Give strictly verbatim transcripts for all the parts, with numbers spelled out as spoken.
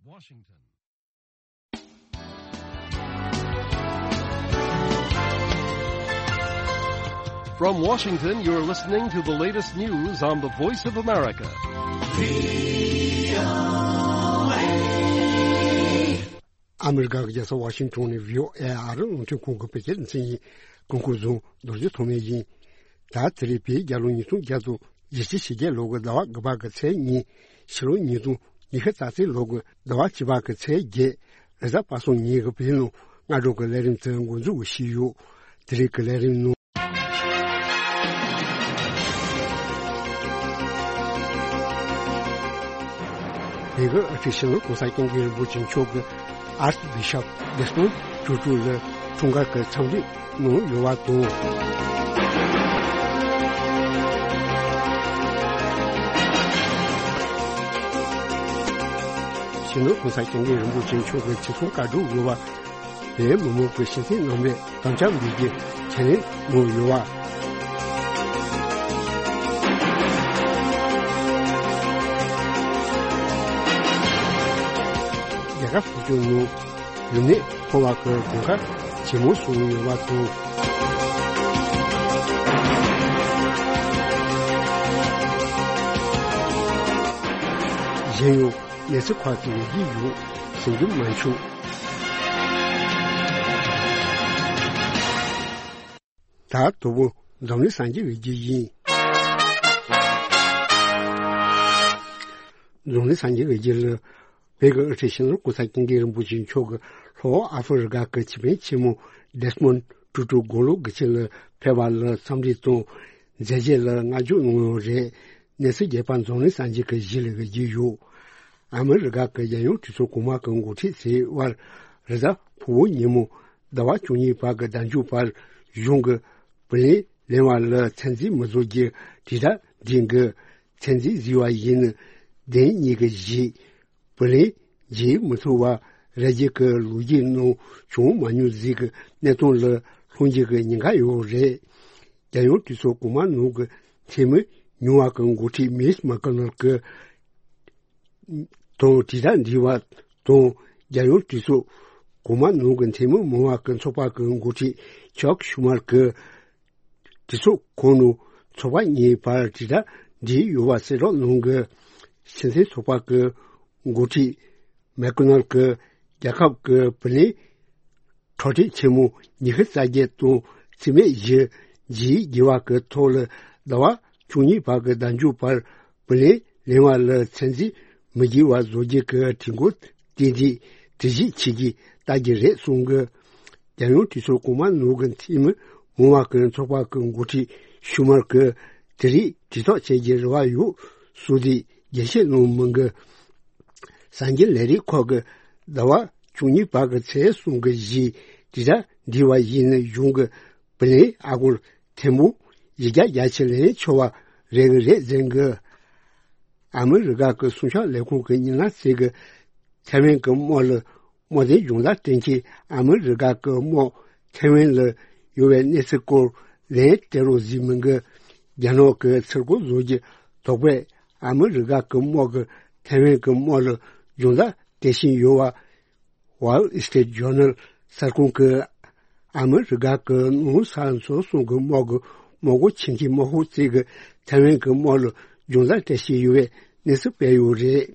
Washington. From Washington, you're listening to the latest news on the Voice of America. ཨ་མི་རི་ཀ་གི་རྒྱལ་ས་ཝ་ཤིང་ཊོན་ནས་བྷི་ཨོ་ཨེ་ཨ་རི་རླུང་འཕྲིན་ཁང་གི་བོད་སྐད་སྡེ་ཚན་ཡིན། སྐུ་ཁམས་བཟང་། རྡོ་རྗེ་ཐོགས་མེད་ཡིན། ད་དེ་རིང་བོད་རྒྱལ་ལོ་ཉིས་སྟོང་བརྒྱ་དང་བཞི་བཅུ་ཞེ་བརྒྱད་ལོ་གི་ཟླ་བ་དགུ་པ་གི་ཚེས་གཉིས། ཕྱི་ལོ་ཉིས་སྟོང་ཉི་ཤུ་རྩ་གཅིག་ལོ་གི་ཟླ་བ་བཅུ་པ་གི་ཚེས་བརྒྱད། རེས་གཟའ་པ་སངས་ཉིན་གྱི་བོད་ལུང་སྔ་དྲོ་གི་ལས་རིམ་དེ་འགོ་འཛུགས་ཞུས་ཡོད། དེ་རིང་གི་ལས་རིམ་ནང་། བོད་ཀྱི་དབུ་ཁྲིད་སྤྱི་ནོར་གོང་ས་སྐྱབས་མགོན་རིན་པོ་ཆེ་མཆོག་གིས་ཨར་སི་བྷི་ཤོབ་ཌེ་སི་མོན་ཊུ་ཊུ་ལ་འཁྲུངས་སྐར་གྱི་འཚམས་འདྲི་གནང་ཡོད་པ་དང་། སྤྱི་ནོར་གོང་ས་སྐྱབས་མགོན་རིན་པོ་ཆེ་མཆོག་གི་ཆེད་གསུང་བཀའ་སྒྲུབ་ཡོད་པ། བོད་མི་མང་གི་སྤྱི་འཐུས་རྣམ་པས་དམ་བཅའ་འབུལ་རྒྱུ་ཁས་ལེན་གནང་ཡོད་པ། རྒྱལ་ཁབ་སོ་སོའི་ནང་རིམས་ནད་ཕོག་པ་གི་གོང་ཁ་ཇེ་མང་སོང་ཡོད་པ་དང་། གཞན་ཡང་། གནས་ཚུལ་ཁག་ཅིག་ཡོད་ཀྱི་ཡོད། ཟིན་རྒྱུ་མ་བྱུང་། ད་དོ་དགོང་འཛམ་གླིང་གསར་འགྱུར་ཡོད་རྒྱུ་ཡིན། འཛམ་གླིང་གསར་འགྱུར་ཡོད་རྒྱུ་ལ། བོད་ཀྱི་དབུ་ཁྲིད་སྤྱི་ནོར་གོང་ས་སྐྱབས་མགོན་རིན་པོ་ཆེ་མཆོག་གིས་ལྷོ་ཨ་ཧྥེ་རི་ཀ་གི་སྤྱི་དཔོན་ཆེན་མོ་ཌེ་སི་མོན་ཊུ་ཊུ་དགུང་ལོ་དགུ་བཅུ་ལ་ཕེབས་པ་ལ་འཚམས་འདྲི་དང་མཛད་རྗེས་ལ་བསྔགས་བརྗོད་གནང་ཡོད་རེད། གནས་ཚུལ་རྒྱས་པ་འཛམ་གླིང་གསར་འགྱུར་གྱི་གཞི་ལ་བརྗོད་ཡོད། ཨ་མི་རི་ཀ་གི་རྒྱལ་ཡོངས་གྲོས་ཚོགས་གོང་མ་གི་འགོ་ཁྲིད་ཚོའི་དབར་རེས་གཟའ་ཕུར་བུ་ཉིན་མོ་ཟླ་བ་བཅུ་གཉིས་པ་གི་ཟླ་མཇུག་བར་གཞུང་གི་བུ་ལོན་ལེན་པ་ལ་ཚད་འཛིན་མི་བཟོ་རྒྱུ་དྲིལ་བསྒྲགས་འདྲེན་གྱི་ཚད་འཛིན་བཟོས་པ་ཡིན་ན། བདེན་གཉིས་ཀྱི་གཞི། བུ་ལོན་འཇལ་མི་ཐུབ་པ་རེ་རྒྱུ་གི་ལོ་རྒྱུས་ནང་བྱུང་མ་མྱོང་ཟིག་གི་གནས་སྟངས་ལ་ལྷུང་རྒྱུ་གི་ཉེན་ཁ་ཡོད་རེད། རྒྱལ་ཡོངས་གྲོས་ཚོགས་གོང་མ་ནང་གི་འཐུས་མི་ཉུང་བ་གི་འགོ་ཁྲིད་མིས་མེག་ཀོ་ནལ་གི་དང་དྲིལ་བསྒྲགས་འདྲི་བ་དང་། རྒྱལ་ཡོངས་གྲོས་ཚོགས་གོང་མ་ནང་གི་འཐུས་མི་མང་བ་གི་ཚོགས་པ་གི་འགོ་ཁྲིད་ཅག་ཤུ་མར་གི་གྲོས་ཚོགས་ཁོངས་ནང་ཚོགས་པ་གཉིས་བར་དྲིལ་བསྒྲགས་འདྲིས་ཡོད་པ་གསལ་བསྒྲགས་གནང་གི། སྤྱི་མཐུན་ཚོགས་པ་གི་འགོ་ཁྲིད་མེག་ཀོ་ནལ་གི་རྒྱལ་ཁབ་ཀྱི་བུ་ལོན་འཕྲོག་བསྲེག་ཆེན་མོ་ཉི་ཤུ་རྩ་བརྒྱད་དང་རྩིས་མེད་བཞི་འཇལ་དགོས་པ་གི་ཐོག་ལ་ཟླ་བ་བཅུ་གཉིས་པ་གི་ཟླ་མཇུག་བར་བུ་ལོན་ལེན་པ་ལ་ཚད་འཛིན་མི་དགོས་པ་བཟོ་རྒྱུ་གི་གྲོས་འགོ་དེ་འདི་གྲོས་གཞི་བྱེད་ཀྱི་ལྟ་རྒྱུ་རེད་གསུང་གི། རྒྱལ་ཡོངས་གྲོས་ཚོགས་གོང་མ་ནང་གི་འཐུས་མི་མང་བ་གི་ཚོགས་པ་གི་འགོ་ཁྲིད་ཤུ་མར་གི་དེ་རིང་གྲོས་ཐག་བཅད་རྒྱུ་རེ་བ་ཡོད་གསུངས་ཏེ་རྒྱས་བཤད་གནང་མི་འགི། གསར་འགྱུར་ལས་རིགས་ཁག་གི་ཟླ་བ་བཅུ་གཉིས་པ་གི་ཚེས་གསུམ་གི་གཞི་དྲིལ་བསྒྲགས་འདྲི་བ་ཡིན་ན་གཞུང་གི་བུ་ལོན་ཨ་སྒོར་ཐེར་འབུམ་བཞི་བརྒྱ་བརྒྱ་ཆེ་ལེན་ཆོག་པ་རེད་གི་རེད་ཟེར་གི། ཨ་མི་རི་ཀ་གི་སྲུང་སྐྱོབ་ལས་ཁུངས་ཀྱི་མི་སྣ་ཚོས་གི་ཐའེ་ཝན་གི་དམག་ལ་དམག་དོན་སྦྱོང་བརྡར་སྤྲད་མཁན་ཨ་མི་རི་ཀ་གི་དམག་ཐའེ་ཝན་ལ་ཡོད་པའི་གནས་ཚུལ་སྐོར་ལན་སྤྲད་རོགས་ཟེར་མི་འགི། རྒྱ་ནག་གི་ཚུར་རྒོལ་བཟོ་རྒྱུ་དོགས་པས་ཨ་མི་རི་ཀ་གི་དམག་གི་ཐའེ་ཝན་གི་དམག་ལ་སྦྱོང་བརྡར་སྤྲད་བཞིན་ཡོད་པ། Wall Street Journal གསར་ཁང་གིས་ཨ་མི་རི་ཀ་གི་ནང་ས་འཛིན་སོང་གི་དམག་གི་དམག་སྒོ་ཆེ་མཁན་དམག་ཤོག་ཅིག་གིས་ཐའེ་ཝན་གི་དམག་ལ་སྦྱོང་བརྡར་སྤྲད་བཞིན་ཡོད་པའི་གནས་ཚུལ་སྤེལ་ཡོད་རེད།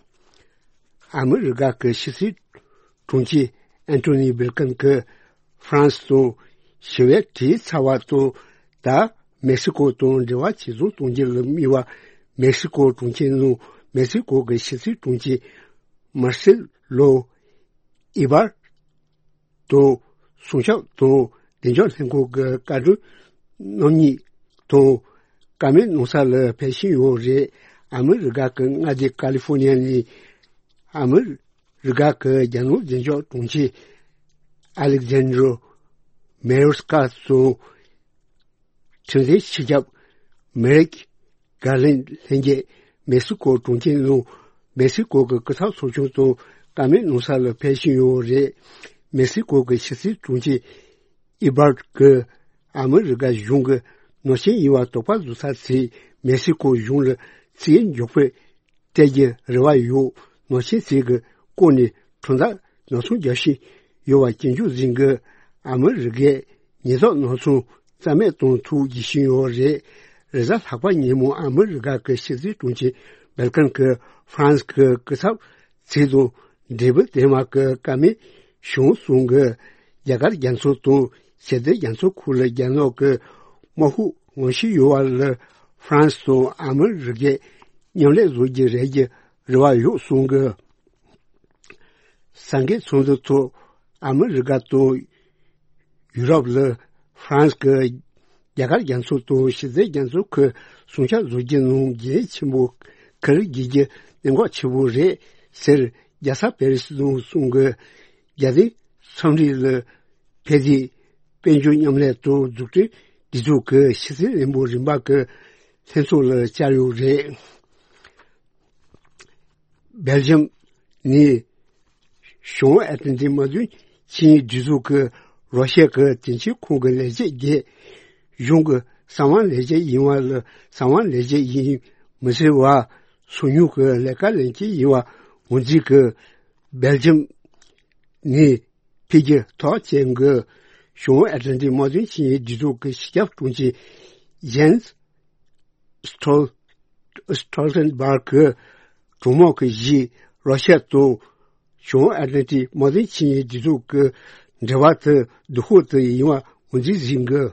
ཨ་མི་རི་ཀ་གི་ཕྱི་སྲིད་དྲུང་ཆེ་ཨན་ཐོ་ནི་བྷིལ་ཀན་གྱིས་ཧྥ་རན་སི་དང་ཞི་བའི་གྲོས་ཚར་བ་དང་། ད་མེག་སི་ཀོ་དང་འབྲེལ་བ་ཇེ་བཟང་གཏོང་རྒྱུ་ལ་དམིགས་པ་མེག་སི་ཀོ་དྲུང་ཆེ་ནང་མེག་སི་ཀོ་གི་ཕྱི་སྲིད་དྲུང་ཆེ་མར་སེ་ལོ་ཨི་བར་དང་སྲུང་སྐྱོབ་དང་བདེ་འཇགས་ལྷན་ཁང་གི་བཀའ་དྲུང་རྣམ་གཉིས་དང་བཀའ་མོལ་གནང་ས་ལ་ཕེབས་བཞིན་ཡོད་རེད། ཨ་མི་རི་ཀ་གི་མངའ་སྡེ་ཀ་ལི་ཧྥོ་ནི་ཡ་ནས་ཨ་མི་རི་ཀ་གི་རྒྱལ་ནང་བདེ་འཇགས་དྲུང་ཆེ་ཨ་ལེག་ཛན་ཌྲ་མེ་ཡོར་སི་ཀ་དང་ཁྲིམས་འཛིན་སྤྱི་ཁྱབ་མེ་རིག་གྷར་ལན་ལྷན་རྒྱས་མེག་སི་ཀོ་གྲོང་ཁྱེར་ནང་མེག་སི་ཀོ་གི་སྐུ་ཚབ་ཚོགས་ཆུང་དང་བཀའ་མོལ་གནང་ས་ལ་ཕེབས་བཞིན་ཡོད་རེད། མེག་སི་ཀོ་གི་ཕྱི་སྲིད་དྲུང་ཆེ་ཨི་བར་གྱིས་ཨ་མི་རི་ཀ་གཞུང་གི་ནང་བཞིན་ཡིན་པ་དོགས་པ་བཟོ་ས་ཚོས་མེག་སི་ཀོ་གཞུང་ལ་ཚིག་མགྱོགས་པོས་སྤྲད་རྒྱུ་རེ་བ་ཡོད། ནང་བཞིན་ཚིག་གི་སྐོར་ནས་ གྲོང་རྡལ་ནག་ཚོང་རྒྱག་བཞིན་ཡོད་པ་ཇེ་མགྱོགས་ཟིན་གི། ཨ་མི་རི་ཀས་ཉེན་རྟོག་ནག་ཚོང་རྩ་མེད་གཏོང་ཐུགས་རྗེ་བཞིན་ཡོད་རེད། རེས་གཟའ་ལྷག་པ་ཉིན་མོ་ཨ་མི་རི་ཀ་གི་ཕྱི་སྲིད་དྲུང་ཆེ་སྦེལ་ཀན་གྱི་ཧྥ་རན་སི་གི་སྐུ་ཚབ་ཚིག་དང་འབྲས་བུ་ལྡན་མ་གི་བཀའ་མོལ་བྱུང་གསུང་གི། རྒྱ་གར་རྒྱ་མཚོ་དང་ཞི་བདེ་རྒྱ་མཚོ་ཁུལ་ལ་རྒྱ་ནག་གི་དམག་དཔུང་ངོ་ཤེས་ཡོད་པ་ལ་ཧྥ་རན་སི་དང་ཨ་མི་རི་ཀས་མཉམ་ལས་བཟོ་རྒྱུ་རེད་ཀྱི་རེ་བ་ཡོད་གསུང་གི། སངས་རྒྱས་ཚོགས་འདུ་ཐོག་ཨ་མི་རི་ཀ་དང་ཡུ་རོབ་ལ་ཧྥ་རན་སི་གི་རྒྱ་གར་རྒྱ་མཚོ་དང་ཞི་བདེ་རྒྱ་མཚོ་ཁུལ་སྲུང་སྐྱོབ་བཟོ་རྒྱུ་ནང་འགན་ཆེན་པོ་འཁུར་དགོས་རྒྱུ་གནད་འགག་ཆེ་བོ་རེད་ཟེར། རྒྱལ་ས་པེ་རི་སི་ནང་གསུང་གི། རྒྱལ་སྟེང་མཚམས་རིགས་ལ་ཕེབས་ཏེ་དཔལ་འབྱོར་མཉམ་ལས་དང་འཛུགས་སྐྲུན་སྒྲིག་འཛུགས་ཀྱི་ཕྱི་སྲིད་བློན་པོ་རིམ་པ་གི་ལྷན་ཚོགས་ལ་བཅར་ཡོད་རེད། སྦེལ་ཇམ་ནས་བྱང་ཨེ་ཏན་ཏིག་དམག་དོན་ཆིངས་ཡིག་སྒྲིག་འཛུགས་ཀྱི་རོ་ཤ་གི་དེང་ཕྱིན་ཁོང་གི་ལས་བྱེད་བརྒྱད། གཞུང་གི་གསང་བ་ལས་བྱེད་ཡིན་པ་ལ་གསང་བ་ལས་བྱེད་ཡིན་མི་སྲིད་པ་སོ་ཉུལ་གྱི་ལས་ཀ་ལེན་གྱི་ཡིན་པ་ངོས་འཛིན་གྱི། སྦེལ་ཇམ་ནས་འཕེལ་རྒྱས་ཐོག་ཅན་གྱི་བྱང་ཨེ་ཏན་ཏིག་དམག་དོན་ཆིངས་ཡིག་སྒྲིག་འཛུགས་ཀྱི་སྤྱི་ཁྱབ་དྲུང་ཆེ་ཇེན་སི་སི་ཊོལ་སི་ཊོལ་ཊེན་སྦར་གྱིས་གྲོས་མོལ་གྱི་གཞི་རོ་ཤ་དང་བྱང་ཨེ་ཏན་ཏིག་དམག་དོན་ཆིངས་ཡིག་སྒྲིག་འཛུགས་ཀྱི་འབྲེལ་བ་དེ་སྡུག་ཤོས་དེ་ཡིན་པ་ངོས་འཛིན་ཟིན་གྱི།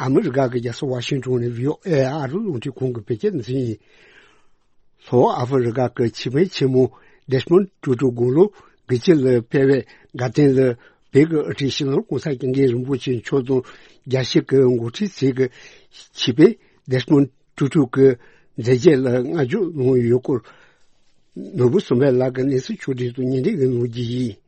ཨ་མི་རི་ཀ་གི་རྒྱལ་ས་ཝ་ཤིང་ཏོན་ནས་བྷི་ཨོ་ཨེ་ཨ་རི་རླུང་འཕྲིན་ཁང་གི་བོད་སྐད་སྡེ་ཚན་ཡིན། ལྷོ་ཨ་ཧྥེ་རི་ཀ་གི་སྤྱི་དཔོན་ཆེན་མོ་ཌེ་སི་མོན་ཊུ་ཊུ་དགུང་ལོ་དགུ་བཅུ་ལ་ཕེབས་པའི་དགའ་སྟོན་ལ་བོད་ཀྱི་དབུ་ཁྲིད་སྤྱི་ནོར་༸གོང་ས་༸སྐྱབས་མགོན་རིན་པོ་ཆེ་མཆོག་དང་རྒྱལ་སྤྱི་གི་འགོ་ཁྲིད་ཚོས་ཀྱི་སྤྱི་དཔོན་ཌེ་སི་མོན་ཊུ་ཊུ་གི་མཛད་རྗེས་ལ་བསྔགས་བརྗོད་གནང་ཡོད་སྐོར། ནོར་བུ་བསམ་འཕེལ་ལགས་ཀྱིས་གནས་ཚུལ་ཕྱོགས་སྒྲིག་དང་སྙན་སྒྲོན་གནང་རྒྱུ་ཡིན།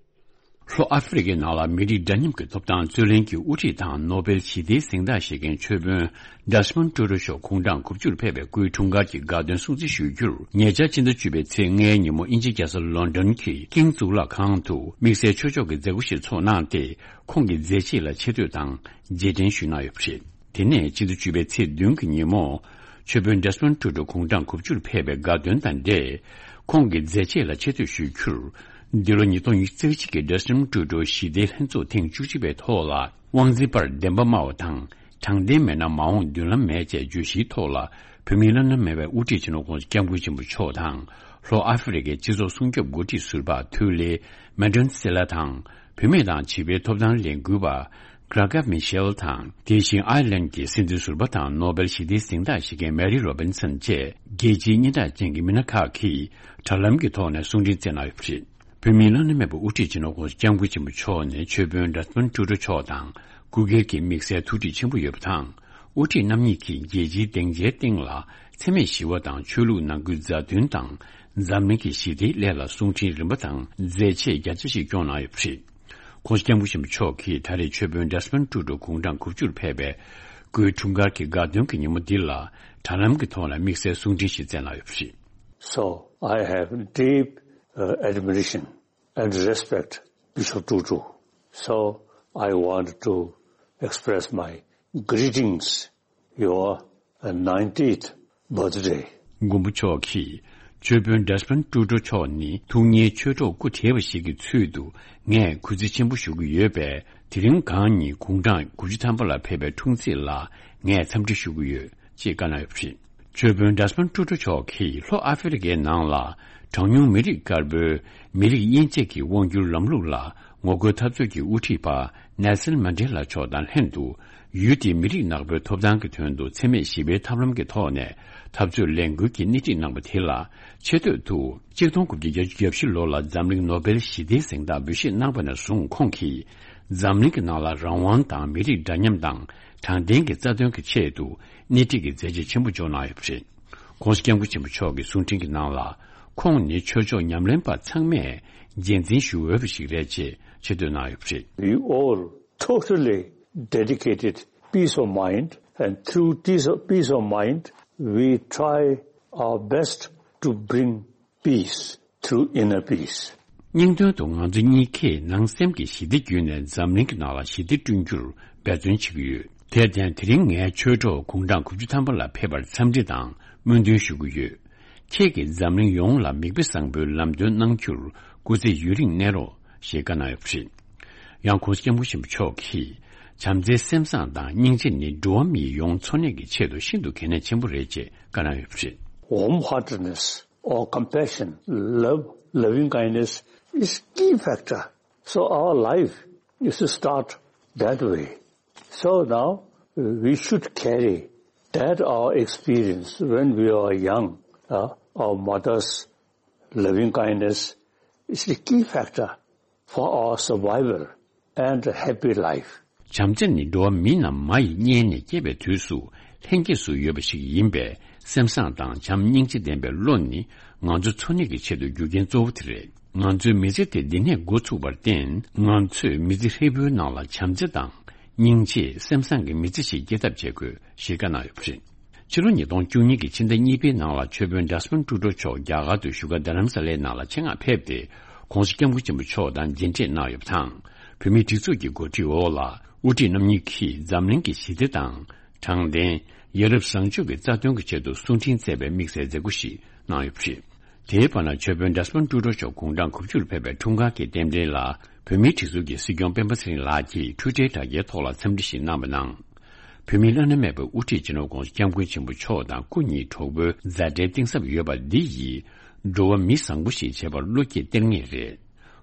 ལྷོ་ཨ་ཧྥེ་རི་ཀའི་ནང་ལ་མི་རིགས་འདྲ་མཉམ་གྱི་ཐོབ་ཐང་རྩོད་ལེན་གྱི་དབུ་ཁྲིད་དང་ནོ་སྦེལ་ཞི་བདེའི་གཟེངས་རྟགས་བཞེས་མཁན་ཆོས་དཔོན་ཌེ་སི་མོན་ཊུ་ཊུ་མཆོག་དགུང་གྲངས་དགུ་བཅུར་ཕེབས་པའི་སྐུའི་འཁྲུངས་སྐར་གྱི་དགའ་སྟོན་སྲུང་བརྩི་ཞུ་རྒྱུར། ཉེ་ཆར་སྤྱི་ཟླ་བཅུ་པའི་ཚེས་ལྔའི་ཉིན་མོ་དབྱིན་ཇིའི་རྒྱལ་ས་ལོན་ཌོན་གྱི་ཀིང་གཙུག་ལག་ཁང་དུ་དམིགས་བསལ་ཆོས་ཕྱོགས་ཀྱི་མཛད་སྒོ་ཞིག་ཚོགས་གནང་སྟེ། ཁོང་གི་མཛད་རྗེས་ལ་ཆེ་བསྟོད་དང་རྗེས་དྲན་ཞུས་གནང་ཡོད་པ་རེད། དེ་ནས་སྤྱི་ཟླ་བཅུ་པའི་ཚེས་བདུན་གྱི་ཉིན་མོ། ཆོས་དཔོན་ཌེ་སི་མོན་ཊུ་ཊུ་དགུང་གྲངས་དགུ་བཅུར་ཕེབས་པའི་དགའ་སྟོན་དང་འབྲེལ། ཁོང་གི་མཛད་རྗེས་ལ་ཆེ་བསྟོད་ཞུ་རྒྱུར། འདི་ལོ་ཉིས་སྟོང་ཉི་ཤུ་རྩ་གཅིག་གི་ཌེ་སི་མོན་ཊུ་ཊུ་ཞི་བདེའི་ལྷན་ཚོགས་ཐེངས་བཅུ་གཅིག་པའི་ཐོག་ལ། དབང་འཛིན་པར་བདེན་པ་སྨྲ་བ་དང་། དྲང་བདེན་མེད་ན་མ་འོངས་མདུན་ལམ་མེད་ཅེས་བརྗོད་གཞིའི་ཐོག་ལ། བོད་མིའི་བླ་ན་མེད་པའི་དབུ་ཁྲིད་སྤྱི་ནོར་༸གོང་ས་༸སྐྱབས་མགོན་ཆེན་པོ་མཆོག་དང་། ལྷོ་ཨ་ཧྥེ་རི་ཀའི་སྤྱི་ཚོགས་སྲུང་སྐྱོབ་འགོ་ཁྲིད་ཟུར་པ་འཐུས་ལས་མན་ཌོན་སི་ལ་དང་། བུད་མེད་དང་བྱིས་པའི་ཐོབ་ཐང་ལས་འགུལ་བ་གྷ་ར་གྷ་མི་ཤེལ་དང་། དེ་བཞིན་ཨའི་ལན་གྱི་སྲིད་འཛིན་ཟུར་པ་དང་ནོ་སྦེལ་ཞི་བདེའི་གཟེངས་རྟགས་བཞེས་མཁན་མེ་རི་རོ་བིན་སན་བཅས་རྒྱལ་སྤྱིའི་སྙན་གྲགས་ཅན་གྱི་མི་སྣ་ཁག་གིས་དྲ་ལམ་གྱི་ཐོག་ནས་གསུང་འཕྲིན་བསྩལ་གནང་ཡོད་པ་རེད། བོད་མིའི་བླ་ན་མེད་པའི་དབུ་ཁྲིད་སྤྱི་ནོར་༸གོང་ས་༸སྐྱབས་མགོན་ཆེན་པོ་མཆོག་ནས་ཆོས་དཔོན་ཌེ་སི་མོན་ཊུ་ཊུ་མཆོག་དང་སྐུ་སྒེར་གྱི་དམིགས་བསལ་ཐུགས་འདྲིས་ཆེན་པོ་ཡོད་པ་དང་། དབུ་ཁྲིད་རྣམ་གཉིས་ཀྱིས་རྒྱལ་སྤྱིའི་སྡིངས་ཆའི་སྟེང་ལ་འཚེ་མེད་ཞི་བ་དང་ཆོས་ལུགས་ནང་ཁུལ་མཛའ་མཐུན་དང་འཛམ་གླིང་གི་ཞི་བདེའི་སླད་ལ་གསུང་འཕྲིན་རིམ་པ་དང་མཛད་རྗེས་རྒྱ་ཆེ་ཞིག་སྐྱོང་གནང་ཡོད་པ་རེད། ༸གོང་ས་༸སྐྱབས་མགོན་ཆེན་པོ་མཆོག་གིས་ད་རེས་ཆོས་དཔོན་ཌེ་སི་མོན་ཊུ་ཊུ་དགུང་གྲངས་དགུ་བཅུར་ཕེབས་པའི་སྐུའི་འཁྲུངས་སྐར་གྱི་དགའ་སྟོན་གྱི་ཉིན་མོ་འདི་ལ་དྲ་ལམ་གྱི་ཐོག་ནས་དམིགས་བསལ་གསུང་འཕྲིན་ཞིག་བསྩལ་གནང་ཡོད་པ་རེད། So I have deep, uh, admiration and respect, Bishop Tutu. So I want to express my greetings, your, uh, ninetieth birthday. མགོན་པོ་མཆོག་གིས་ཆོས་དཔོན་ཌེ་སི་མོན་ཊུ་ཊུ་མཆོག་ནི་ཐུགས་མཉེས་ཆོས་གྲོགས་སྐུ་བགྲེས་པ་ཞིག་གི་ཚུལ་དུ་ངས་གུས་བརྩི་ཆེན་པོ་ཞུ་གི་ཡོད་པས། དེ་རིང་གང་ཉིད་དགུང་གྲངས་དགུ་བཅུ་ཐམ་པ་ལ་ཕེབས་པའི་འཁྲུངས་ཚེས་ལ་ངས་འཚམས་འདྲི་ཞུ་གི་ཡོད། ཅེས་བཀའ་གནང་ཡོད་པ་རེད། ཆོས་དཔོན་ཌེ་སི་མོན་ཊུ་ཊུ་མཆོག་གིས་ལྷོ་ཨ་ཧྥེ་རི་ཀའི་ནང་ལ་གྲངས་ཉུང་མི་རིགས་དཀར་པོའི་མི་རིགས་དབྱེ་འབྱེད་ཀྱི་དབང་སྒྱུར་ལམ་ལུགས་ལ་ངོ་རྒོལ་འཐབ་རྩོད་ཀྱི་དབུ་ཁྲིད་པ་ནེལ་སན་མན་ཌེ་ལ་མཆོག་དང་ལྷན་དུ། ཡུལ་དེའི་མི་རིགས་ནག་པོའི་ཐོབ་ཐང་གི་དོན་དུ་འཚེ་མེད་ཞི་བའི་ཐབས་ལམ་གྱི་ཐོག་ནས་འཐབ་རྩོད་ལས་འགུལ་གྱི་སྣེ་ཁྲིད་གནང་བ་དེ་ལ་ཆེ་བསྟོད་དུ། གཅིག་སྟོང་དགུ་བརྒྱ་བརྒྱད་ཅུ་གྱ་བཞི་ལོ་ལ་འཛམ་གླིང་ནོ་སྦེལ་ཞི་བདེའི་གཟེངས་རྟགས་འབུལ་བཞེས་གནང་བ་ནས་བཟུང་ཁོང་གིས། འཛམ་གླིང་གི་ནང་ལ་རང་དབང་དང་མི་རིགས་འདྲ་མཉམ་དང་དྲང་བདེན་གྱི་རྩ་དོན་གྱི་ཆེད་དུ་སྣེ་ཁྲིད་ཀྱི་མཛད་རྗེས་ཆེན་པོ་འཇོག་གནང་ཡོད་པ་རེད། ༸གོང་ས་༸སྐྱབས་མགོན་ཆེན་པོ་མཆོག་གི་གསུང་འཕྲིན་གྱི་ནང་ལ། ཁོང་ནི་ཆོས་ཕྱོགས་ཉམས་ལེན་པ་ཚང་མས་རྗེས་འཛིན་ཞུ་འོས་པ་ཞིག་རེད་ཅེས་ཆེ་བསྟོད་གནང་ཡོད་པ་རེད། We all totally dedicated peace of mind, and through peace of, peace of mind, we try our best to bring peace through inner peace. སྙིང་དོན་དུ་ང་ཚོ་གཉིས་ཀས་ནང་སེམས་ཀྱི་ཞི་བདེ་བརྒྱུད་ནས་འཛམ་གླིང་གི་ནང་ལ་ཞི་བདེ་བསྐྲུན་རྒྱུར་འབད་བརྩོན་བྱེད་ཀྱི་ཡོད། དེར་བརྟེན་དེ་རིང་ངའི་ཆོས་གྲོགས་དགུང་གྲངས་དགུ་བཅུ་ཐམ་པ་ལ་ཕེབས་པར་འཚམས་འདྲི་དང་སྨོན་འདུན་ཞུ་གི་ཡོད། ཁྱེད་ཀྱིས་འཛམ་གླིང་ཡོངས་ལ་མིག་དཔེ་བཟང་པོའི་ལམ་སྟོན་གནང་རྒྱུར་སྐུ་ཚེ་ཡུན་རིང་གནས་རོགས་ཞེས་བཀའ་གནང་ཡོད་པ་རེད། ཡང་༸གོང་ས་༸སྐྱབས་མགོན་ཆེན་པོ་མཆོག་གིས་བྱམས་བརྩེའི་སེམས་བཟང་དང་སྙིང་རྗེ་ནི་འགྲོ་བ་མིའི་ཡོངས་འཚོ་གནས་ཀྱི་ཆེད་དུ་ཤིན་ཏུ་གལ་གནད་ཆེན་པོ་རེད་ཅེས་བཀའ་གནང་ཡོད་པ་རེད། Warm-heartedness or compassion, love, loving kindness is key factor. So our life is to start that way. So now we should carry that our experience when we are young, uh, our mother's loving kindness is the key factor for our survival and a happy life. བྱམས་བརྩེ་ནི་འགྲོ་བ་མི་རྣམས་མ་ཡི་མངལ་ནས་སྐྱེས་པའི་དུས་སུ་ལྷན་སྐྱེས་སུ་ཡོད་པ་ཞིག་ཡིན་པས། སེམས་བཟང་དང་བྱམས་སྙིང་རྗེ་ལྡན་པའི་བློ་ནི་ང་ཚོ་འཚོ་གནས་ཀྱི་ཆེད་དུ་རྒྱུ་རྐྱེན་གཙོ་བོ་དེ་རེད། ང་ཚོའི་མི་ཚེ་དེ་འདི་ནས་འགོ་ཚུགས་པར་བརྟེན། ང་ཚོས་མི་ཚེ་ཧྲིལ་པོའི་ནང་ལ་བྱམས་བརྩེ་དང་སྙིང་རྗེ། སེམས་བཟང་གི་མི་ཚེ་ཞིག་སྐྱེལ་ཐབས་བྱེད་དགོས་ཞེས་བཀའ་གནང་ཡོད་པ་རེད། ཕྱི་ལོ་ཉིས་སྟོང་བཅུ་གཉིས་ཀྱི་ཕྱི་ཟླ་གཉིས་པའི་ནང་ལ་ཆོས་དཔོན་ཌེ་སི་མོན་ཊུ་ཌོ་མཆོག་རྒྱ་གར་དུ་བཞུགས་སྒར་རྡ་རམ་ས་ལའི་ནང་ལ་ཆེད་མངགས་ཕེབས་ཏེ། ༸གོང་ས་༸སྐྱབས་མགོན་ཆེན་པོ་མཆོག་དང་མཇལ་འཕྲད་གནང་ཡོད་པ་དང་། བོད་མིའི་སྒྲིག་འཛུགས་ཀྱི་འགོ་ཁྲིད་འོག་ལ་དབུ་ཁྲིད་རྣམ་གཉིས་ཀྱིས་འཛམ་གླིང་གི་ཞི་བདེ་དང་། དྲང་བདེན། ཡ་རབས་བཟང་སྤྱོད་ཀྱི་རྩ་དོན་གྱི་ཆེད་དུ་གསུང་འཕྲིན་བསྩལ་བའི་དམིགས་བསལ་མཛད་སྒོ་ཞིག་གནང་ཡོད་པ་རེད། དེའི་བར་ན་ཆོས་དཔོན་ཌེ་སི་མོན་ཊུ་ཌོ་མཆོག་དགུང་གྲངས་དགུ་བཅུ་ལ་ཕེབས་པའི་འཁྲུངས་སྐར་གྱི་རྟེན་འབྲེལ་ལ། བོད་མིའི་སྒྲིག་འཛུགས་ཀྱི་སྲིད་སྐྱོང་སྤེན་པ་ཚེ་རིང་ལགས་ཀྱིས་འཕྲུལ་བསྟར་དྲ་རྒྱའི་ཐོག་ལ་འཚམས་འདྲི་ཞིག་གནང་བ་ནང་། བོད་མིའི་བླ་ན་མེད་པའི་དབུ་ཁྲིད་སྤྱི་ནོར་༸གོང་ས་༸སྐྱབས་མགོན་ཆེན་པོ་མཆོག་དང་སྐུ་ཉིད་གྲོགས་པོའི་མཛའ་འབྲེལ་གཏིང་ཟབ་ཡོད་པ་འདི་ཡིས། འགྲོ་བ་མི་བཟང་པོ་ཞིག་བྱེད་པར་བློ་སྐྱེད་སྟེར་ངེས་རེད།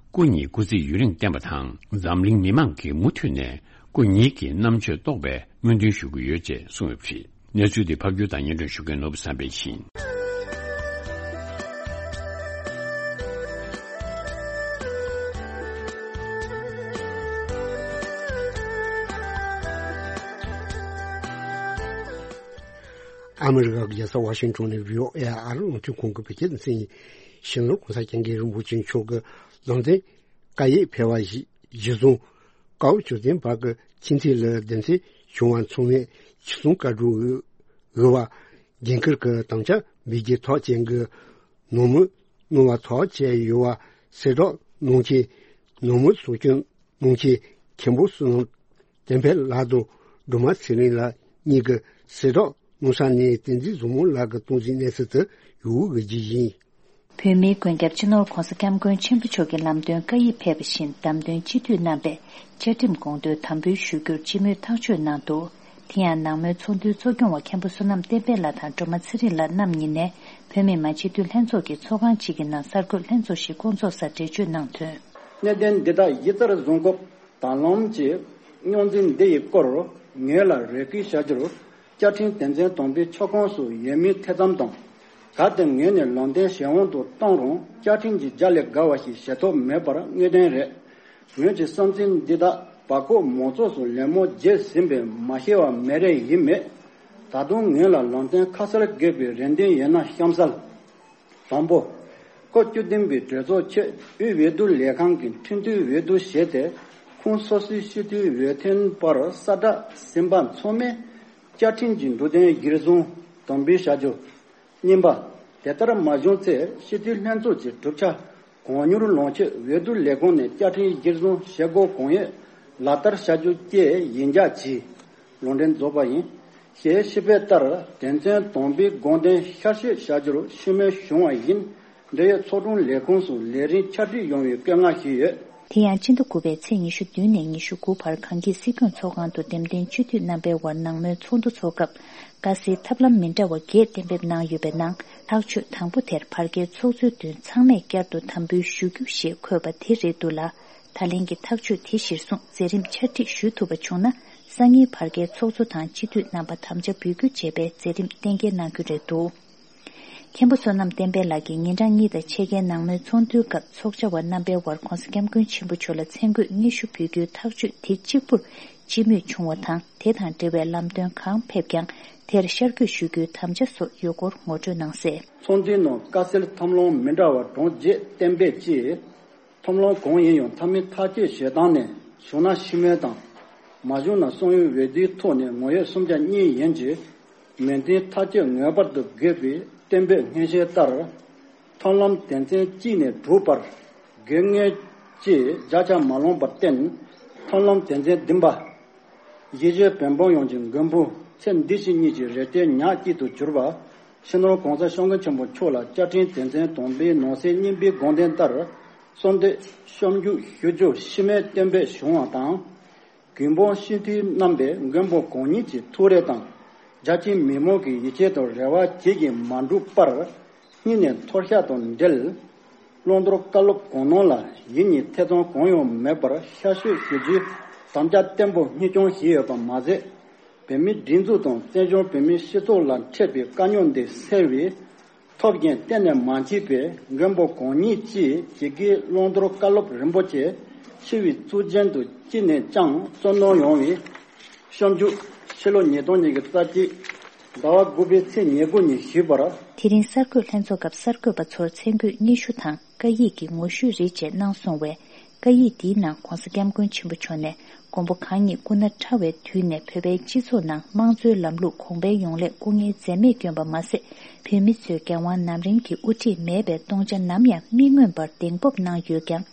སྐུ་ཉིད་སྐུ་ཚེ་ཡུན་རིང་བརྟན་པ་དང་། འཛམ་གླིང་མི་མང་གིས་མུ་མཐུད་ནས་སྐུ་ཉིད་ཀྱི་རྣམ་དཔྱོད་རྟོགས་པའི་སྨོན་འདུན་ཞུ་གི་ཡོད་ཅེས་གསུངས་ཡོད་པ་རེད། གནས་ཚུལ་འདི་ཕབ་སྒྱུར་དང་སྙན་སྒྲོན་ཞུ་མཁན་ནོར་བུ་བསམ་འཕེལ་ཡིན། ཨ་མི་རི་ཀ་གི་རྒྱལ་ས་ཝ་ཤིང་ཊོན་ནས་བྷི་ཨོ་ཨེ་ཨར་རླུང་འཕྲིན་ཁང་གི་བོད་སྐད་སྡེ་ཚན་ཡིན། ཞིང་ལོ་གོང་ས་སྐྱབས་མགོན་རིན་པོ་ཆེ་མཆོག་གི་ལུང་བསྟན་བཀའ་ཡིག་ཕེབས་པ་གཞི་བཟུང་། ཀའོ་ཇོ་ཚན་བར་གྱི་ཕྱི་འཐེན་ལ་སྡེ་ཚན་བྱུང་བ་མཚུངས་མེད་ཆིག་སྟོང་བཀའ་འགྲོ་འོས་པ་འགན་འཁུར་གྱི་དམ་བཅའ་འབུལ་རྒྱུའི་ཐག་བཅད་གི་ནང་མོལ་གནང་བ་ཐག་བཅད་ཡོད་པ་གསལ་བསྒྲགས་གནང་མཁན། ནང་མོལ་སོགས་ཀྱི་གནང་མཁན་མཁན་པོ་བསོད་ནམས་བསྟན་འཕེལ་ལགས་དང་སྒྲོལ་མ་ཚེ་རིང་ལགས་གཉིས་ཀྱིས་གསལ་བསྒྲགས་གནང་ས་ནས་བསྟན་འཛིན་བཟང་མོ་ལགས་ཀྱི་སྟངས་འཛིན་གནས་ཚུལ་དུ་ཡོད་པའི་རྒྱུ་ཡིན། བོད་མིའི་མགོན་སྐྱབས་སྤྱི་ནོར་༸གོང་ས་༸སྐྱབས་མགོན་ཆེན་པོ་མཆོག་གི་ལམ་སྟོན་བཀའ་ཡིག་ཕེབས་པ་བཞིན་བདམས་ཐོན་སྤྱི་འཐུས་རྣམ་པས་བཅའ་ཁྲིམས་དགོངས་དོན་དམ་འབུལ་ཞུ་རྒྱུར་སྤྱི་མོས་ཐག་གཅོད་གནང་འདུག་དེ་ཡང་ནང་མོལ་ཚོགས་འདུའི་གཙོ་སྐྱོང་བ་མཁན་པོ་བསོད་ནམས་བསྟན་འཕེལ་ལགས་དང་སྒྲོལ་མ་ཚེ་རིང་ལགས་རྣམ་གཉིས་ནས་བོད་མི་མང་སྤྱི་འཐུས་ལྷན་ཚོགས་ཀྱི་ཚོགས་ཁང་གཅིག་གི་ནང་གསར་འགོད་ལྷན་ཚོགས་ཤིག་བསྐོང་ཚོགས་སར་འགྲེལ་བརྗོད་གནང་དོན། གནད་དོན་འདི་དག་གཞི་རྩར་བཟུང་སྐབས། ད་ལམ་གྱི་རྙོག་འཛིང་འདི་ཡི་སྐོར་ངོས་ལ་རེ་སྐུལ་བྱ་རྒྱུར། བཅའ་ཁྲིམས་དོན་ཚན་དང་པོའི་ཆོག་ཁོངས་སུ་ཡོད་མིན་ཐེ་ཚོམ་དང་། གལ་ཏེ་ངོས་ནས་ལམ་སྟོན་གཞན་དབང་དུ་བཏང་རུང་། བཅའ་ཁྲིམས་ཀྱི་རྒྱ་ལས་བརྒལ་བ་ཞིག་བྱེད་ཐབས་མེད་པར་དངོས་བདེན་རེད། ངོས་ཀྱི་བསམ་ཚུལ་འདི་དག་བར་སྐོར་མང་ཚོགས་སུ་ལད་མོ་བརྗོད་ཟིན་པས་མ་ཤེས་པ་མེད་རེད་ཡིན་མེད། ད་དུང་ངོས་ལ་ལམ་སྟོན་ཁ་གསལ་དགོས་པའི་རེ་འདུན་ཡོད་ན་གཤམ་གསལ། དང་པོ། སྐབས་བཅུ་བདུན་པའི་གྲོས་ཚོགས་ཆེད་དབུས་འོས་བསྡུ་ལས་ཁང་གི་འཕྲིན་བསྟུད་འོས་བསྡུ་བྱས་ཏེ། ཁོངས་སོ་སོའི་སྤྱི་འཐུས་འོས་ཐོན་པར་གསལ་བསྒྲགས་ཟིན་པ་མཚུངས་མེད་བཅའ་ཁྲིམས་ཀྱི་འབྲུ་དོན་གཞིར་བཟུང་དམ་འབུལ་བྱ་རྒྱུ། གཉིས་པ། དེ་ལྟར་མ་བྱུང་ཚེ་སྤྱི་འཐུས་ལྷན་ཚོགས་ཀྱི་གྲུབ་ཆ་གང་མྱུར་ལོངས་སྤྱོད་འོས་བསྡུ་ལས་ཁུངས་ནས་བཅའ་ཁྲིམས་གཞིར་བཟུང་བྱེད་སྒོ་གང་ཡོད་ལག་བསྟར་བྱ་རྒྱུ་བཅས་ཡིན་རྒྱ་གྱིས་ལུང་འདྲེན་རྫོགས་པ་ཡིན། ཞེས་ཞུས་པའི་ལྟར་དོན་ཚན་དང་པོའི་དགོངས་དོན་བསྐྱར་ཞིབ་བྱ་རྒྱུར་ཤུགས་སྣོན་བྱུང་བ་ཡིན། འབྲེལ་ཡོད་ཚོགས་དྲུང་ལས་ཁུངས་སུ་ལས་རིམ་ཕྱག་བྲིས་ཡོང་བའི་བཀོད་མངགས་ཞུས་ཡོད། དེ་ཡང་སྤྱི་ཟླ་དགུ་པའི་ཚེས་ཉི་ཤུ་བདུན་ནས་ཉི་ཤུ་དགུ་བར་གངས་སྐྱིད་སྲིད་སྐྱོང་ཚོགས་ཁང་དུ་འདེམས་ཐོན་སྤྱི་འཐུས་རྣམ་པའི་དབར་ནང་མོལ་ཚོགས་འདུ་འཚོགས་སྐབས། དཀའ་སེལ་ཐབས་ལམ་མི་འདྲ་བ་བརྒྱད་གཏན་འབེབས་གནང་ཡོད་པའི་ནང་། ཐག་གཅོད་དང་པོ་དེར་བར་བརྒལ་ཚོགས་གཙོའི་མདུན་ཚང་མས་བསྐྱར་དུ་དམ་འབུལ་ཞུ་རྒྱུ་ཞེས་འཁོད་པ་དེ་རེད་འདུག་ལ། ད་ལན་གྱི་ཐག་གཅོད་དེ་གཞིར་བཟུང་མཛད་རིམ་ཕྱག་བྲིས་ཞུ་ཐུབ་པ་བྱུང་ན། སང་ཉིན་བར་བརྒལ་ཚོགས་གཙོ་དང་སྤྱི་འཐུས་རྣམ་པ་དམ་བཅའ་འབུལ་རྒྱུ་བྱས་པའི་མཛད་རིམ་གཏན་འཁེལ་གནང་རྒྱུ་རེད་འདུག་མཁན་པོ་བསོད་ནམས་བསྟན་འཕེལ་ལགས་ཀྱིས་ཉིན་གྲངས་གཉིས་དང་ཕྱེད་ཀའི་ནང་མོལ་ཚོགས་འདུའི་སྐབས་ཚོགས་བཅར་བ་རྣམ་པའི་དབར་༸གོང་ས་༸སྐྱབས་མགོན་ཆེན་པོ་མཆོག་ལ་མཚན་བཀོད་སྙན་ཞུ་འབུལ་རྒྱུའི་ཐག་གཅོད་དེ་གཅིག་པུར་སྤྱི་མོས་བྱུང་བ་དང་། དེ་དང་འབྲེལ་བའི་ལམ་སྟོན་གང་ཕེབས་ཀྱང་དེར་ཤར་བསྐྱོད་ཞུ་རྒྱུའི་དམ་བཅའ་སོགས་ཡོད་སྐོར་ངོ་སྤྲོད་གནང་གསལ། ཚོགས་འདུའི་ནང་དཀའ་སེལ་ཐབས་ལམ་མི་འདྲ་བ་གྲངས་བརྒྱད་གཏན་འབེབས་ཀྱིས། ཐབས་ལམ་གང་ཡིན་ཡང་མཐའ་མའི་ཐག་གཅོད་བྱེད་སྟངས་ནི་བྱུང་ན་ཤི་རྨས་དང་། མ་བྱུང་ན་གསང་བའི་འོས་བསྡུའི་ཐོག་ནས་ངོ་ཡོད་སུམ་ཆ་གཉིས་ཡན་གྱི་མོས་མཐུན་ཐག་གཅོད་ངེས་པར་དུ་དགོས་པའི་གཏན་འབེབས་སྙན་ཞུ་ལྟར། ཐབས་ལམ་དོན་ཚན་གཅིག་ནས་དྲུག་བར་དགོས་ངེས་ཀྱི་བརྒྱ་ཆ་མ་ལོངས་པར་བརྟེན། ཐབས་ལམ་དོན་ཚན་བདུན་པ། གཞིས་བྱེས་བོད་འབངས་ཡོངས་ཀྱི་མགོན་པོ་ཚེ་འདི་ཕྱི་གཉིས་ཀྱི་རེ་ལྟོས་ཉག་གཅིག་ཏུ་གྱུར་པ། སྤྱི་ནོར་༸གོང་ས་༸སྐྱབས་མགོན་ཆེན་པོ་མཆོག་ལ་བཅའ་ཁྲིམས་དོན་ཚན་དང་པོའི་ནང་གསེས་གཉིས་པའི་དགོངས་དོན་ལྟར། གསོལ་འདེབས་ཤོབ་འཇུག་ཞུ་རྒྱུ་ཕྱི་མའི་བསྟན་པའི་གཞུང་བ་དང་། གུས་འབུམ་སྤྱི་འཐུས་རྣམ་པས་མགོན་པོ་གང་ཉིད་ཀྱི་ཐུགས་རེ་དང་། རྒྱ་ཆེའི་མི་མང་གི་ཡིད་ཆེས་དང་རེ་བ་བཅས་ཀྱིས་མ་འགྲུབ་པར། སྙིང་ནས་མཐོལ་བཤགས་དང་འབྲེལ། བླང་དོར་བཀའ་སློབ་གང་གནང་ལ་ཡིད་གཉིས་ཐེ་ཚོམ་གང་ཡང་མེད་པར་ཤར་བསྐྱོད་ཞུ་རྒྱུའི་དམ་བཅའ་བརྟན་པོ་གཉེར་སྐྱོང་བྱས་ཡོད་པ་མ་ཟད། བོད་མིའི་སྒྲིག་འཛུགས་དང་བཙན་བྱོལ་བོད་མིའི་སྤྱི་ཚོགས་ལ་འཕྲད་པའི་དཀའ་རྙོག་འདི་སེལ་བའི་ཐབས་ཀྱང་གཏན་ནས་མ་མཆིས་པས། མགོན་པོ་གང་ཉིད་ཀྱིས་ཇི་སྐད་བླང་དོར་བཀའ་སློབ་རིན་པོ་ཆེ་ཞི་བའི་གཙུག་རྒྱན་དུ་ཅི་ནས་ཀྱང་བརྩོན་གནང་ཡོང་བའི་ཤོབ་འཇུག་ཕྱི་ལོ་ཉིས་སྟོང་ཉི་ཤུ་རྩ་གཅིག་ཟླ་བ་དགུ་པའི་ཚེས་ཉེར་དགུ་ཉིན་ཞུས་པར། དེ་རིང་གསར་འགོད་ལྷན་ཚོགས་སྐབས་གསར་འགོད་པ་ཚོར་མཚན་བཀོད་སྙན་ཞུ་དང་བཀའ་ཡིག་གི་ངོ་བཤུས་རིགས་བཅས་གནང་སོང་བས། བཀའ་ཡིག་འདིའི་ནང་༸གོང་ས་༸སྐྱབས་མགོན་ཆེན་པོ་མཆོག་ནས་མགོན་པོ་གང་ཉིད་སྐུ་ན་ཕྲ་བའི་དུས་ནས་བོད་པའི་སྤྱི་ཚོགས་ནང་དམངས་གཙོའི་ལམ་ལུགས་གོང་འཕེལ་ཡོང་སླད་སྐུ་ངལ་འཛེམས་མེད་བསྐྱོན་པ་མ་ཟད། བོད་མི་ཚོའི་འགན་དབང་ནམ་རིང་གི་དབུ་ཁྲིད་མེད་པའི་སྟོང་ཆ་ནམ་ཡང་མི་མངོན་པར་གདེང་སྤོབས་གནང་ཡོད་ཀྱང་།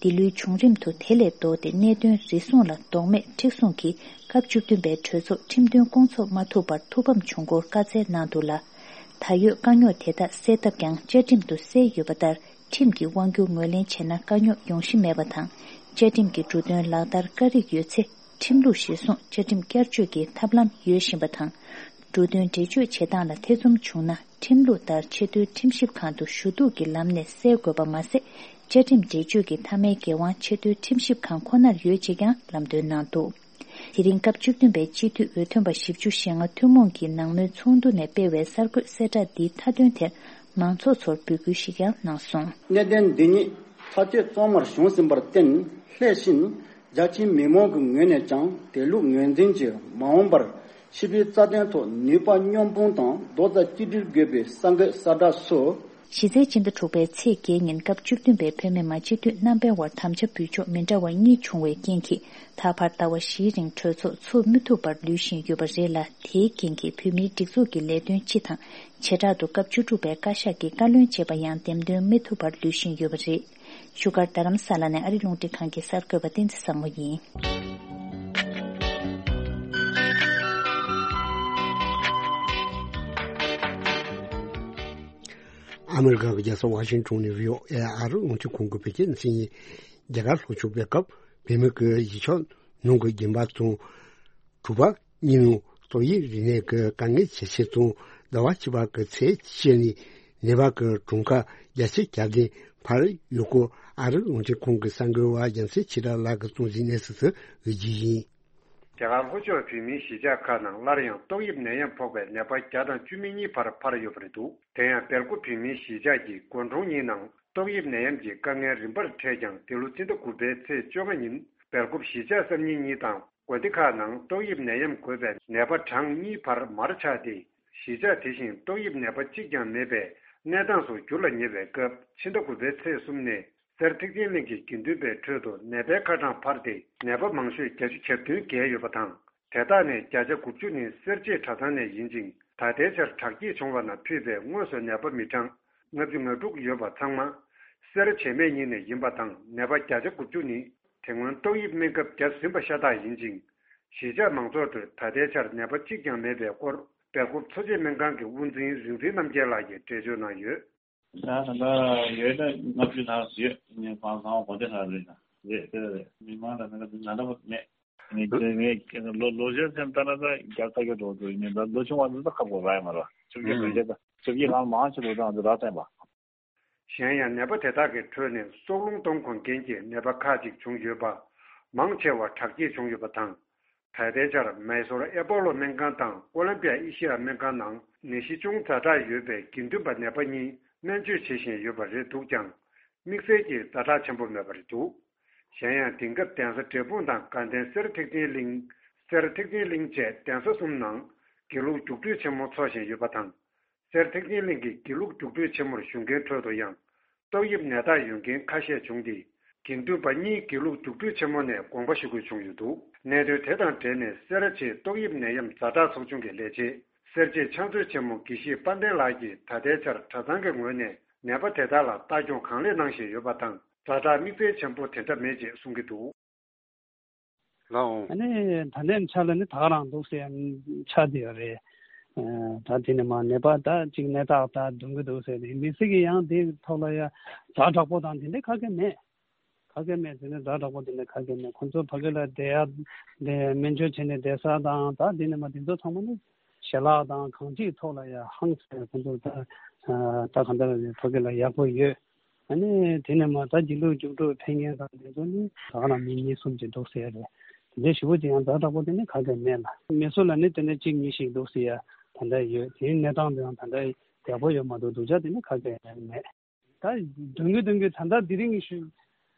འདི་ལོའི་བྱུང་རིམ་དུ་དེ་ལས་ལྡོག་སྟེ་གནད་དོན་རེ་ཟུང་ལ་ལྡོག་མེད་མཁྲེགས་བཟུང་གིས་སྐབས་བཅུ་བདུན་པའི་གྲོས་ཚོགས་ཁྲིམས་དོན་སྐོང་ཚོགས་མ་ཐུབ་པར་ཐུགས་ཕམ་བྱུང་སྐོར་བཀའ་སྩལ་གནང་འདུག་ལ། ད་ཡོད་དཀའ་རྙོག་དེ་དག་སེལ་ཐབས་ཀྱང་བཅའ་ཁྲིམས་དུ་གསལ་ཡོད་པ་ལྟར། ཁྲིམས་ཀྱི་དབང་སྒྱུར་ངོས་ལེན་བྱས་ན་དཀའ་རྙོག་ཡོང་གཞི་མེད་པ་དང་། བཅའ་ཁྲིམས་ཀྱི་འབྲུ་དོན་ལག་བསྟར་དཀའ་རིགས་ཡོད་ཚེ། ཁྲིམས་ལུགས་གཞིར་བཟུང་བཅའ་ཁྲིམས་བསྐྱར་བཅོས་ཀྱི་ཐབས་ལམ་ཡོད་བཞིན་པ་དང་། འབྲུ་དོན་འགྲེལ་བརྗོད་བྱེད་སྟངས་ལ་ཐེ་ཚོམ་བྱུང་ན། ཁྲིམས་ལུགས་ལྟར་ཆེས་མཐོའི་ཁྲིམས་ཞིབ་ཁང་དུ་ཞུ་གཏུག་གི་ལམ་ནས་སེལ་དགོས་པ་མ་ཟད། བཅའ་ཁྲིམས་འགྲེལ་བརྗོད་ཀྱི་མཐའ་མའི་འགན་དབང་ཆེས་མཐོའི་ཁྲིམས་ཞིབ་ཁང་ཁོ་ནར་ཡོད་ཅེས་ཀྱང་ལམ་སྟོན་གནང་འདུག་དེ་རིང་སྐབས་བཅུ་བདུན་པའི་སྤྱི་འཐུས་འོས་ཐོན་པ་བཞི་བཅུ་ཞེ་ལྔ་ཐུན་མོང་གི་ནང་མོལ་ཚོགས་འདུ་ནས་སྤེལ་བའི་གསར་འགོད་གསལ་བསྒྲགས་འདིའི་མཐའ་དོན་དེར་མང་ཚོགས་ཚོར་འབོད་སྐུལ་ཞིག་ཀྱང་གནང་སོང་། གནད་དོན་འདི་ཉིད་ཐག་གཅོད་གཙང་མར་བྱུང་ཟིན་པར་བརྟེན། སླད་ཕྱིན་རྒྱ་ཆེའི་མི་མང་གི་ངོས་ནས་ཀྱང་དེ་ལུགས་ངོས་འཛིན་གྱིས་མ་འོངས་པར་སྤྱི་པའི་རྩ་དོན་ཐོག་ནུས་པ་མཉམ་སྤུངས་དང་རྡོག་རྩ་གཅིག་སྒྲིལ་དགོས་པའི་གསར་འགོད་གསལ་བསྒྲགས་སུ། གཞི་རྩའི་སྤྱི་ཟླ་དྲུག་པའི་ཚེས་བརྒྱད་ཉིན་སྐབས་བཅུ་བདུན་པའི་བོད་མི་མང་སྤྱི་འཐུས་རྣམ་པའི་དབར་དམ་བཅའ་འབུལ་ཕྱོགས་མི་འདྲ་བ་གཉིས་བྱུང་བའི་རྐྱེན་གྱིས། ད་བར་ཟླ་བ་བཞིའི་རིང་གྲོས་ཚོགས་ཚུགས་མི་ཐུབ་པར་ལུས་བཞིན་ཡོད་པ་རེད་ལ། དེའི་རྐྱེན་གྱིས་བོད་མིའི་སྒྲིག་འཛུགས་ཀྱི་ལས་དོན་སྤྱི་དང་། བྱེ་བྲག་ཏུ་སྐབས་བཅུ་དྲུག་པའི་བཀའ་ཤག་གི་བཀའ་བློན་བྱས་པ་ཡང་འདེམས་ཐོན་མི་ཐུབ་པར་ལུས་བཞིན་ཡོད་པ་རེད། བཞུགས་སྒར་རྡ་རམ་ས་ལ་ནས་ཨ་རི་རླུང་འཕྲིན་ཁང་གི་གསར་འགོད་པ་བསྟན་འཛིན་བཟང་མོ་ཡིན། ཨ་མི་རི་ཀ་གི་རྒྱལ་ས་ཝ་ཤིང་ཊོན་ནས་བྷི་ཨོ་ཨེ་ཨ་རི་རླུང་འཕྲིན་ཁང་གི་བོད་སྐད་གནས་ཚུལ་ཡིན། རྒྱ་གར་ལྷོ་ཕྱོགས་རྒྱལ་ཁབ་བལ་ཡུལ་གྱི་གཞིས་ཆགས་ནང་གི་རྒན་པ་དང་། གྲོང་པ་གཉིས་ནང་ཏོག་དབྱིབས་རིམས་ནད་ཀྱི་དཀའ་ངལ་ཇེ་ཆེ་དང་། ཟླ་བ་བཅུ་པ་གི་ཚེས་བཅུ་ནས་ནད་པ་གི་གྲངས་ཀ་བརྒྱ་ཆ་གྱ་བདུན་འཕར་ཡོད་སྐོར་ཨ་རིའི་རླུང་འཕྲིན་ཁང་གི་གསར་འགོད་པ་རྒྱལ་མཚན་ཆོས་གྲགས་ལགས་ཀྱིས་གཙང་བཟོའི་གནས་ཚུལ་དུ་འགོད་རྒྱུ་ཡིན། རྒྱ་གར་ལྷོ་ཕྱོགས་བོད་མིའི་གཞིས་ཆགས་ཁག་ནང་སླར་ཡང་ཏོག་དབྱིབས་ནད་ཡམས་ཕོག་པའི་ནད་པ་བརྒྱ་དང་བཅུ་མེད་གཉིས་བར་འཕར་ཡོད་པ་རེད་འདུག་དེ་ཡང་སྦེལ་ཀོབ་བོད་མིའི་གཞིས་ཆགས་ཀྱི་དགོན་གྲོང་གཉིས་ནང་ཏོག་དབྱིབས་ནད་ཡམས་ཀྱི་དཀའ་ངལ་རིམ་པར་འཕྲད་ཀྱང་། འདི་ལོ་སྤྱི་ཟླ་དགུ་པའི་ཚེས་བཅོ་ལྔ་ཉིན་སྦེལ་ཀོབ་གཞིས་ཆགས་གསར་རྙིང་གཉིས་དང་། དགོན་སྡེ་ཁག་ནང་ཏོག་དབྱིབས་ནད་ཡམས་འགོས་པའི་ནད་པ་གྲངས་གཉིས་བར་མར་ཆག་སྟེ། གཞིས་ཆགས་དེ་བཞིན་ཏོག་དབྱིབས་ནད་པ་གཅིག་ཀྱང་མེད་པའི་གནས་སྟངས་སུ་འགྱུར་ལ་ཉེ་བའི་སྐབས། ཕྱི་ཟླ་དགུ་པའི་ཚེས་གསུམ་ནས་གསེར་ཐེག་ཆེན་གླིང་གི་དགེ་འདུན་པའི་ཁྲོད་དུ་ནད་པའི་ཁ་གྲངས་འཕར་ཏེ། ནད་པ་མང་ཤོས་བརྒྱད་ཅུ་གྱ་བདུན་བརྒལ་ཡོད་པ་དང་། དེ་དག་ནས་བརྒྱ་ཆ་དགུ་བཅུ་ནི་གསེར་བྱེས་གྲྭ་ཚང་ནས་ཡིན་ཅིང་། ད་ལྟའི་ཆར་དྲག་སྐྱེད་བྱུང་བ་ན་ཕུད་པའི་དངོས་སུ་ནད་པ་མི་གྲངས་ལྔ་བཅུ་ང་དྲུག་ཡོད་པ་ཚང་མ་གསེར་བྱེས་མའི་ཉིན་ནས་ཡིན་པ་དང་། ནད་པ་བརྒྱ་ཆ་དགུ་བཅུ་ནི་དེ་སྔོན་ཏོག་དབྱིབས་སྨན་ཁབ་བརྒྱབ་ཟིན་པ་ཤ་སྟག་ཡིན་ཅིང་། གཞིས་ཆགས་མང་ཚོགས་ཁྲོད་ད་ལྟའི་ཆར་ནད་པ་གཅིག་ཀྱང་མེད་པའི་སྐོར། སྦེལ་ཀོབ་འཚོ་བྱེད་སྨན་ཁང་གི་དབུ་འཛིན་རིག་འཛིན་རྣམ་རྒྱལ་ལགས་ཀྱིས་འགྲེལ་བརྗོད་གནང་ཡོད། ད་ད་ལྟ་ཡོད་ན་ལྔ་བཅུ་ནང་ཡོད། ངས་ཁང་ཁང་བ་དགོན་སྡེ་ཁག་རེད་ན་རེད་དེ་རེད། མི་མང་ལ་ང་ལ་ང་འདྲ་པོ་མེད། ངས་ཁྱེད་ངས་ལོ་ལོ་ཆེན་སེམས་ལྟ་ན་ད་བརྒྱ་ཁ་ཡོད་འགྲོ་འགྲོ་ཡིན་ད་ལོ་ཆུང་བ་འདི་ད་ཁག་པོ་རག་ཡ་མ་རེད། བཅོ་བརྒྱད་བོད་རྒྱ་ད་བཅོ་བརྒྱད་གང་མང་ཆེ་ལོ་གྲངས་འདི་རག་བསྟན་པ། གཞན་ཡང་ནད་པ་དེ་དག་གི་ཁྲོད་ནས་སྲོག་རླུང་གཏོང་དགོས་མཁན་གྱི་ནད་པ་ཁག་ཅིག་བྱུང་ཡོད་པ། མང་ཆེ་བ་དྲག་སྐྱེད་བྱུང་ཡོད་པ་དང་། ད་ལྟའི་ཆར་མེ་སོར་ཨེ་པོ་ལོ་སྨན་ཁང་དང་ཀོ་ལམ་པི་ཡ་ཨེ་ཤི་ཡ་སྨན་ཁང་ནང་ནད་གཞི་ཅུང་ཛ་དྲག་ཡོད་པའི་དགེ་འདུན་པ་ནད་པ་གཉིས་སྨན་བཅོས་བྱེད་བཞིན་ཡོད་པ་རེད་འདུག་ཀྱང་། དམིགས་བསལ་གྱི་ཛ་དྲག་ཆེན་པོ་མེད་པ་རེད་འདུག་གཞན་ཡང་དེང་སྐབས་གདན་ས་འབྲས་སྤུངས་དང་དགའ་ལྡན་གསེར་ཐེག་ཆེན་གླིང་། གསེར་ཐེག་ཆེན་གླིང་བཅས་གདན་ས་གསུམ་ནང་དགེ་ལུགས་རྒྱུགས་སྤྲོད་ཆེན་མོ་འཚོགས་བཞིན་ཡོད་པ་དང་། གསེར་ཐེག་ཆེན་གླིང་གི་དགེ་ལུགས་རྒྱུགས་སྤྲོད་ཆེན་མོར་ཞུགས་མཁན་ཁྲོད་དུ་ཡང་ཏོག་དབྱིབས་ནད་རྟགས་ཡོད་མཁན་ཁ་ཤས་བྱུང་སྟེ། དགེ་འདུན་པ་གཉིས་དགེ་ལུགས་རྒྱུགས་སྤྲོད་ཆེན་མོ་ནས་དགོངས་པ་ཞུ་དགོས་བྱུང་ཡོད་འདུག་གནད་དོན་དེ་དང་འབྲེལ་ནས་སེ་ར་བྱེས་ཏོག་དབྱིབས་ནད་ཡམས་ཛ་དྲག་ཚོགས་ཆུང་གི་ལས་བྱེད་སེར་བྱེས་ཕྱག་མཛོད་ཆེན་མོ་དགེ་བཤེས་དཔལ་ལྡན་ལགས་ཀྱིས་ད་ལྟའི་ཆར་གྲྭ་ཚང་གི་ངོས་ནས་ནད་པ་དེ་དག་ལ་ལྟ་སྐྱོང་གང་ལེགས་གནང་བཞིན་ཡོད་པ་དང་། ཛ་དྲག་དམིགས་བསལ་ཆེན་པོ་དེ་འདྲ་མེད་ཅེས་གསུང་གི་འདུག་ལའོ། ཨ་ནི་ད་ལྟའི་ཆ་ལ་ནི་ད་ག་རང་འདུག་ཟེར་ཡ་ཆགས་བསྡད་ཡོད་རེད། ཨ་ད་དེ་ནི་མ་ནད་པ་ད་ཅིག་ནད་རྟགས་ད་སྡོད་ཀྱི་འདུག་ཟེར་ནས་མི་སེར་གྱིས་ཡང་དེའི་ཐོག་ལ་ཡ་ཛ་དྲག་པོ་དང་དེ་འདྲའི་ག་གེ་མེད། ག་གེ་མེད་ཟེར་ནས་ཛ་དྲག་པོ་དེ་འདྲ་ག་གེ་མེད། ཁོང་ཚོ་ཕ་གི་ལ་བསྡད་ཡ་དེ་སྨན་བཅོས་བྱས་ནས་བསྡད་ས་དང་ད་དེ་ནི་མ་དེ་ཚོ་ཚང་མ་ནི་ཞལ་ལག་དང་གང་ཅིའི་ཐོག་ལ་ཡ་ཧང་སང་ཁོང་ཚོ་ད་ད་གང་ལྟར་ཕ་གི་ལ་ཡག་པོ་ཡོད། ཨ་ནི་དེ་ནས་མ་ད་སྒྱིད་ལུག་རྒྱུགས་སྤྲོད་ཕེབས་མཁན་དང་དེ་ཚོ་ནི་ད་ག་རང་མི་གཉིས་གསུམ་ཅིག་འདུག་ཟེར་ཡ་རེད། དེ་འདྲའི་ཞེ་པོ་ཅིག་ཡང་ཛ་དྲག་པོ་དེ་ནི་ག་གེ་མེད་ལ། མི་སུ་ལ་ནི་དེ་ནས་གཅིག་གཉིས་ཤིག་འདུག་ཟེར་ཡ་ད་ལྟ་ཡོད། དེའི་གནས་སྟངས་དེའང་ད་ལྟ་ཡག་པོ་ཡོད་མ་འདུག་སྡུག་ཅག་དེ་ནི་ག་གེ་མེད། ད་འདོན་གྱི་འདོན་གྱི་ད་ལྟ་དེ་རིང་གི་ཤུ་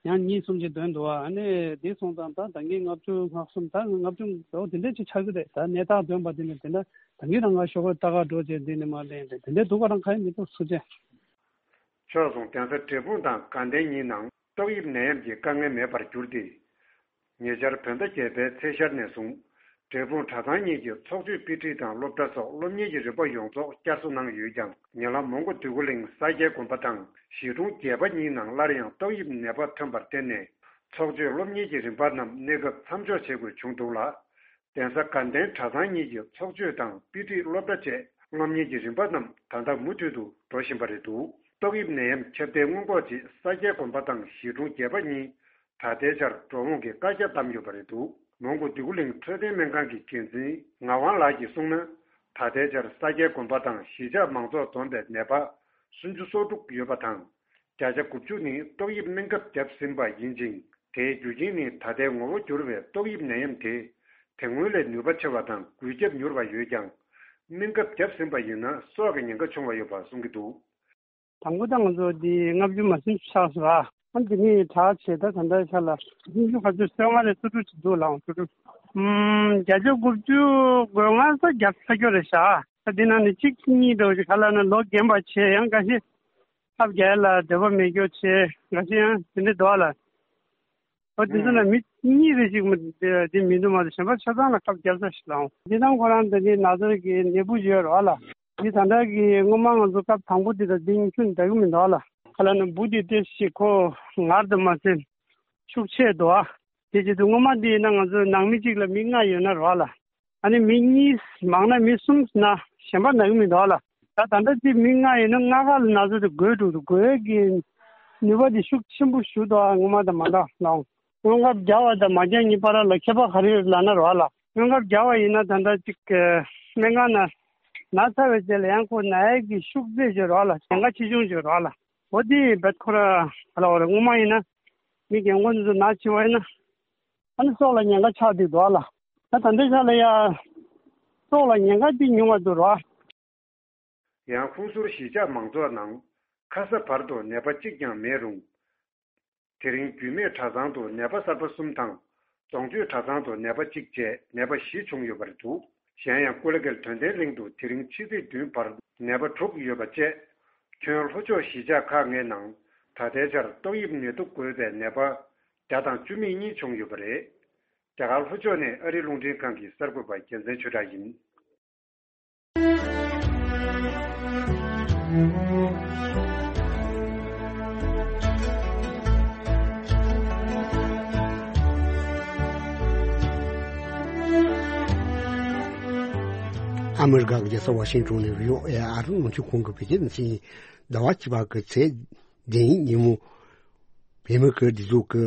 ཡང་གཉིས་གསུམ་ཅིག་འདོན་འདུག་ཨ་ནི་དེ་སོང་ཙང་ད་ད་གིན་ལྔ་བཅུ་ང་གསུམ་ད་ལྔ་བཅུ་ལོ་དེ་འདྲ་ཅིག་ཆགས་ཀྱི་རེད། ད་གནས་སྟངས་འདོན་པ་དེ་ནི་དེ་འདྲ་ད་གིན་རང་ང་ཤོག་ཁོས་ལྟ་ག་འགྲོ་བྱས་འདི་ནི་མ་ལེན་རེད། དེ་འདྲ་འདུག་ག་རང་ཁ་ཡ་མི་འདུག་སུ་བྱས། ཕྱོགས་མཚུངས་གདན་ས་འབྲས་སྤུངས་དང་དགའ་ལྡན་གཉིས་ནང་ཏོག་དབྱིབས་ནད་ཡམས་ཀྱི་དཀའ་ངལ་མེད་པར་གྱུར་ཏེ། ཉེ་ཆར་བོད་ཟླ་བརྒྱད་པའི་ཚེས་ཤར་ནས་བཟུང་འབྲས་སྤུངས་གྲྭ་ཚང་གཉིས་ཀྱི་ཚོགས་ཆོས་དཔེ་ཁྲིད་དང་སློབ་གྲྭ་སོགས་སློབ་གཉེར་གྱི་རིམ་པ་ཡོངས་རྫོགས་བསྐྱར་གསོ་གནང་ཡོད་ཀྱང་། ཉེ་ལམ་མོན་གྷོ་འདོད་རྒུ་གླིང་ས་སྐྱའི་དགོན་པ་དང་གཞིས་གྲོང་བརྒྱད་པ་གཉིས་ནང་སླར་ཡང་ཏོག་དབྱིབས་ནད་པ་ཐོན་པར་བརྟེན་ནས། ཚོགས་ཆོས་སློབ་གཉེར་གྱི་རིམ་པ་རྣམས་གནས་སྐབས་མཚམས་འཇོག་བྱེད་དགོས་བྱུང་འདུག་ལ། གདན་ས་དགའ་ལྡན་གྲྭ་ཚང་གཉིས་ཀྱི་ཚོགས་ཆོས་དང་དཔེ་ཁྲིད་སློབ་གྲྭ་བཅས་སློབ་གཉེར་གྱི་རིམ་པ་རྣམས་ད་ལྟ་མུ་མཐུད་དུ་འགྲོ་བཞིན་པ་རེད་འདུག་ཏོག་དབྱིབས་ནད་ཡམས་ཁྱབ་གདལ་སྔོན་འགོག་ཆེད་ས་སྐྱའི་དགོན་པ་དང་གཞིས་གྲོང་བརྒྱད་པ་གཉིས་ད་ལྟའི་ཆར་འགྲོ་འོང་གི་བཀའ་རྒྱ་བསྡམས་ཡོད་པ་རེད་འདུག་མོན་གྷོ་འདོད་རྒུ་གླིང་འཕྲོད་བསྟེན་སྨན་ཁང་གི་འགན་འཛིན་ངག་དབང་ལགས་ཀྱིས་གསུངས་ན། ད་ལྟའི་ཆར་ས་སྐྱའི་དགོན་པ་དང་གཞིས་ཆགས་མང་ཚོགས་འཛོམས་པའི་ནད་པ་སུམ་ཅུ་སོ་དྲུག་ཡོད་པ་དང་། བརྒྱ་ཆ་དགུ་བཅུ་ནི་ཏོག་དབྱིབས་སྨན་ཁབ་བརྒྱབ་ཟིན་པ་ཡིན་ཅིང་། དེའི་རྒྱུ་རྐྱེན་ནི་ད་ལྟའི་ངོ་བོ་འགྱུར་བའི་ཏོག་དབྱིབས་ནད་ཡམས་དེ་དེ་སྔོན་ལས་ནུས་པ་ཆེ་བ་དང་འགོས་ཁྱབ་མྱུར་བ་ཡོད་ཀྱང་། སྨན་ཁབ་བརྒྱབ་ཟིན་པ་ཡིན་ན་སྲོག་གི་ཉེན་ཁ་ཆུང་བ་ཡོད་པ་གསུང་གི་འདུག་དང་པོ་ད་ང་ཚོ་འདི་ལྔ་བཅུ་མ་ཟིན་ཆགས་སོང་ར། ཨ་འདི་ནི་དྲག་ཆེ་ད་ད་ལྟའི་ཆ་ལ་སུམ་ཅུ་ཁ་ཚོད་སོ་ལྔ་ནས་སོ་དྲུག་ཅིག་འདུག་ལགས། སོ་དྲུག་ཨུམ། བརྒྱ་ཆ་དགུ་བཅུ་དགུ་ལྔ་ཙམ་བརྒྱབ་ཚར་རྒྱུ་རེད་ཤག་ད་འདི་ནང་ནས་གཅིག་གཉིས་འདྲ་བོ་ཞིག་ག་ལ་ན་ལོ་རྒན་པ་བྱས་ཡང་འགའ་ཤས་ཐབས་རྒྱག་ཡ་ལ་འདོད་པ་མེད་རྒྱུ་བྱས་འགའ་ཤས་ཡང་དེ་འདྲ་འདུག་ལ། ཨོ་དེ་ཚོ་ན་མི་གཉིས་རེ་ཞིག་མ་དེ་མི་འདུག་མ་གཏོགས་གཞན་པ་ཆ་ཚང་ལ་ཁབ་བརྒྱབ་ས་ཞིག་ལའང་འདི་དང་ཁོ་རང་འདི་ནི་ན་ཚོད་ཀྱི་ནད་འབུ་ཡོད་རོགས་ལ། འདི་ད་ལྟ་གི་སྔོན་མ་ང་ཚོ་སྐབས་དང་པོ་འདི་དང་འདི་གཉིས་ཆུ་འདྲ་གི་མི་འདུག་ལ། ཁ་ལ་ནི་འབུ་འདི་ཏེ་ཞིག་ཁོ་ངར་དུ་མ་ཟིན་ཤུགས་ཆེ་འདུག་ཨ། དེ་བྱེད་དུས་སྔོན་མ་འདི་ཡིན་ན་ང་ཚོ་ནང་མི་གཅིག་ལ་མི་ལྔ་ཡོད་ན་རོགས་ལ། ཨ་ནི་མི་གཉིས་མང་ན་མི་གསུམ་ན་གཞན་པ་ན་གི་མི་འདུག་ལ། ད་ད་ལྟ་འདི་མི་ལྔ་ཡིན་ན་ལྔ་ཀ་ལ་ན་ཚོད་དེ་འགོས་འགྲོ་འདུག་འགོས་ཀྱི་ནུས་པ་དེ་ཤུགས་ཆེན་པོ་ཞུ་འདུག་ཨ་སྔོན་མ་དང་མ་འདྲ་ལ། སྔོན་ཁབ་བརྒྱབ་པ་དང་མ་བརྒྱབ་གཉིས་བར་ལ་ཁྱད་པར་ག་རེ་ཡོད་ལབ་ན་རོགས་ལ། སྔོན་ཁབ་བརྒྱབ་པ་ཡིན་ན་ད་ལྟ་ཅིག་སྨན་ཁང་ན་ན་ཚར་བའི་རྗེས་ལ་ཡང་ཁོ་ན་ཡས་ཀྱི་ཤུགས་ཚད་ཅིག་རོགས་ལ་ཉེན་ཁ་ཆེ་ཆུང་ཅིག་རོགས་ལ། འོ་དེ་བེད་ཁོ་ར་ག་ལ་བ་རེད། སྔོན་མ་ཡིན་ན་མི་རྒན་གོག་འདི་ཚོ་ན་ཆེ་བ་ཡིན་ན་ཨ་ནི་སྲོག་ལ་ཉེན་ཁ་ཆགས་བསྡད་འདུག་ལ། ད་ད་ལྟའི་ཆ་ལ་ཡ་སྲོག་ལ་ཉེན་ཁ་འདི་ཉུང་བ་འདུག་རོགས། ཡང་ཧུན་སུར་གཞིས་ཆགས་མང་ཚོགས་ནང་ཁ་ས་བར་དུ་ནད་པ་གཅིག་ཀྱང་མེད་རུང་། དེ་རིང་རྒྱུད་སྨད་གྲྭ་ཚང་དུ་ནད་པ་གསར་པ་གསུམ་དང་རྫོང་སྤྱོད་གྲྭ་ཚང་དུ་ནད་པ་གཅིག་བཅས་ནད་པ་བཞི་བྱུང་ཡོད་པ་རེད་འདུག་གཞན་ཡང་ཀུ་ལེ་གལ་དོན་ལྡན་གླིང་དུ་དེ་རིང་ཕྱི་ཚེས་བདུན་བར་ནད་པ་དྲུག་ཡོད་པ་བཅས། ཁྱོན་ལྷོ་ཕྱོགས་གཞིས་ཆགས་ཁག་ལྔའི་ནང་ད་ལྟའི་ཆར་ཏོག་དབྱིབས་ནད་དུག་འགོས་པའི་ནད་པ་བརྒྱ་དང་བཅུ་མེད་གཉིས་བྱུང་ཡོད་པ་རེད། རྒྱ་གར་ལྷོ་ཕྱོགས་ནས་ཨ་རིའི་རླུང་འཕྲིན་ཁང་གི་གསར་འགོད་པ་རྒྱལ་མཚན་ཆོས་གྲགས་ཡིན། ཨ་མི་རི་ཀ་གི་རྒྱལ་ས་ཝ་ཤིང་ཏོན་ནས་བྷི་ཨོ་ཨེ་ཨ་རི་རླུང་འཕྲིན་ཁང་གི་བོད་སྐད་སྡེ་ཚན་ཡིན། ཟླ་བ་བཅུ་པ་གི་ཚེས་བདུན་ཉིན་མོ། བོད་མི་གི་སྒྲིག་འཛུགས་ཀྱི་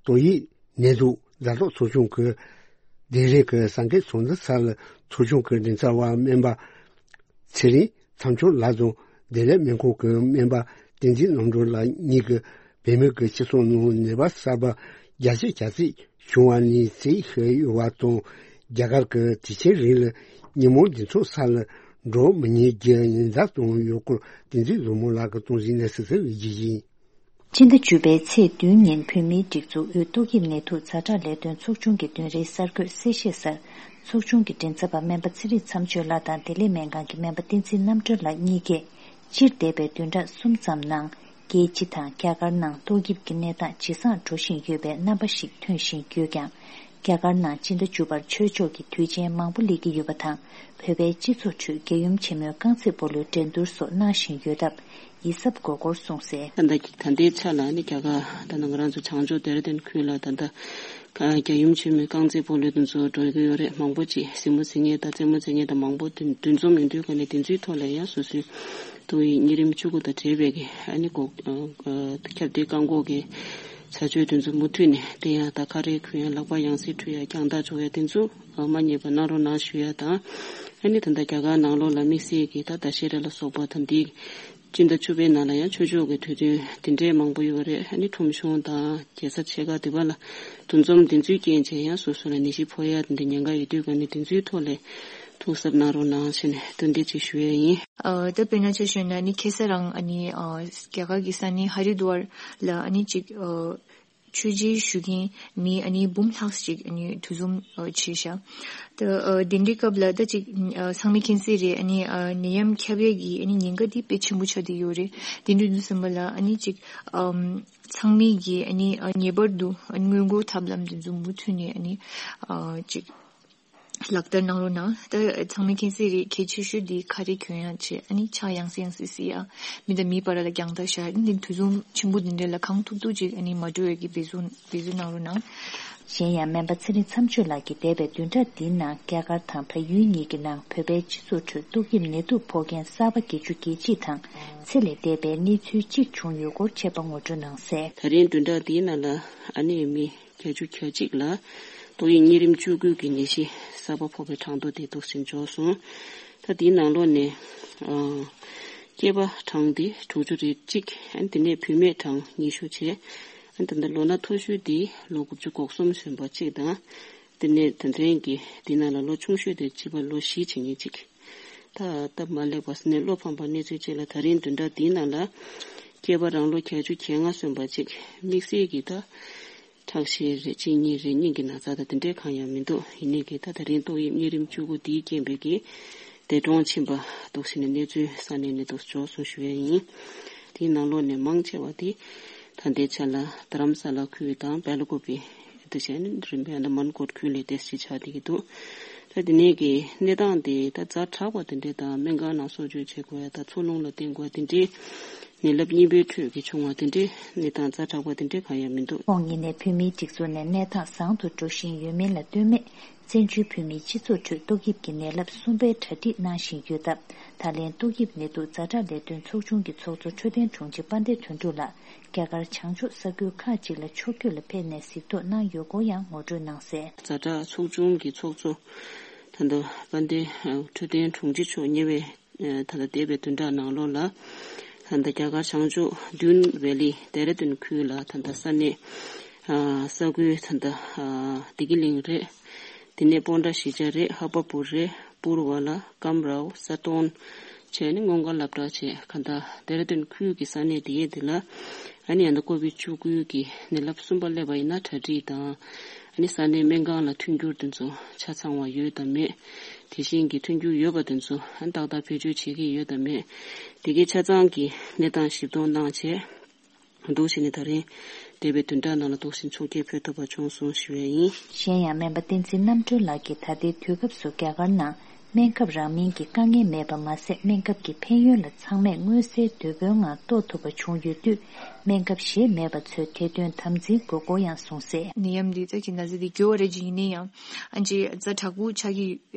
ཏོག་དབྱིབས་ནད་དུག་ཛ་དྲག་ཚོགས་ཆུང་གི་སྡེ་རིགས་ཀྱི་གསར་འགོད་ཚོགས་འདུ་སར་ཚོགས་ཆུང་གི་མགྲིན་ཚབ་པ་སྨན་པ་ཚེ་རིང་མཚམས་སྦྱོར་ལགས་དང་བདེ་ལེགས་སྨན་ཁང་གི་སྨན་པ་བསྟན་འཛིན་རྣམ་གྲོལ་ལགས་གཉིས་ཀྱིས་བོད་མི་གི་སྤྱི་ཚོགས་ནང་ནད་པ་གསར་པ་བརྒྱ་ཆ་གྱ་གཅིག་བྱུང་བ་ནས་ཟིན་ཡོད་པ་དང་། རྒྱ་གར་གྱི་དུས་ཆེན་རིང་ལ་ཉིན་མོ་འདི་ཚོ་ས་ལ་འགྲོ་མི་ཉན་རྒྱུ་ཉེན་བརྡ་བཏང་ཡོད་སྐོར་བསྟན་འཛིན་བཟང་མོ་ལགས་ཀྱིས་གཏོང་ཟིན་ནས་གསལ་གསལ་འོས་ཀྱི་ཡིན། སྤྱི་ཟླ་བཅུ་པའི་ཚེས་བདུན་ཉིན་བོད་མིའི་སྒྲིག་འཛུགས་དབུས་ཏོག་དབྱིབས་ནད་དུག་ཛ་དྲག་ལས་དོན་ཚོགས་ཆུང་གི་བདུན་རེའི་གསར་འགོད་གསལ་བཤད་སར་ཚོགས་ཆུང་གི་མགྲིན་ཚབ་པ་སྨན་པ་ཚེ་རིང་མཚམས་སྦྱོར་ལགས་དང་བདེ་ལེགས་སྨན་ཁང་གི་སྨན་པ་བསྟན་འཛིན་རྣམ་གྲོལ་ལགས་གཉིས་ཀས། སྤྱིར་འདས་པའི་བདུན་ཕྲག་གསུམ་ཙམ་ནང་རྒྱལ་སྤྱི་དང་རྒྱ་གར་ནང་ཏོག་དབྱིབས་ཀྱི་གནས་སྟངས་ཇེ་བཟང་འགྲོ་བཞིན་ཡོད་པའི་རྣམ་པ་ཞིག་ཐོན་བཞིན་ཡོད་ཀྱང་། རྒྱ་གར་ནང་སྤྱི་ཟླ་བཅུ་པར་ཆོས་ཕྱོགས་ཀྱི་དུས་ཆེན་མང་པོ་སླེབས་ཀྱི་ཡོད་པ་དང་། བོད་པའི་སྤྱི་ཚོགས་ཁྲོད་རྒྱལ་ཡུམ་ཆེན་མོའི་རྐང་རྩེད་སྤོ་ལོའི་འགྲན་བསྡུར་སོགས་གནང་བཞིན་ཡོད་སྟབས་ཡིད་གཟབ་དགོས་སྐོར་གསུངས་གསལ། ད་ལྟ་ད་ལྟའི་ཆ་ལ་ནི་རྒྱ་གར་ད་ནང་ང་རང་ཚོ་བྱང་ཕྱོགས་ལྡེ་ར་ལྡུན་ཁུལ་ལ་ད་ལྟ་ ཨ། རྒྱལ་ཡུམ་ཆེན་མོའི་རྐང་རྩེད་སྤོ་ལོ་དེ་ཚོ་འགྲོ་གི་ཡོད་རེད། མང་པོ་ཅིག་གཟིགས་མོ་གཟིགས་མཁན་དང་རྩེད་མོ་རྩེ་མཁན་དང་མང་པོ་འདུ་འཛོམས་ཡོང་དུས་ཀ་ནས་དེ་ཚོའི་ཐོག་ལ་ཡང་སོ་སོའི་ཏོག་དབྱིབས་གཉན་རིམས་བཅུ་དགུ་དང་འབྲེལ་བའི་གི་ཨ་ནི་གོ་ཨ་ཨ་ཁྱབ་གདལ་བཀག་འགོག་གི་བྱ་སྤྱོད་དེ་ཚོ་མུ་མཐུད་ནས་བསྟེན་ཡ་དང་། ཁ་རས་གོན་ཡ། ལག་པ་ཡང་སེ་འཁྲུ་ཡ། རྒྱང་ཐག་འཇོག་ཡ་དེ་ཚོ་མ་བསྙེལ་བ་གནང་རོགས་གནང་ཞུ་ཡ་དང་། ཨ་ནི་ད་ལྟ་རྒྱ་གར་ནང་ལོགས་ལ་དམིགས་བསལ་གྱི་ད་ད་ཤེ་ར་ལ་སོགས་པ་དང་འདི་སྤྱི་ཟླ་བཅུ་པའི་ནང་ལ་ཡང་ཆོས་ཕྱོགས་ཀྱི་དུས་སྟོན་དེ་འདྲའི་མང་པོ་ཡོད་རེད། ཨ་ནི་ཁྲོམ་གཞུང་དང་རྒྱལ་ས་ཆེ་ཁག་དེ་པ་ལ་འདུ་འཛོམས་དེ་ཚོའི་རྐྱེན་བྱས་ཡང་སོ་སོ་ལ་ནད་གཞི་ཕོག་ཡ་དེ་འདྲ་ཉེན་ཁ་ཡོད་དུས་ཀ་ནས་དེ་ཚོའི་ཐོག་ལ་ཐུགས་གཟབ་གནང་རོགས་གནང་ཞེས་ནས་སྟོན་འདི་ཅིག་ཞུ་ཡ་ཡིན། ཨ། ད་དཔེར་ན་ཆ་བཞག་ན་ནི་ཁ་སང་རང་ཨ་ནི་ཨ་རྒྱ་གར་གྱི་ས་གནས་ཧ་རི་དུ་ཝར་ལ་ཨ་ནི་ཅིག་ཨ་ཆོས་རྗེ་ཞུ་མཁན་མི་ཨ་ནི་འབུམ་ལྷག་ཅིག་ཨ་ནི་འདུ་འཛོམས་ཨ་བྱས་ཤག་ད་ཨ་དེ་འདྲའི་སྐབས་ལ་ད་ཅིག་ཨ་ཚང་མས་མཁྱེན་གསལ་རེད། ཨ་ནི་ཨ་ནད་ཡམས་ཁྱབ་ཡས་ཀྱི་ཨ་ནི་ཉེན་ཁ་འདི་དཔེ་ཆེན་པོ་ཆགས་བསྡད་ཡོད་རེད། དེ་འདྲ་དུས་ཙམ་པ་ལ་ཨ་ནི་ཅིག་ཨམ་ཚང་མས་ཀྱིས་ཨ་ནི་ཨ་ངེས་པར་དུ་ཨ་ནི་སྔོན་འགོག་ཐབས་ལམ་དེ་ཚོ་མུ་མཐུད་ནས་ཨ་ནི་ཨ་ཅིག་ལག་བསྟར་གནང་རོགས་གནང་། ད་ཚང་མས་མཁྱེན་གསལ་རེད། གལ་ཆེ་ཤོས་འདི་ཁ་རས་གྱོན་ཡག་བྱས། ཨ་ནི་ཕྱག་ཡང་སེ་ཡང་སེ་བསིལ་ཡག་མི་དང་མི་བར་ལ་རྒྱང་ཐག་བཞག་ཨ་ནི་འདུ་འཛོམས་ཆེན་པོ་འདི་འདྲ་ལ་གང་ཐུབ་ཐུབ་ཅིག་ཨ་ནི་མ་འགྲོ་བའི་གི་འབད་བརྩོན་འབད་བརྩོན་གནང་རོགས་གནང་། གཞན་ཡང་སྨན་པ་ཚེ་རིང་མཚམས་གཅོད་ལགས་ཀྱིས་འདས་པའི་བདུན་ཕྲག་འདིའི་ནང་རྒྱ་གར་དང་བལ་ཡུལ་གཉིས་ཀྱི་ནང་བོད་པའི་སྤྱི་ཚོགས་ཁྲོད་ཏོག་དབྱིབས་ནད་དུག་ཕོག་མཁན་གསར་པ་བརྒྱད་ཅུ་གྱ་གཅིག་དང་། ཚེ་ལས་འདས་པའི་གནས་ཚུལ་གཅིག་བྱུང་ཡོད་སྐོར་བཅས་པ་ངོ་སྤྲོད་གནང་གསལ། ད་རིང་བདུན་ཕྲག་འདིའི་ནང་ལ་ཨ་ནི་མི་བརྒྱད་ཅུ་གྱ་གཅིག་ལ་ཏོག་དབྱིབས་གཉན་རིམས་བཅུ་དགུ་གི་ནད་གཞི་གསར་པ་ཕོག་པའི་གྲངས་ཐོ་དེ་འདུག་སེ་འབྱོར་སོང་། ད་དེའི་ནང་ལོགས་ནས་ཨ་སྐྱེས་པ་གྲངས་དེ་དྲུག་ཅུ་རེ་གཅིག་ཨ་ནི་དེ་ནས་བུད་མེད་གྲངས་ཉི་ཤུ་བྱས། ཨ་ནི་ད་ལྟ་ལོ་ན་མཐོ་ཤོས་དེ་ལོ་དགུ་བཅུ་གོ་གསུམ་སོན་པ་གཅིག་དང་། དེ་ནས་ད་ལྟའི་གི་དེའི་ནང་ལ་ལོ་ཆུང་ཤོས་དེ་བྱིས་པ་ལོ་བཞི་བྱེད་མཁན་གཅིག་ད་སྟབས་མ་ལེགས་པ་ཟེར་ནས་བློ་ཕམ་པ་གནས་ཚུལ་གཅིག་ལ་ད་རིང་བདུན་ཕྲག་འདིའི་ནང་ལ་སྐྱེས་པ་རང་ལོ་བརྒྱད་ཅུ་གྱ་ལྔ་སོན་པ་གཅིག་དམིགས་བསལ་གྱི་ད་ཁྲག་ཤེད་རེད། གཅིན་སྙི་རེད། སྙིང་གི་ན་ཚ་དང་དེ་འདྲའི་གང་ཡང་མི་འདུག་ཡིན་ནའི་གི་ད་ད་རིང་ཏོག་དབྱིབས་གཉན་རིམས་བཅུ་དགུ་འདིའི་རྐྱེན་པས་གི་འདས་གྲོངས་ཕྱིན་པ་འདུག་ཟེར་ནས་གནས་ཚུལ་ས་གནས་ནས་འདུག་འབྱོར་སོང་ཞུ་ཡ་ཡིན། དེའི་ནང་ལོགས་ནས་མང་ཆེ་བ་དེ་ད་ལྟའི་ཆ་ལ་རྡ་རམ་ས་ལ་ཁུལ་དང་སྦེལ་ཀོབ་པི། དེ་བྱས་ནས་རིམ་པས་ཨ་ནི་མན་གོ་ཁུལ་ལ་ཏོག་ཙམ་ཆགས་བསྡད་ཀྱི་འདུག་ད་དེ་ནས་ཀྱི་གནས་སྟངས་དེ་ད་ཛ་དྲག་པ་དེ་འདྲས་དང་སྨན་ཁང་ནང་གསོ་བཅོས་བྱེད་དགོས་ཡ་དང་འཚོ་རླུང་ལ་བརྟེན་དགོས་ཡ་དེ་འདྲས་ནད་རླབས་གཉིས་པའི་ཁྲོད་ཀྱི་བྱུང་བ་དེ་འདྲས་གནས་སྟངས་ཛ་དྲག་པ་དེ་འདྲས་གང་ཡང་མི་འདུག་ཁོང་ཉིད་ནས་བོད་མིའི་སྒྲིག་འཛུགས་ནས་གནས་སྟངས་བཟང་དུ་འགྲོ་བཞིན་ཡོད་མིན་ལ་ལྟོས་མེད། བཙན་བྱོལ་བོད་མིའི་སྤྱི་ཚོགས་ཁྲོད་ཏོག་དབྱིབས་ཀྱི་ནད་རླབས་གསུམ་པའི་གྲ་སྒྲིག་གནང་བཞིན་ཡོད་སྟབས། ད་ལན་ཏོག་དབྱིབས་ནད་དུག་ཛ་དྲག་ལས་དོན་ཚོགས་ཆུང་གི་ཚོགས་གཙོ་འཕྲོད་བསྟེན་དྲུང་ཆེ་དཔལ་ལྡན་དོན་གྲུབ་ལགས་རྒྱ་གར་བྱང་ཕྱོགས་ས་ཁུལ་ཁག་ཅིག་ལ་ཕྱོགས་བསྐྱོད་ལ་ཕེབས་ནས་གཟིགས་རྟོག་གནང་ཡོད་སྐོར་ཡང་ངོ་སྤྲོད་གནང་གསལ། ཛ་དྲག་ཚོགས་ཆུང་གི་ཚོགས་གཙོ་ད་ལྟ་དཔལ་ལྡན་འཕྲོད་བསྟེན་དྲུང་ཆེ་མཆོག་ཉེ་བའི་ད་ལྟ་འདས་པའི་བདུན་ཕྲག་ནང་ལོགས་ལ་ད་ལྟ་རྒྱ་གར་བྱང་ཕྱོགས་ཌུན་ཝེ་ལི་ལྡེ་ར་ལྡུན་ཁུལ་ལ་ད་ལྟ་ས་གནས་ས་ཁུལ་ད་ལྟ་བདེ་སྐྱིད་གླིང་རེད། དེ་ནས་སྤོན་ཊ་གཞིས་ཆགས་རེད། ཧ་པ་པུར་རེད། པུར་བ་ལ། ཀམ་རའོ། ས་ཏོན་བྱས་ནས་སྔོན་འགོག་སློབ་གྲྭ་བྱས། ག་ད་ལྡེ་ར་ལྡུན་ཁུལ་གྱི་ས་གནས་དེ་ཡས་དེ་ལ་ཨ་ནི་ཡང་ད་ཀོ་བིད་བཅུ་དགུ་གི་ནད་རླབས་གསུམ་པ་སླེབས་པ་ཡིན་ན་གྲ་སྒྲིག་དང་། ཨ་ནི་ས་གནས་སྨན་ཁང་ལ་མཐུན་འགྱུར་དེ་ཚོ་ཆ་ཚང་བ་ཡོད་དམ་མེད། དེ་བཞིན་གྱི་མཐུན་འགྱུར་ཡོད་པ་དེ་ཚོ་ཨ་ནི་ཏག་ཏག་བེད་སྤྱོད་བྱེད་ཀྱི་ཡོད་དམ་མེད། དེ་གའི་ཆ་ཚང་གི་གནས་སྟངས་ཞིབ་གཏོང་གནང་བྱས། འདུག་བྱས་ནས་ད་རིང་འདས་པའི་བདུན་ཕྲག་ནང་ལ་འདུག་སེ་ཚོགས་སྐྱེལ་ཕེབས་ཐུབ་པ་བྱུང་སོང་ཞུ་བ་ཡིན། གཞན་ཡང་སྨན་པ་བསྟན་འཛིན་རྣམ་གྲོལ་ལགས་ཀྱིས་ད་ལྟའི་དུས་སྐབས་སུ་རྒྱ་གར་ནང་སྨན་ཁབ་རག་མིན་གྱི་དཀའ་ངལ་མེད་པ་མ་ཟད། སྨན་ཁབ་ཀྱི་ཕན་ཡོན་ལ་ཚང་མས་མངོན་གསལ་དོད་པོའི་ངང་རྟོགས་ཐུབ་པ་བྱུང་ཡོད་དུས། སྨན་ཁབ་བཞེས་མེད་པ་ཚོས་དེ་དོན་དམ་འཛིན་དགོས་སྐོར་ཡང་གསུངས་གསལ། ནད་ཡམས་འདི་ད་ཅིག་ན་ཚ་འདི་ཡོད་རེད། ཅིག་ཡིན་ན་ཡང་ཨ་ཅིག་ཛ་དྲག་པོ་ཆགས་ཀྱི་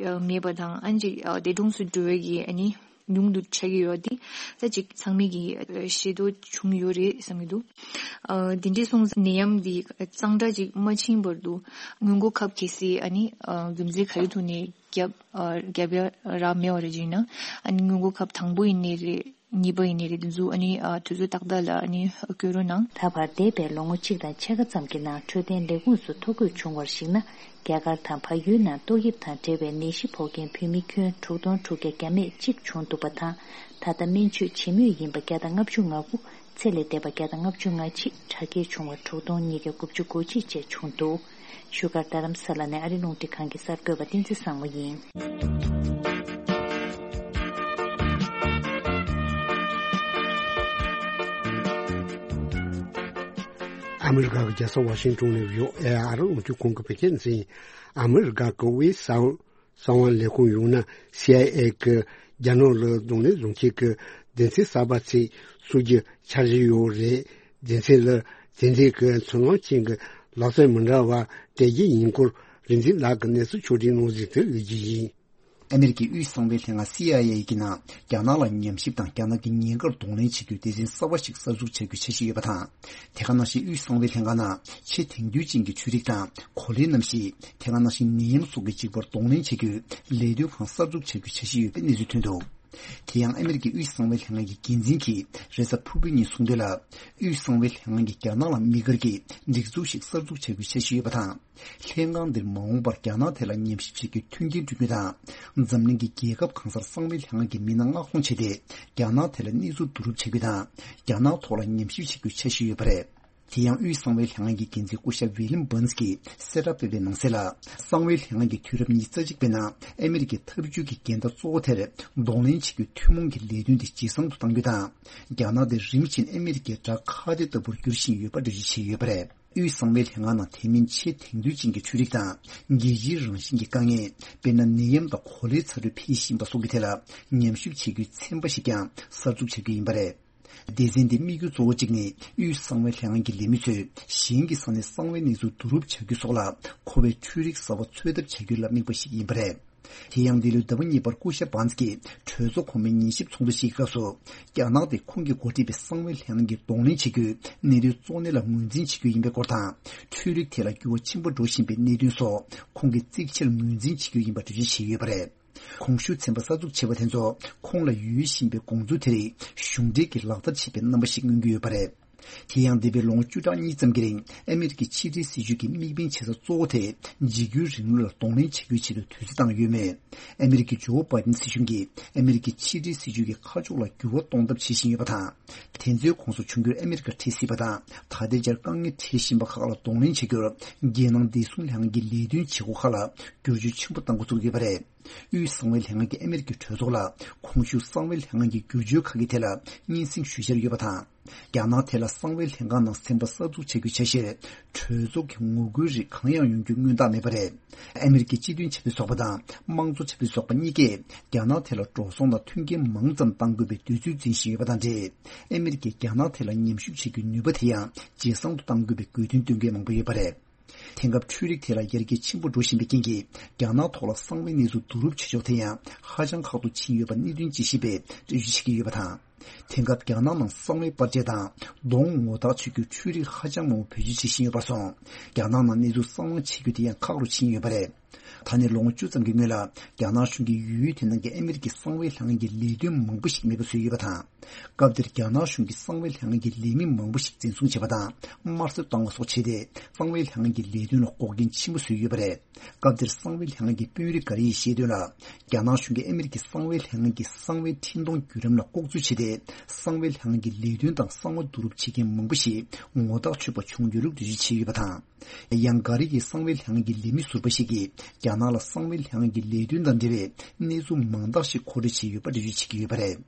མེད་པ་དང་། ཨ་ཅིག་འདས་གྲོངས་སུ་འགྲོ་བའི་གི་ཨ་ནི། ཉུང་དུ་ཆགས་ཀྱི་ཡོད་དེ། ད་ཅིག་ཚང་མས་ཀྱི་ཤེས་རྟོགས་བྱུང་ཡོད་རེད་བསམ་གྱི་འདུག་ཨ་དེ་འདྲའི་སོང་ཙང་ནད་ཡམས་འདི་གཙང་སྦྲ་ཅིག་མ་ཕྱིན་བར་དུ་སྔོན་འགོག་ཁབ་གལ་སྲིད་ཨ་ནི་ཨ་རྒྱུ་མཚན་ག་རེ་ཐོག་ནས་བརྒྱབ་ཨ་བརྒྱབ་ཡ་རག་མེད་པ་རེད་ཅིག་ན། ཨ་ནི་སྔོན་འགོག་ཁབ་དང་པོ་ཡིན་ནའི་རེད། གཉིས་པ་ཡིན་ནའི་རེད། དེ་ཚོ་ཨ་ནི་ཨ་དུས་ཚོད་ཏག་ཏག་ལ་ཨ་ནི་བསྐྱོན་རོགས་གནང་། ད་བར་འདས་པའི་ལོ་ངོ་གཅིག་དང་ཕྱེད་ཀ་ཙམ་གྱི་ནང་འཕྲོད་བསྟེན་ལས་ཁུངས་སུ་ཐོ་འགོད་བྱུང་བར་གཞིགས་ན། རྒྱ་གར་དང་བལ་ཡུལ་ནང་ཏོག་དབྱིབས་དང་འབྲེལ་བའི་ནད་གཞི་ཕོག་མཁན་བོད་མི་ཁྱོན་དྲུག་སྟོང་དྲུག་བརྒྱ་བརྒྱ་མེད་གཅིག་བྱུང་འདུག་པ་དང་། ད་ལྟ་སྨན་བཅོས་བྱེད་མུས་ཡིན་པ་བརྒྱ་དང་ལྔ་བཅུ་ང་དགུ། ཚེ་ལས་འདས་པ་བརྒྱ་དང་ལྔ་བཅུ་ང་གཅིག་དྲག་སྐྱེད་བྱུང་བ་དྲུག་སྟོང་ཉིས་བརྒྱ་དགུ་བཅུ་གོ་གཅིག་བཅས་བྱུང་འདུག་བཞུགས་སྒར་རྡ་རམ་ས་ལ་ནས་ཨ་རི་རླུང་འཕྲིན་ཁང་གི་གསར་འགོད་པ་བསྟན་འཛིན་བཟང་མོ་ཡིན། ཨ་མི་རི་ཀ་གི་རྒྱལ་ས་ཝ་ཤིང་ཏོན་ནས་བྷི་ཨོ་ཨེ་ཨ་རི་རླུང་འཕྲིན་ཁང་གི་བོད་སྐད་སྡེ་ཚན། ཨ་མི་རི་ཀ་གི་དབུས་གསང་བ་ལས་ཁུངས་ཡང་ན་སི་ཨའི་ཨེ་གི་རྒྱ་ནག་ལ་གདོང་ལེན་བཟུང་མཁན་གྱི་སྡེ་ཚན་གསར་པ་ཞིག་བཙུགས་རྒྱུའི་འཆར་གཞི་ཡོད་རེད། སྡེ་ཚན་ལ་དེ་འདྲའི་གི་ཚུར་སྣང་ཅན་གྱི་ ལག་རྩལ་མི་འདྲ་བ་སྤྲད་རྒྱུ་ཡིན་སྐོར་རིག་འཛིན་ལགས་ཀྱིས་གནས་ཚུལ་ཕྱོགས་སྒྲིག་གནང་ཟིན་དེ་གཟིགས་རྒྱུ་ཡིན། ཨ་མེ་རི་ཀའི་དབུས་གསང་བའི་ལྷན་ཁང་སི་ཨའི་ཨེ་གི་ནང་རྒྱ་ནག་ལ་ཉམས་ཞིབ་དང་རྒྱ་ནག་གི་ཉེན་ཁར་གདོང་ལེན་བྱེད་རྒྱུའི་སྡེ་ཚན་གསར་བ་ཞིག་གསར་འཛུགས་བྱ་རྒྱུའི་འཆར་གཞི་ཡོད་པ་དང་། དེ་ག་ནང་བཞིན་དབུས་གསང་བའི་ལྷན་ཁང་ནང་ཆེས་དེང་དུས་ཅན་གྱི་འཕྲུལ་རིག་དང་གོ་ལའི་གནམ་གཤིས། དེ་ག་ནང་བཞིན་ནད་ཡམས་སོགས་ཀྱི་འཇིགས་པར་གདོང་ལེན་བྱེད་རྒྱུའི་ལས་དོན་ཁང་གསར་འཛུགས་བྱ་རྒྱུའི་འཆར་གཞི་ཡོད་པའི་གནས་ཚུལ་ཐོན་འདུག་དེ་ཡང་ཨ་མེ་རི་ཀའི་དབུས་གསང་བའི་ལྷན་ཁང་གི་འགན་འཛིན་གྱིས་རེས་གཟའ་ཕུར་བུའི་ཉིན་གསུངས་དོན་ལ། དབུས་གསང་བའི་ལྷན་ཁང་གིས་རྒྱ་ནག་ལ་དམིགས་བཀར་གྱིས་སྒྲིག་འཛུགས་ཤིག་གསར་འཛུགས་བྱ་རྒྱུའི་འཆར་གཞི་ཡོད་པ་དང་། ལྷན་ཁང་འདིར་མ་འོངས་པར་རྒྱ་ནག་ཐད་ལ་ཉམས་ཞིབ་བྱེད་རྒྱུའི་མཐུན་རྐྱེན་བསྐྲུན་རྒྱུ་དང་། འཛམ་གླིང་གི་རྒྱལ་ཁབ་གང་སར་གསང་བའི་ལྷན་ཁང་གི་མི་སྣ་མངགས་གཏོང་བྱས་ཏེ། རྒྱ་ནག་ཐད་ལ་གནས་ཚུལ་བསྡུ་རུབ་བྱེད་རྒྱུ་དང་། རྒྱ་ནག་ཐོག་ལ་ཉམས་ཞིབ་བྱེད་རྒྱུའི་འཆར་གཞི་ཡོད་པ་རེད། དེ་ཡང་དབུས་གསང་བའི་ལྷན་ཁང་གི་འགན་འཛིན་སྐུ་ཞབས་ཝི་ལིམ་བྷན་སི་གིས་གསལ་བསྒྲགས་སྤེལ་བའི་ནང་གསལ་ལ། གསང་བའི་ལྷན་ཁང་གིས་དུས་རབས་ཉི་ཤུ་རྩ་གཅིག་པའི་ནང་ཨ་མེ་རི་ཀའི་འཐབ་ཇུས་ཀྱི་འགལ་ཟླ་གཙོ་བོ་དེར་གདོང་ལེན་བྱེད་རྒྱུའི་ཐུན་མོང་གི་ལས་དོན་དེ་ཇེ་བཟང་དུ་གཏང་རྒྱུ་དང་། རྒྱ་ནག་དེ་རིམ་བཞིན་ཨ་མེ་རི་ཀའི་དགྲ་ཁ་གཏད་ལྟ་བུར་འགྱུར་བཞིན་ཡོད་པ་འགྲེལ་བརྗོད་བྱས་ཡོད་པ་རེད། དབུས་གསང་བའི་ལྷན་ཁང་ནང་དེ་མིན་ཆེས་དེང་དུས་ཅན་གྱི་འཕྲུལ་རིག་དང་། རྒྱལ་སྤྱིའི་རང་བཞིན་གྱི་དཀའ་ངལ། དཔེར་ན་ནད་ཡམས་དང་གོ་ལའི་ཚ་དྲོད་འཕེལ་བཞིན་པ་སོགས་ཀྱི་ཐད་ལ་ཉམས་ཞིབ་བྱེད་རྒྱུའི་ཚན་པ་ཞིག་ཀྱང་གསར་འཛུགས་བྱ་རྒྱུ་ཡིན་པ་རེད། སྡེ་ཚན་འདིའི་དམིགས་ཡུལ་གཙོ་བོ་གཅིག་ནི། དབུས་གསང་བའི་ལྷན་ཁང་གི་ལས་མི་ཚོས་གཞན་གྱི་ས་ནས་གསང་བའི་གནས་ཚུལ་བསྡུ་རུབ་བྱ་རྒྱུ་སོགས་ལ་མཁོ་བའི་འཕྲུལ་རིག་གསར་བ་འཚོལ་ཐབས་བྱ་རྒྱུ་ལ་དམིགས་པ་ཞིག་ཡིན་པ་རེད། དེ་ཡང་འདི་ལོའི་ཟླ་བ་གཉིས་པར་སྐུ་ཞབས་བྷན་སི་ཀྱིས་གྲོས་ཚོགས་གོང་མའི་ཉན་ཞིབ་ཚོགས་འདུ་ཞིག་གི་སྐབས་སུ། རྒྱ་ནག་དེ་ཁོང་གིས་འགོ་ཁྲིད་པའི་གསང་བའི་ལྷན་ཁང་གིས་གདོང་ལེན་བྱེད་རྒྱུའི་གནད་དོན་གཙོ་གནད་ལ་ངོས་འཛིན་བྱེད་རྒྱུ་ཡིན་པའི་སྐོར་དང་། འཕྲུལ་རིག་ཐད་ལ་འགྱུར་བ་ཆེན་པོ་འགྲོ་བཞིན་པའི་གནད་དོན་སོགས་ཁོང་གིས་གཙིགས་ཆེར་ངོས་འཛིན་བྱེད་རྒྱུ་ཡིན་པ་འགྲེལ་བརྗོད་བྱས་ཡོད་པ་རེད། གོང་ཞུས་ཚན་པ་གསར་འཛུགས་བྱས་པ་དེ་ཚོ་ཁོང་ལ་ཡོད་བཞིན་པའི་དགོངས་ཚུལ་དེ་རིགས་གཞུང་འབྲེལ་གྱིས་ལག་བསྟར་བྱེད་པའི་རྣམ་པ་ཞིག་མངོན་གྱི་ཡོད་པ་རེད། དེ་ཡང་འདས་པའི་ལོ་ངོ་བཅུ་ཕྲག་གཉིས་ཙམ་གྱི་རིང་ཨ་མེ་རི་ཀའི་ཕྱི་འབྲེལ་སྲིད་ཇུས་ཀྱི་དམིགས་འབེན་བྱེད་ས་གཙོ་བོ་དེ་འཇིགས་སྐུལ་རིང་ལུགས་ལ་གདོང་ལེན་བྱེད་རྒྱུའི་ཆེད་དུ་དུས་ཚོད་བཏང་ཡོད་མོད། ཨ་མེ་རི་ཀའི་ཇོ་བྷའི་ཏིན་སྲིད་གཞུང་གིས་ཨ་མེ་རི་ཀའི་ཕྱི་འབྲེལ་སྲིད་ཇུས་ཀྱི་ཁ་ཕྱོགས་ལ་འགྱུར་བ་གཏོང་ཐབས་བྱེད་བཞིན་ཡོད་པ་དང་། དེ་ཚོའི་ཁོངས་སུ་འབྱུང་འགྱུར་ཨ་མེ་རི་ཀ་འཕྲད་སྲིད་པ་དང་། ད་ལྟའི་ཆར་དཀའ་ངལ་འཕྲད་བཞིན་པ་ཁག་ལ་གདོང་ལེན་བྱེད་རྒྱུར་རྒྱལ་ནང་བདེ་སྲུང་ལྷན་ཁང་གི་ལས་དོན་བྱེད་སྒོ་ཁག་ལ་བསྒྱུར་བཅོས་ཆེན་པོ་གཏང་འགོ་བཙུགས་ཡོད་པ་རེད། དབུས་གསང་བའི་ལྷན་ཁང་གིས་ཨ་མེ་རི་ཀའི་གྲོས་ཚོགས་ལ་གོང་ཞུས་གསང་བའི་ལྷན་ཁང་གི་བསྒྱུར་བཅོས་ཁག་གི་ཐད་ལ་སྙན་སེང་ཞུ་འཆར་ཡོད་པ་དང་། རྒྱ་ནག་ཐད་ལ་གསང་བའི་ལྷན་ཁང་ནང་ཚན་པ་གསར་འཛུགས་བྱ་རྒྱུའི་འཆར་གཞིར་གྲོས་ཚོགས་ཀྱི་ངོ་རྒོལ་རིགས་གང་ཡང་ཡོང་རྒྱུའི་མངོན་རྟགས་མེད་པ་རེད། ཨ་མེ་རི་ཀའི་སྤྱི་མཐུན་ཆབ་སྲིད་ཚོགས་པ་དང་དམངས་གཙོ་ཆབ་སྲིད་ཚོགས་པ་གཉིས་ཀས་རྒྱ་ནག་ཐད་ལ་འགྲོ་སོང་དང་མཐུན་རྐྱེན་མང་ཙམ་གཏང་དགོས་པའི་འདོད་ཚུལ་འཛིན་བཞིན་ཡོད་པ་དང་འབྲེལ། ཨ་མེ་རི་ཀས་རྒྱ་ནག་ཐད་ལ་ཉམས་ཞིབ་བྱེད་རྒྱུའི་ནུས་པ་དེ་ཡང་ཇེ་བཟང་དུ་གཏང་དགོས་པའི་དགོས་འདུན་བཏོན་མཁན་མང་པོ་ཡོད་པ་རེད། དེང་སྐབས་འཕྲུལ་རིག་ཐད་ལ་ཡར་རྒྱས་ཆེན་པོ་འགྲོ་བཞིན་པའི་རྐྱེན་གྱིས། རྒྱ་ནག་ཐོག་ལ་གསང་བའི་གནས་ཚུལ་བསྡུ་རུབ་བྱེད་ཕྱོགས་དེ་ཡང་ཧ་ཅང་ཁག་ཏུ་ཕྱིན་ཡོད་པ་གནད་དོན་དཔྱད་ཞིབ་པས་འགྲེལ་བརྗོད་བྱེད་ཀྱི་ཡོད་པ་དང་། དེང་སྐབས་རྒྱ་ནག་ནང་གསང་བའི་པར་ཆས་དང་གདོང་ངོ་རྟགས་ཆོད་རྒྱུའི་འཕྲུལ་རིག་ཧ་ཅང་མང་པོ་བེད་སྤྱོད་བྱེད་བཞིན་ཡོད་པར་སོང་། རྒྱ་ནག་ནང་གནས་ཚུལ་གསང་བ་བྱེད་རྒྱུ་དེ་ཡང་ཁག་རུ་ཕྱིན་ཡོད་པ་རེད། ད་ནས་ལོ་ངོ་བཅུ་ཙམ་གྱི་སྔོན་ལ་རྒྱ་ནག་གཞུང་གིས་ཡུལ་དེ་ནང་གི་ཨ་མེ་རི་ཀའི་གསང་བའི་ལྷན་ཁང་གི་ལས་དོན་མང་པོ་ཞིག་མེད་པ་བཟོས་ཡོད་པ་དང་། སྐབས་དེར་རྒྱ་ནག་གཞུང་གིས་གསང་བའི་ལྷན་ཁང་གི་ལས་མི་མང་པོ་ཞིག་འཛིན་བཟུང་བྱས་པ་དང་དམར་གསོད་བཏང་བ་སོགས་བྱས་ཏེ། གསང་བའི་ལྷན་ཁང་གི་ལས་དོན་ལ་འགོག་རྐྱེན་ཆེན་པོ་བཟོས་ཡོད་པ་རེད། སྐབས་དེར་གསང་བའི་ལྷན་ཁང་གི་དཔོན་རིགས་འགའ་རེ་ཡིས་བཤད་དོན་ལ། རྒྱ་ནག་གཞུང་གིས་ཨ་མེ་རི་ཀའི་གསང་བའི་ལྷན་ཁང་གི་གསང་བའི་འཕྲིན་གཏོང་བརྒྱུད་རིམ་ལ་ལྐོག་འཛུལ་བྱས་ཏེ། གསང་བའི་ལྷན་ཁང་གི་ལས་དོན་དང་གསང་བ་བསྡུ་རུབ་བྱེད་མཁན་མང་པོ་ཞིག་ངོ་རྟགས་ཆོད་པ་བྱུང་ཡོད་ལུགས་འགྲེལ་བརྗོད་བྱས་ཡོད་པ་དང་། ཡང་འགའ་རེ་ཡིས་གསང་བའི་ལྷན་ཁང་གི་ལས་མི་ཟུར་པ་ཞིག་གིས་རྒྱ་ནག་ལ་གསང་བའི་ལྷན་ཁང་གི་ལས་དོན་དང་འབྲེལ་བའི་གནས་ཚུལ་མང་དག་ཞིག་མཁོ་སྤྲོད་བྱས་ཡོད་པ་འགྲེལ་བརྗོད་བྱེད་ཀྱི་ཡོད་པ་རེད།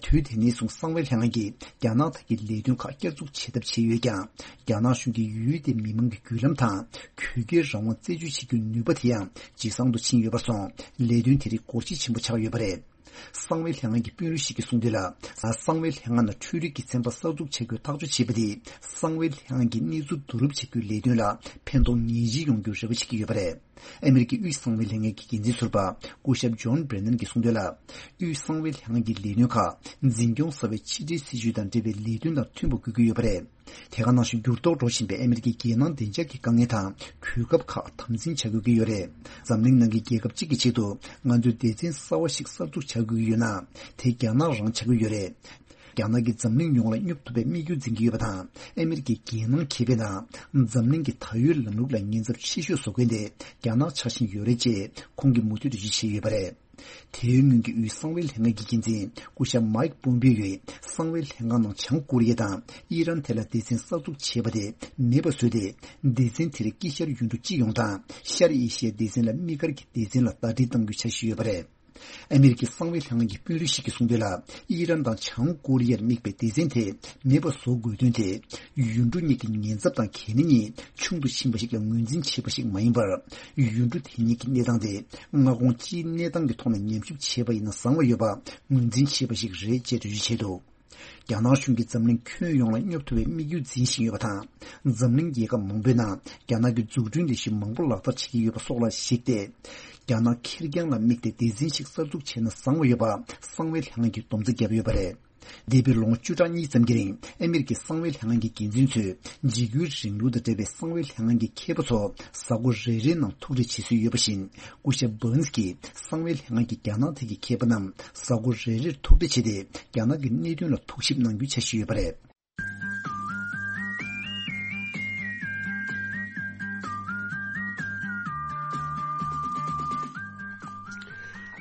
དུས་དེ་ནས་བཟུང་གསང་བའི་ལྷན་ཁང་གིས་རྒྱ་ནག་དག་གི་ལས་དོན་ཁག་བསྐྱར་འཛུགས་བྱེད་ཐབས་བྱས་ཡོད་ཀྱང་། རྒྱ་ནག་གཞུང་གིས་ཡུལ་དེའི་མི་མང་གི་བརྒྱུད་ལམ་དང་གུས་བཀུར་རང་དབང་རྩད་གཅོད་བྱེད་རྒྱུའི་ནུས་པ་དེ་ཡང་ཇེ་བཟང་དུ་ཕྱིན་ཡོད་པར་སོང་། ལས་དོན་དེ་རིགས་སྒོ་འབྱེད་ཆེན་པོ་ཆགས་ཡོད་པ་རེད། གསང་བའི་ལྷན་ཁང་གི་དཔོན་རིགས་ཤིག་གིས་གསུངས་དོན་ལ། གསང་བའི་ལྷན་ཁང་ནང་འཕྲུལ་རིག་གི་ཚན་པ་གསར་འཛུགས་བྱ་རྒྱུའི་ཐག་གཅོད་བྱས་པ་དེས་གསང་བའི་ལྷན་ཁང་གི་གནས་ཚུལ་བསྡུ་རུབ་བྱ་རྒྱུའི་ལས་དོན་ལ་ཕན་ཐོགས་ངེས་ཅན་ཡོང་རྒྱུར་རེ་བ་བྱེད་ཀྱི་ཡོད་པ་རེད། ཨ་མེ་རི་ཀའི་དབུས་གསང་བའི་ལྷན་ཁང་གི་འགན་འཛིན་ཟུར་པ་སྐུ་ཞབས་ཇོན་བྷྲེ་ནན་གྱིས་གསུངས་དོན་ལ། དབུས་གསང་བའི་ལྷན་ཁང་གི་ལས་དོན་ཁག་འཛིན་སྐྱོང་གསར་པའི་ཕྱི་འབྲེལ་སྲིད་ཇུས་དང་འབྲེལ་བའི་ལས་དོན་དང་མཐུན་པ་དགོས་ཀྱི་ཡོད་པ་རེད། དེ་ག་ནང་བཞིན་འགྱུར་ལྡོག་འགྲོ་བཞིན་པའི་ཨ་མེ་རི་ཀའི་རྒྱལ་ནང་བདེ་འཇགས་ཀྱི་དཀའ་ངལ་དང་གོ་སྐབས་ཁག་དམ་འཛིན་བྱ་དགོས་ཀྱི་ཡོད་རེད། འཛམ་གླིང་ནང་གི་རྒྱལ་ཁབ་གཅིག་གི་ཆེད་དུ་ང་ཚོས་སྡེ་ཚན་གསར་བ་ཞིག་གསར་འཛུགས་བྱ་དགོས་ཀྱི་ཡོད་ན། དེ་རྒྱ་ནག་རང་བྱ་དགོས་ཡོད་རེད། རྒྱ་ནག་གིས་འཛམ་གླིང་ཡོངས་ལ་སྙོབ་ཐུབ་པའི་དམིགས་ཡུལ་འཛིན་གྱི་ཡོད་པ་དང་། ཨ་མེ་རི་ཀའི་རྒྱལ་ནང་ཁེ་ཕན་དང་འཛམ་གླིང་གི་ད་ཡོད་ལམ་ལུགས་ལ་ཉེན་ཚབས་ཆེ་ཤོས་བཟོ་མཁན་དེ་རྒྱ་ནག་ཆགས་བཞིན་ཡོད་རེད་ཅེས་ཁོང་གིས་མུ་མཐུད་འགྲེལ་བརྗོད་བྱས་ཡོད་པ་རེད། དེའི་སྔོན་གྱི་དབུས་གསང་བའི་ལྷན་ཁང་གི་འགན་འཛིན་སྐུ་ཞབས་མའིག་པོམ་པེ་ཡོས་གསང་བའི་ལྷན་ཁང་ནང་བྱང་ཀོ་རི་ཡ་དང་ཨི་རན་ཐད་ལ་སྡེ་ཚན་གསར་འཛུགས་བྱས་པ་དེ་མེད་པ་བཟོས་ཏེ། སྡེ་ཚན་དེར་དཀྱིལ་ཤར་ཡུལ་གྲུ་གཅིག་ཡོང་དང་ཤར་ཨེ་ཤི་ཡའི་སྡེ་ཚན་ལ་དམིགས་བཀར་གྱི་སྡེ་ཚན་ལ་ཟླ་སྒྲིལ་གཏང་རྒྱུའི་འཆར་གཞི་ཡོད་པ་རེད། ཨ་མེ་རི་ཀའི་གསང་བའི་ལྷན་ཁང་གི་དཔོན་རིགས་ཤིག་གིས་གསུངས་དོན་ལ། ཨི་རན་དང་བྱང་ཀོ་རི་ཡར་དམིགས་པའི་སྡེ་ཚན་དེ་མེད་པ་བཟོ་དགོས་དོན་དེ། ཡུལ་གྲུ་གཉིས་ཀྱི་ཉེན་ཚབས་དང་གལ་གནད་གཉིས་ཆུང་དུ་ཕྱིན་པ་ཞིག་ལ་ངོས་འཛིན་བྱས་པ་ཞིག་མ་ཡིན་པར། ཡུལ་གྲུ་དེ་གཉིས་ཀྱི་གནས་སྟངས་དེ་མངའ་ཁོངས་སྤྱིའི་གནས་སྟངས་ཀྱི་ཐོག་ནས་ཉམས་ཞིབ་བྱས་པ་ཡིན་ན་བཟང་བ་ཡོད་པ་ངོས་འཛིན་བྱས་པ་ཞིག་རེད་ཅེས་འགྲེལ་བརྗོད་བྱས་འདུག་རྒྱ་ནག་གཞུང་གིས་འཛམ་གླིང་ཁྱོན་ཡོངས་ལ་སྙོབ་ཐུབ་པའི་དམིགས་ཡུལ་འཛིན་བཞིན་ཡོད་པ་དང་། འཛམ་གླིང་རྒྱལ་ཁབ་མང་པོའི་ནང་རྒྱ་ནག་གི་འཛུགས་སྐྲུན་ལས་གཞི་མང་པོ་ལག་བསྟར་བྱེད་ཀྱི་ཡོད་པ་སོགས་ལ་གཞིགས་ཏེ། རྒྱ་ནག་ཁེར་རྐྱང་ལ་དམིགས་ཏེ་སྡེ་ཚན་ཞིག་གསར་འཛུགས་བྱས་ན་བཟང་བ་ཡོད་པ་གསང་བའི་ལྷན་ཁང་གིས་སྡོམ་རྩིས་བརྒྱབ་ཡོད་པ་རེད། འདས་པའི་ལོ་ངོ་བཅུ་ཕྲག་གཉིས་ཙམ་གྱི་རིང་ཨ་མེ་རི་ཀའི་གསང་བའི་ལྷན་ཁང་གི་འགན་འཛིན་ཚོས་འཇིགས་སྐུལ་རིང་ལུགས་དང་འབྲེལ་བའི་གསང་བའི་ལྷན་ཁང་གི་མཁས་པ་ཚོ་གཟའ་འཁོར་རེ་རེའི་ནང་ཐུག་འཕྲད་བྱེད་སྲོལ་ཡོད་པ་བཞིན། སྐུ་ཞབས་Burns་གྱིས་གསང་བའི་ལྷན་ཁང་གི་རྒྱ་ནག་ཐད་ཀྱི་མཁས་པ་རྣམས་གཟའ་འཁོར་རེ་རེར་ཐུག་འཕྲད་བྱས་ཏེ། རྒྱ་ནག་གི་གནད་དོན་ལ་ཐུགས་ཞིབ་གནང་རྒྱུའི་འཆར་གཞི་ཡོད་པ་རེད།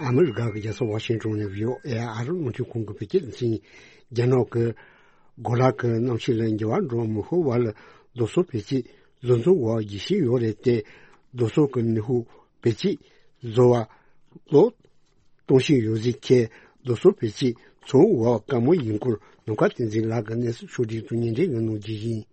ཨ་མི་རི་ཀ་གི་རྒྱལ་ས་ཝ་ཤིང་ཊོན་ནས་བྷི་ཨོ་ཨེ་ཨ་རི་རླུང་འཕྲིན་ཁང་གིས་བོད་སྐད་འཛིན། རྒྱ་ནག་གི་གོ་ལ་གི་གནམ་གཤིས་ལ་འགྱུར་བ་འགྲོ་མི་ཕོད་པ་ལ་རྡོ་སོལ་བེད་སྤྱོད་བཟོ་འཛུགས་འོག་བསྒྱུར་བཞིན་ཡོད་རེད་དེ། རྡོ་སོལ་གྱི་ནུས་ཤུགས་བེད་སྤྱོད་བཟོ་བ་ལོ་གཏོང་བཞིན་ཡོད་ཟེར་མཁན་རྡོ་སོལ་བེད་སྤྱོད་ཚོང་འོག་བཀག་མ་ཡིན་སྐོར་ནམ་མཁའ་བསྟན་འཛིན་ལགས་ཀྱིས་གནས་ཚུལ་ཕྱོགས་སྒྲིག་ཏུ་སྙན་སྒྲོན་ཡང་གནང་རྒྱུ་ཡིན།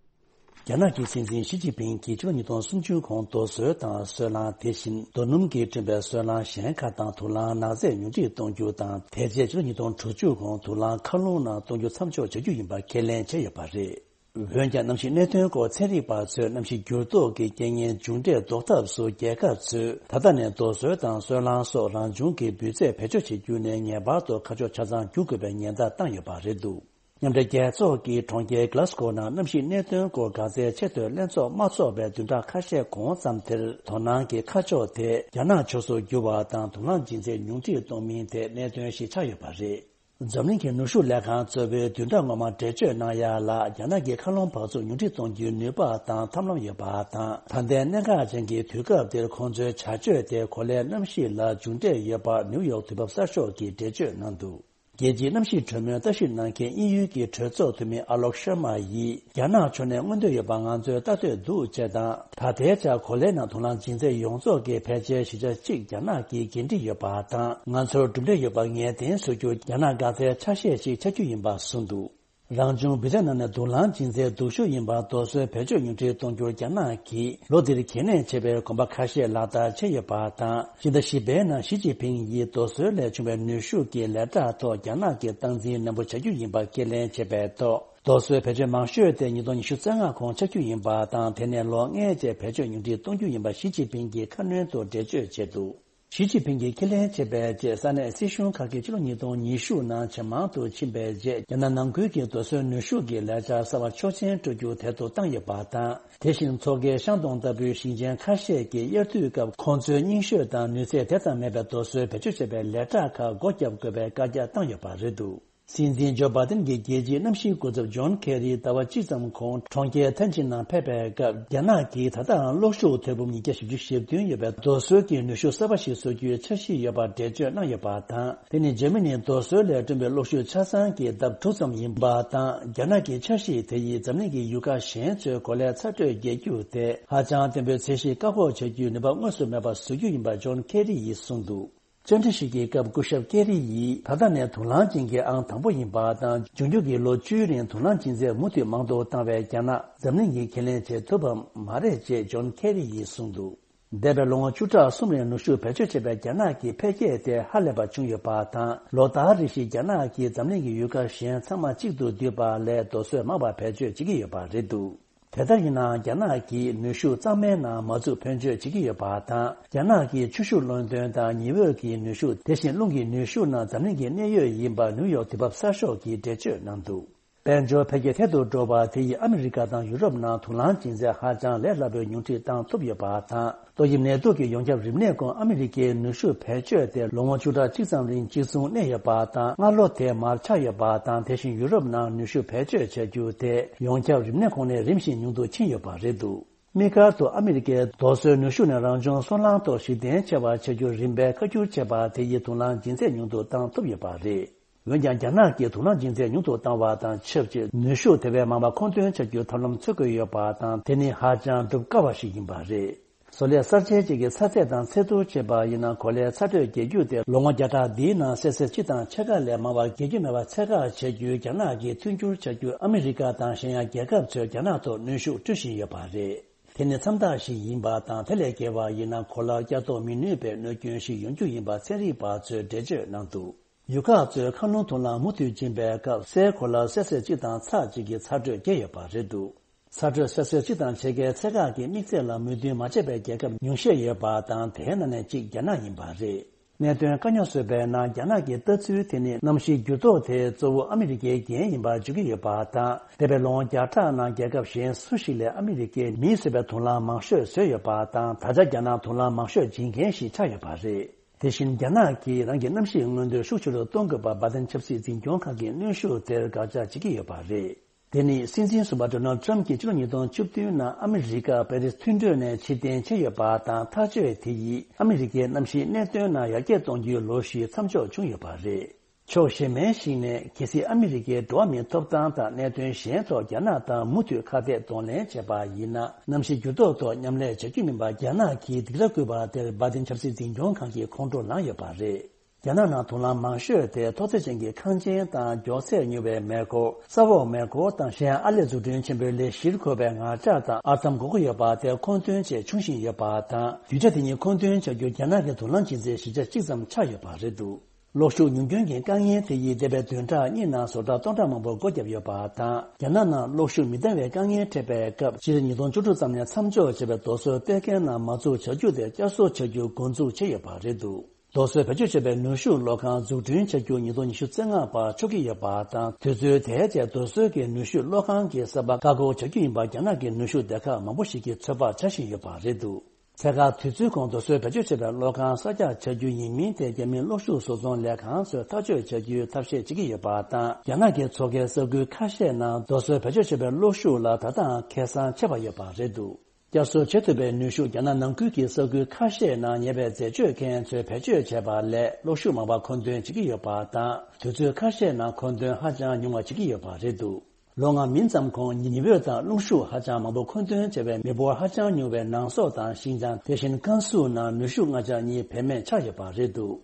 རྒྱ་ནག་གི་སྲིད་འཛིན་ཞི་ཅིན་ཕིང་གིས་ཕྱི་ལོ་ཉིས་སྟོང་སུམ་ཅུ་གོང་རྡོ་སོལ་དང་སོལ་རླངས། དེ་བཞིན་རྡོ་སྣུམ་གྱིས་བསྐྲུན་པའི་སོལ་རླངས་གཞན་ཁག་དང་དུག་རླངས་ནག་རྫས་ཉུང་འཕྲི་གཏོང་རྒྱུ་དང་། དེ་རྗེས་ཕྱི་ལོ་ཉིས་སྟོང་དྲུག་ཅུ་གོང་དུག་རླངས་མཁའ་རླུང་ནང་གཏོང་རྒྱུ་མཚམས་འཇོག་བྱ་རྒྱུ་ཡིན་པ་ཁས་ལེན་བྱས་ཡོད་པ་རེད། འོན་ཀྱང་གནམ་གཤིས་གནད་དོན་སྐོར་ཚན་རིག་པ་ཚོས་གནམ་གཤིས་འགྱུར་ལྡོག་གི་རྐྱེན་ངན་མཇུག་འབྲས་ཟློག་ཐབས་སུ་རྒྱལ་ཁབ་ཚོས་ད་ལྟ་ནས་རྡོ་སོལ་དང་སོལ་རླངས་སོགས་རང་བྱུང་གི་འབུད་རྫས་བེད་སྤྱོད་བྱེད་རྒྱུ་ནས་ངེས་པར་དུ་ཁ་ཕྱོགས་ཆ་ཚང་བསྒྱུར་དགོས་པའི་ཉེན་བརྡ་བཏང་ཡོད་པ་རེད་འདུག། མཉམ་འབྲེལ་རྒྱལ་ཚོགས་ཀྱི་གྲོང་ཁྱེར་Glasgow་ནང་གནམ་གཤིས་གནད་དོན་སྐོར་འགག་རྩའི་ཆེས་མཐོའི་ལྷན་ཚོགས་མ་འཚོགས་པའི་བདུན་ཕྲག་ཁ་ཤས་གོང་ཙམ་དེར། དོ་སྣང་གི་ཁ་ཕྱོགས་དེ་རྒྱ་ནག་ཕྱོགས་སུ་བསྒྱུར་བ་དང་། དུག་རླངས་སྦྱིན་སྲེག་ཉུང་འཕྲི་གཏོང་མིན་ཐད་གནད་དོན་ཞིག་ཆགས་ཡོད་པ་རེད། འཛམ་གླིང་གི་ནུས་ཤུགས་ལས་ཁང་གཙོ་བོའི་བདུན་ཕྲག་སྔོན་མ་འགྲེལ་བརྗོད་གནང་ཡ་ལ། རྒྱ་ནག་གིས་མཁའ་རླུང་འབག་བཙོག་ཉུང་འཕྲི་གཏོང་རྒྱུའི་ནུས་པ་དང་ཐབས་ལམ་ཡོད་པ་དང་། ད་ལྟའི་གནད་འགག་ཅན་གྱི་དུས་སྐབས་འདིར་ཁོང་ཚོའི་བྱ་སྤྱོད་དེ་གོ་ལའི་གནམ་གཤིས་ལ་མཇུག་འབྲས་ཡོད་པ་ནིའུ་ཡོག་དུས་བབ་གསར་ཤོག་གིས་འགྲེལ་བརྗོད་གནང་འདུག། རྒྱལ་སྤྱིའི་གནམ་གཤིས་གྲོས་མོལ་ལྟ་ཞིབ་གནང་མཁན་དབྱིན་ཡུལ་གྱི་གྲོས་ཚོགས་འཐུས་མི་ཨ་ལོག་ཤར་མ་ཡིས། རྒྱ་ནག་ཕྱོགས་ནས་མངོན་འདོད་ཡོད་པ་ང་ཚོས་ལྟ་འདོད་འདུག་ཅེས་དང་། ད་ལྟའི་ཆར་གོ་ལའི་ནང་དུག་རླངས་སྦྱིན་སྲེག་ཡོངས་རྫོགས་ཀྱི་ཕལ་ཆེར་བཞི་ཆ་གཅིག་རྒྱ་ནག་གིས་འགན་འཁྲི་ཡོད་པ་དང་། ང་ཚོར་གྲུབ་འབྲས་ཡོད་པ་ངེས་གཏན་བཟོ་རྒྱུར་རྒྱ་ནག་འགག་རྩའི་ཆ་ཤས་ཤིག་ཆགས་རྒྱུ་ཡིན་པ་གསུངས་འདུག། རང་བྱུང་འབུད་རྫས་ནང་ནས་དུག་རླངས་སྦྱིན་སྲེག་སྡུག་ཤོས་ཡིན་པ་རྡོ་སོལ་བེད་སྤྱོད་ཉུང་འཕྲི་གཏོང་རྒྱུར་རྒྱ་ནག་གིས་ལོ་འདིར་གལ་གནད་ཆེ་བའི་གོམ་པ་ཁ་ཤས་ལག་བསྟར་བྱས་ཡོད་པ་དང་། ཕྱི་ཟླ་བཞི་པའི་ནང་ཞི་ཅིན་ཕིང་ཡིས་རྡོ་སོལ་ལས་བྱུང་བའི་ནུས་ཤུགས་ཀྱི་ལས་གྲྭ་ཐོག་རྒྱ་ནག་གིས་སྟངས་འཛིན་ནན་པོ་བྱ་རྒྱུ་ཡིན་པ་ཁས་ལེན་བྱས་པའི་ཐོག་རྡོ་སོལ་བེད་སྤྱོད་མང་ཤོས་དེ་ཉིས་སྟོང་ཉི་ཤུ་རྩ་ལྔ་གོང་ཆགས་རྒྱུ་ཡིན་པ་དང་། དེ་ནས་ལོ་ལྔའི་རྗེས་བེད་སྤྱོད་ཉུང་འཕྲི་གཏོང་རྒྱུ་ཡིན་པ་ཞི་ཅིན་ཕིང་གིས་ཁ་སྣོན་དུ་འགྲེལ་བརྗོད་བྱས་འདུག། ཞི་ཅིན་ཕིང་གིས་ཁས་ལེན་བྱས་པའི་རྗེས། ས་གནས་སྲིད་གཞུང་ཁག་གིས་ཕྱི་ལོ་ཉིས་སྟོང་ཉི་ཤུ་ནང་ཇེ་མང་དུ་ཕྱིན་པའི་རྗེས། རྒྱ་ནག་ནང་ཁུལ་གྱི་རྡོ་སོལ་ནུས་ཤུགས་ཀྱི་ལས་འཆར་གསར་བ་ཆོག་མཆན་སྤྲོད་རྒྱུ་དལ་དུ་བཏང་ཡོད་པ་དང་། དེ་བཞིན་མཚོ་ཁའི་ཤང་ཏུང་ལྟ་བུའི་ཞིང་ཆེན་ཁ་ཤས་ཀྱིས་དབྱར་དུས་སྐབས་ཁོང་ཚོའི་རྙིང་ཤོས་དང་ནུས་ཚད་དེ་ཙམ་མེད་པའི་རྡོ་སོལ་བེད་སྤྱོད་བྱེད་པའི་ལས་གྲྭ་ཁག་སྒོ་བརྒྱབ་དགོས་པའི་བཀའ་རྒྱ་བཏང་ཡོད་པ་རེད་འདུག། སྲིད་འཛིན་ཇོ་བྷ་དན་གྱི་རྒྱལ་སྤྱིའི་གནམ་གཤིས་འགོ་ཚབ་ཇོན་ཁེ་རི་ཟླ་བ་གཅིག་ཙམ་གོང་གྲོང་ཁྱེར་ཐན་ཅིན་ནང་ཕེབས་པའི་སྐབས། རྒྱ་ནག་གིས་ད་ལྟའང་གློག་ཤུགས་ཐེར་འབུམ་ཉིས་བརྒྱ་བཞི་བཅུ་ཞེ་བདུན་ཡོད་པའི་རྡོ་སོལ་གྱི་ནུས་ཤུགས་གསར་པ་ཞིག་བཟོ་རྒྱུའི་འཆར་གཞི་ཡོད་པར་འགྲེལ་བརྗོད་གནང་ཡོད་པ་དང་། དེ་ནི་འཇར་མ་ནིའི་རྡོ་སོལ་ལས་བསྐྲུན་པའི་གློག་ཤུགས་ཆ་ཚང་གི་ལྡབ་དྲུག་ཙམ་ཡིན་པ་དང་། རྒྱ་ནག་གི་འཆར་གཞི་དེ་ཡིས་འཛམ་གླིང་གི་ཡུལ་ཁག་གཞན་ཚོའི་གོ་ལའི་ཚ་དྲོད་རྒྱས་རྒྱུ་དེ་ཧ་ཅང་བརྟན་པོའི་ཚད་གཞི་བཀག་འགོག་བྱ་རྒྱུའི་ནུས་པ་དངོས་སུ་མེད་པར་བཟོ་རྒྱུ་ཡིན་པ་ཇོན་ཁེ་རི་ཡིས་གསུངས་འདུག། བཅར་འདྲི་ཞིག་གི་སྐབས་སྐུ་ཞབས་ཀེ་རི་ཡིས། ད་ལྟ་ནས་དུག་རླངས་སྦྱིན་མཁན་ཨང་དང་པོ་ཡིན་པ་དང་། འབྱུང་འགྱུར་གྱི་ལོ་བཅུའི་རིང་དུག་རླངས་སྦྱིན་སྲེག་མུ་མཐུད་མང་དུ་བཏང་བས། རྒྱ་ནག་འཛམ་གླིང་གིས་ཁས་ལེན་བྱེད་ཐུབ་པ་མ་རེད་ཅེས་ཇོན་ཁེ་རི་ཡིས་གསུངས་འདུག། འདས་པའི་ལོ་ངོ་བཅུ་ཕྲག་གསུམ་རིང་ནུས་ཤུགས་བེད་སྤྱོད་བྱས་པའི་རྒྱ་ནག་གི་འཕེལ་རྒྱས་དེ་ཧ་ལས་པ་བྱུང་ཡོད་པ་དང་། ལོ་ལྟར་རེ་བཞིན་རྒྱ་ནག་གིས་འཛམ་གླིང་གི་ཡུལ་ཁག་གཞན་ཚང་མ་གཅིག་ཏུ་བསྡུས་པ་ལས་རྡོ་སོལ་མང་བ་བེད་སྤྱོད་བྱེད་ཀྱི་ཡོད་པ་རེད་འདུག། དེ་ལྟར་ཡིན་ནའང་། རྒྱ་ནག་གིས་ནུས་ཤུགས་གཙང་མའི་ནང་མ་འཛུགས་ཕོན་ཆེ་བྱེད་ཀྱི་ཡོད་པ་དང་། རྒྱ་ནག་གིས་ཆུ་ཤུགས་རླུང་འདོན་དང་ཉི་འོད་ཀྱི་ནུས་ཤུགས། དེ་བཞིན་རླུང་གི་ནུས་ཤུགས་ནང་འཛམ་གླིང་གི་གནད་ཡོད་ཡིན་པ་ནིའུ་ཡོག་དུས་བབ་གསར་ཤོག་གིས་འགྲེལ་བརྗོད་གནང་འདུག། དཔལ་འབྱོར་འཕེལ་རྒྱས་ཐད་དུ་འགྲོ་བ་དེ་ཡིས་ཨ་མི་རི་ཀ་དང་ཡུ་རོབ་ནང་དུག་རླངས་སྦྱིན་སྲེག་ཧ་ཅང་ལས་སླ་པོའི་ཉུང་འཕྲི་བཏང་ཐུབ་ཡོད་པ་དང་། ཏོག་དབྱིབས་ནད་དུག་གི་ཡོངས་ཁྱབ་རིམས་ནད་ཁོངས་ཨ་མི་རི་ཀའི་ནུས་ཤུགས་བེད་སྤྱོད་དེ་ལོ་ངོ་བཅུ་ཕྲག་གཅིག་ཙམ་རིང་གཅིག་མཚུངས་གནས་ཡོད་པ་དང་། སྔ་ལོ་དེ་མར་ཆག་ཡོད་པ་དང་། དེ་བཞིན་ཡུ་རོབ་ནང་ནུས་ཤུགས་བེད་སྤྱོད་བྱ་རྒྱུ་དེ་ཡོངས་ཁྱབ་རིམས་ནད་ཁོངས་ནས་རིམ་བཞིན་ཉུང་དུ་ཕྱིན་ཡོད་པ་རེད་འདུག། དམིགས་བཀར་དུ་ཨ་མི་རི་ཀས་རྡོ་སོལ་ནུས་ཤུགས་ནས་རང་བྱུང་སོལ་རླངས་ཐོག་གཞི་རྟེན་ཆེ་བ་བྱ་རྒྱུར་རིམ་པས་བཀའ་བསྒྱུར་བྱས་པ་དེ་ཡིས་དུག་རླངས་སྦྱིན་སྲེག་ཉུང་དུ་བཏང་ཐུབ་ཡོད་པ་རེད། འོན་ཀྱང་། རྒྱ་ནག་གིས་དུག་རླངས་སྦྱིན་སྲེག་ཉུང་དུ་བཏང་བ་དང་ཆབས་ཅིག་ནུས་ཤུགས་དེ་བས་མང་བ་མཁོ་འདོན་བྱ་རྒྱུའི་ཐབས་ལམ་འཚོལ་དགོས་ཡོད་པ་དང་། དེ་ནི་ཧ་ཅང་སྒྲུབ་དཀའ་བ་ཞིག་ཡིན་པ་རེད། བཟོ་ལས་གསར་བརྗེ་བཅས་ཀྱི་ཚ་ཚད་དང་ཚད་བསྡུར་བྱས་པ་ཡིན་ན། གོ་ལའི་ཚ་དྲོད་རྒྱས་རྒྱུ་དེ་ལོ་ངོ་བརྒྱ་ཕྲག་འདིའི་ནང་སེལ་སི་ཡས་གཅིག་དང་ཕྱེད་ཀ་ལས་མང་བ་རྒྱས་རྒྱུ་མེད་པ་ཚད་བཀག་བྱ་རྒྱུའི་རྒྱ་ནག་གི་མཐུན་འགྱུར་བྱ་རྒྱུར་ཨ་མི་རི་ཀ་དང་གཞན་ཡང་རྒྱལ་ཁབ་ཚོས་རྒྱ་ནག་ཐོག་གནོན་ཤུགས་སྤྲོད་བཞིན་ཡོད་པ་རེད། དེ་ནི་མཚམས་རྟགས་ཤིག་ཡིན་པ་དང་། དེ་ལས་བརྒལ་བ་ཡིན་ན། གོ་ལར་བསྐྱར་གཏོང་མི་ནུས་པའི་གནོད་སྐྱོན་ཞིག་ཡོང་རྒྱུ་ཡིན་པ་ཚན་རིག་པ་ཚོས་འགྲེལ་བརྗོད་གནང་འདུག། ཡུལ་ཁག་ཚོས་མཁའ་རླུང་དུག་རླངས་མུ་མཐུད་འབྱིན་པའི་སྐབས་སའི་གོ་ལ་སེལ་སིའུ་གཅིག་དང་ཚེག་གཅིག་གི་ཚ་དྲོད་བསྐྱེད་ཡོད་པ་རེད་འདུག་ཚ་དྲོད་སེལ་སིའུ་གཅིག་དང་ཕྱེད་ཀའི་ཚད་བཀག་གི་དམིགས་ཚད་ལ་མོས་མཐུན་མ་བྱས་པའི་རྒྱལ་ཁབ་ཉུང་ཤས་ཡོད་པ་དང་། དེའི་ནང་ནས་གཅིག་རྒྱ་ནག་ཡིན་པ་རེད། གནད་དོན་དཀའ་རྙོག་བཟོས་པའི་ནང་། རྒྱ་ནག་གི་ལྟ་ཚུལ་དེ་ནི་གནམ་གཤིས་འགྱུར་ལྡོག་དེ་གཙོ་བོ་ཨ་མི་རི་ཀའི་འགན་ཡིན་པར་བརྗོད་ཀྱི་ཡོད་པ་དང་། འདས་པའི་ལོ་ངོ་བརྒྱ་ཕྲག་ནང་རྒྱལ་ཁབ་གཞན་སུ་ཞིག་ལས་ཨ་མི་རི་ཀས་མིས་བཟོས་པའི་དུག་རླངས་མང་ཤོས་བཟོས་ཡོད་པ་དང་། ད་ཆ་རྒྱ་ནག་དུག་རླངས་མང་ཤོས་འབྱིན་མཁན་ཞིག་ཆགས་ཡོད་པ་རེད། དེ་བཞིན་རྒྱ་ནག་གིས་རང་གི་གནམ་གཤིས་མངོན་འདོད་ཤུགས་ཆེ་རུ་གཏོང་དགོས་པ་འབའ་ཏན་ཆབ་སྲིད་འཛིན་སྐྱོང་ཁང་གིས་གནོན་ཤུགས་དེར་དགག་བྱ་བྱེད་ཀྱི་ཡོད་པ་རེད། དེ་ནི་སྲིད་འཛིན་ཟུར་པ་ཌོ་ནལ་ཌི་ཊརམ་གྱིས་ཕྱི་ལོ་ཉིས་སྟོང་བཅུ་བདུན་ནང་ཨ་མི་རི་ཀ་པེ་རིས་མཐུན་གྲོས་ནས་ཕྱིར་འཐེན་བྱས་ཡོད་པ་དང་། ཐག་གཅོད་དེ་ཡིས་ཨ་མི་རི་ཀའི་གནམ་གཤིས་གནད་དོན་ནང་ཡར་རྒྱས་གཏོང་རྒྱུའི་ལོ་ཤུལ་མཚམས་འཇོག་བྱུང་ཡོད་པ་རེད། ཕྱོགས་གཞན་པའི་ཞིག་ནས། གལ་སྲིད་ཨ་མི་རི་ཀས་འགྲོ་བ་མིའི་ཐོབ་ཐང་དང་གནད་དོན་གཞན་ཐོག་རྒྱ་ནག་དང་མུ་མཐུད་ཁ་གཏད་གདོང་ལེན་བྱས་པ་ཡིན་ན། གནམ་གཤིས་འགྱུར་ལྡོག་ཐོག་མཉམ་ལས་བྱ་རྒྱུ་མིན་པར་རྒྱ་ནག་གིས་སྡིགས་ར་བསྐུལ་བ་དེར་འབའ་ཏན་ཆབ་སྲིད་འཛིན་སྐྱོང་ཁང་གིས་ཁོང་ཁྲོ་ལངས་ཡོད་པ་རེད། རྒྱ་ནག་ནང་དུག་རླངས་མང་ཤོས་དེ་མཐོ་ཚད་ཅན་གྱི་ཁང་ཆེན་དང་། མགྱོགས་ཚད་མྱུར་བའི་མེ་འཁོར། ས་འོག་མེ་འཁོར་དང་། གཞན་ཨར་ལས་འཛུགས་སྐྲུན་ཆེན་པོའི་ལས་གཞིར་གོ་བའི་ངར་ལྕགས་དང་ཨར་ཐམ་དགོས་མཁོ་ཡོད་པ་དེ་མཁོ་འདོན་བྱས་ཆུང་ཕྱིན་ཡོད་པ་དང་། རྒྱུ་ཆ་དེ་ཉིད་མཁོ་འདོན་བྱ་རྒྱུར་རྒྱ་ནག་གི་དུག་རླངས་འབྱིན་ཚད་བཞི་ཆ་གཅིག་ཙམ་ཆགས་ཡོད་པ་རེད་འདུག་གློག་ཤུགས་ཉུང་སྐྱོན་གྱི་དཀའ་ངལ་དེ་ཡིས་འདས་པའི་བདུན་ཕྲག་གཉིས་ནང་བཟོ་གྲྭ་སྟོང་ཕྲག་མང་པོ་སྒོ་བརྒྱབ་ཡོད་པ་དང་། རྒྱ་ནག་ནང་གློག་ཤུགས་མི་འདང་བའི་དཀའ་ངལ་འཕྲད་པའི་སྐབས། སྤྱི་ལོ་ཉིས་སྟོང་བཅུ་དྲུག་ཙམ་ནས་མཚམས་འཇོག་བྱས་པའི་རྡོ་སོལ་གཏེར་ཁའི་ནང་མ་འཛུགས་བྱ་རྒྱུ་དེ་བསྐྱར་གསོ་བྱ་རྒྱུ་འགོ་འཛུགས་བྱས་ཡོད་པ་རེད་འདུག་རྡོ་སོལ་བེད་སྤྱོད་བྱས་པའི་ནུས་ཤུགས་གློག་ཁང་འཛུགས་སྐྲུན་བྱ་རྒྱུ་ཉིས་སྟོང་ཉི་ཤུ་རྩ་ལྔ་བར་ཆོག་གི་ཡོད་པ་དང་། དུས་ཚོད་དེའི་རྗེས་རྡོ་སོལ་གྱི་ནུས་ཤུགས་གློག་ཁང་གི་གསར་པ་བཀག་འགོག་བྱ་རྒྱུ་ཡིན་པ་རྒྱ་ནག་གི་ནུས་ཤུགས་སྡེ་ཁག་མང་པོ་ཞིག་གིས་ཚོད་དཔག་བྱ་བཞིན་ཡོད་པ་རེད་འདུག་ཚད་བཀག་དུས་ཚོད་གོང་རྡོ་སོལ་བེད་སྤྱོད་བྱས་པའི་གློག་ཁང་གསར་རྒྱག་བྱ་རྒྱུ་ཡིན་མིན་དེ་རྒྱ་མིའི་གློག་ཤུགས་བཟོ་ཚོང་ལས་ཁང་ཚོས་ཐག་གཅོད་བྱ་རྒྱུའི་ཐབས་ཤེས་བྱེད་ཀྱི་ཡོད་པ་དང་། རྒྱ་ནག་གི་མཚོ་ཁའི་ས་ཁུལ་ཁ་ཤས་ནང་རྡོ་སོལ་བེད་སྤྱོད་བྱས་པའི་གློག་ཤུགས་ལ་ད་ལྟའང་ཁེ་བཟང་ཆེ་བ་ཡོད་པ་རེད་འདུག་བསྐྱར་གསོ་བྱེད་ཐུབ་པའི་ནུས་ཤུགས་རྒྱ་ནག་ནང་ཁུལ་གྱི་ས་ཁུལ་ཁ་ཤས་ནང་ཉེ་བའི་འཛད་སྤྱོད་མཁན་ཚོས་བེད་སྤྱོད་བྱས་པ་ལས་གློག་ཤུགས་མང་བ་མཁོ་འདོན་བྱེད་ཀྱི་ཡོད་པ་དང་། དུས་ཚོད་ཁ་ཤས་ནང་མཁོ་འདོན་ཧ་ཅང་ཉུང་བ་བྱེད་ཀྱི་ཡོད་པ་རེད་འདུག་ལོ་ལྔ་མིན་ཙམ་གོང་ཉི་འོད་དང་རླུང་ཤུགས་ཧ་ཅང་མང་པོ་མཁོ་འདོན་བྱས་པའི་མི་འབོར་ཧ་ཅང་ཉུང་བའི་ནང་སོག་དང་ཤིན་ཅང་། དེ་བཞིན་ཀན་སུའུ་ནང་ནུས་ཤུགས་ལྔ་ཆ་གཉིས་བེད་མེད་ཆགས་ཡོད་པ་རེད་འདུག་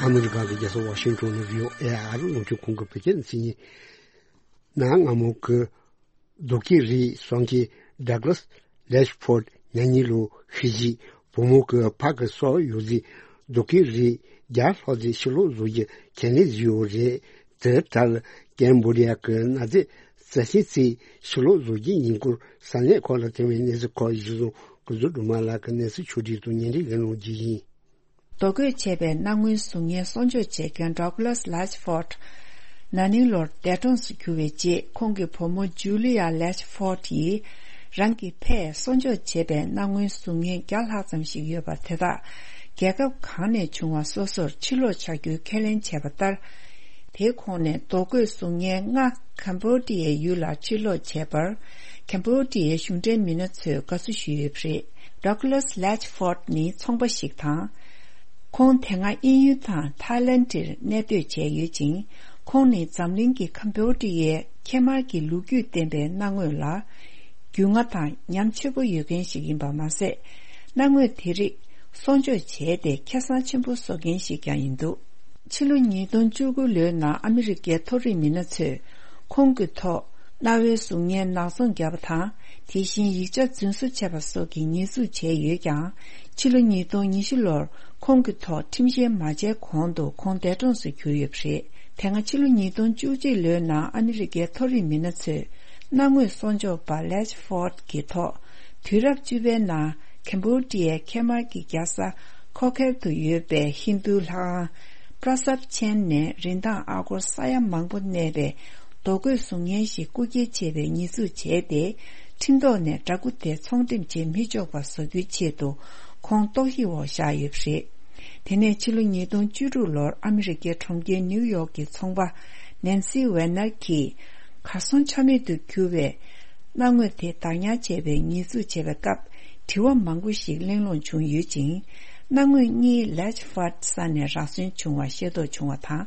ཨ་མི་རི་ཀ་གི་རྒྱལ་ས་ཝ་ཤིང་ཊོན་ནས་བྷི་ཨོ་ཨེ་ཨར་རླུང་འཕྲིན་ཁང་གི་བོད་སྐད་སྡེ་ཚན་ཡིན། གནའ་སྔ་མོ་གི་རྡོ་སྐས་རིགས་གསོ་མཁན་ཌག་ལཱས་ལེཆ་ཕོར་ཌི་ཉ་ཉི་ལོ་ཤི་རྗེས་བུ་མོ་གི་ཕ་གི་སྲོག་ཡོད་རྫས་རྡོ་སྐས་རིགས་བརྒྱ་ལྷག་ཙམ་ཕྱིར་སློག་བཟོ་རྒྱུ་ཁས་ལེན་བཟོས་ཡོད་རེད། དེ་ལྟར་ཀེམ་བྷོ་ཌི་ཡ་གི་གནའ་རྫས་རྩ་ཆེན་ཚོ་ཕྱིར་སློག་བཟོ་རྒྱུའི་ཉིན་གུང་ས་གནས་ཁག་ལ་བཏང་བའི་གནས་ཚུལ་ཁག་གཞིར་བཟུང་སྐུ་གཟུགས་སྒྲོལ་མ་ལགས་ཀྱིས་གནས་ཚུལ་ཕྱོགས་སྒྲིག་ཏུ་ཉན་རེ་ལེན་རོགས་གྱིས་ཡིན། རྡོ་བརྐོས་བྱས་པའི་སྣང་ངུའི་གཟུགས་བརྙན་གསོག་འཇོག་བྱེད་མཁན་ཌག་ལཱས་ལེཆ་ཕོར་ཌི་ན་ནིང་ལོར་འདས་གྲོངས་སུ་གྱུར་བའི་རྗེས། ཁོང་གི་བུ་མོ་ཇུ་ལི་ཡ་ལེཆ་ཕོར་ཌི་ཡིས་རང་གི་ཕས་གསོག་འཇོག་བྱས་པའི་སྣང་ངུའི་གཟུགས་བརྙན་བརྒྱ་ལྷག་ཙམ་ཞིག་ཡོད་པ་དེ་དག་རྒྱལ་ཁབ་གང་ནས་བྱུང་བ་སོ་སོར་ཕྱིར་སློག་བྱ་རྒྱུའི་ཁས་ལེན་བྱས་པ་ལྟར། དེའི་ཁོངས་ནས་རྡོ་བརྐོས་གཟུགས་བརྙན་ལྔ་ཀམ་བྷོ་ཌི་ཡའི་ཡུལ་ལ་ཕྱིར་སློག་བྱས་པར། ཀམ་བྷོ་ཌི་ཡའི་གཞུང་འབྲེལ་མི་སྣ་ཚོས་དགའ་བསུ་ཞུས་ཡོད་པ་རེད། ཌག་ལཱས་ལེཆ་ཕོར་ཌི་ནི་ཚོང་པ་ཞིག་དང་། ཁོང་དེ་སྔ་དབྱིན་ཡུལ་དང་ཐའི་ལན་ཌར་གནས་སྡོད་བྱས་ཡོད་ཅིང་། ཁོང་ནི་འཛམ་གླིང་གི་ཀམ་བྷོ་ཌི་ཡའི་ཁེ་དམར་གྱི་ལོ་རྒྱུས་ལྡན་པའི་སྣང་ངོ་ལ་རྒྱུས་མངའ་དང་ཉམས་ཆེ་པོ་ཡོད་མཁན་ཞིག་ཡིན་པ་མ་ཟད། སྣང་ངོ་དེ་རིགས་གསོག་འཇོག་བྱས་ཏེ་ཁེ་བཟང་ཆེན་པོ་བཟོ་མཁན་ཞིག་ཀྱང་ཡིན་འདུག་ཕྱི་ལོ་ཉིས་སྟོང་བཅུ་དགུ་ལོའི་ནང་ཨ་མི་རི་ཀའི་མཐོ་རིམ་མི་སྣ་ཚོས་ཁོང་གི་ཐོག་རྣ་བའི་གཟུགས་བརྙན་ནག་ཚོང་བརྒྱབ་པ་དང་། དེ་བཞིན་ཡིག་ཆ་རྫུན་བཟོ་བྱས་པ་སོགས་ཀྱི་ཉེས་འཛུགས་བྱས་ཡོད་ཀྱང་། ཕྱི་ལོ་ཉིས་སྟོང་ཉི་ཤུ་ལོར་ཁོང་གི་ཐོག་ཁྲིམས་བཤེར་མ་བྱས་གོང་དུ་ཁོང་འདས་གྲོངས་སུ་གྱུར་ཡོད་པ་རེད། དེ་སྔ་ཕྱི་ལོ་ཉིས་སྟོང་བཅུ་གཅིག་ལོའི་ནང་ཨ་མི་རི་ཀའི་མཐོ་རིམ་མི་སྣ་ཚོས་སྣང་ངོ་གསོག་འཇོག་པ་ལེཆ་ཕོར་ཌི་གི་ཐོག་དུས་རབས་བཅུ་པའི་ནང་ཀམ་བྷོ་ཌི་ཡའི་ཁེ་དམར་གྱི་རྒྱལ་ས་ཁོ་ཁེར་དུ་ཡོད་པའི་ཧིན་རྡུ་ལྷ་ཁང་པྲ་སབ་ཆེན་ནས་རིན་ཐང་ཨ་སྒོར་ས་ཡ་མང་པོ་གནས་པའི་རྡོ་བརྐོས་གཟུགས་བརྙན་ཞིག་རྐུ་འཁྱེར་བྱས་པའི་ཉེས་འཛུགས་བྱས་ཏེ། ཁྲིམས་ཐོག་ནས་འདྲ་སྐུ་དེ་ཚོང་འགྲེམས་བྱེད་མི་ཆོག་པ་བཟོ་རྒྱུའི་ཆེད་དུ་ཁོང་ལྟོགས་ཡིག་འོག་བཞག་ཡོད་པ་རེད། དེ་ནས་ཕྱི་ལོ་ཉིས་སྟོང་བཅུ་དྲུག་ལོར་ཨ་མི་རི་ཀའི་གྲོང་ཁྱེར་ནིའུ་ཡོག་གི་ཚོང་པ་ནན་སི་ཝེ་ནར་གྱིས་གར་སོང་ཆ་མེད་དུ་གྱུར་བའི་སྣང་ངོ་དེ་བདག་ཉར་བྱས་པའི་ཉེས་འཛུགས་བྱས་པའི་སྐབས། དྲི་བ་མང་པོ་ཞིག་གླེང་སློང་བྱུང་ཡོད་ཅིང་། སྣང་ངོ་གཉིས་ལེཆ་ཕོར་ཌི་ས་ནས་རག་སོན་བྱུང་བ་ཤེས་རྟོགས་བྱུང་བ་དང་།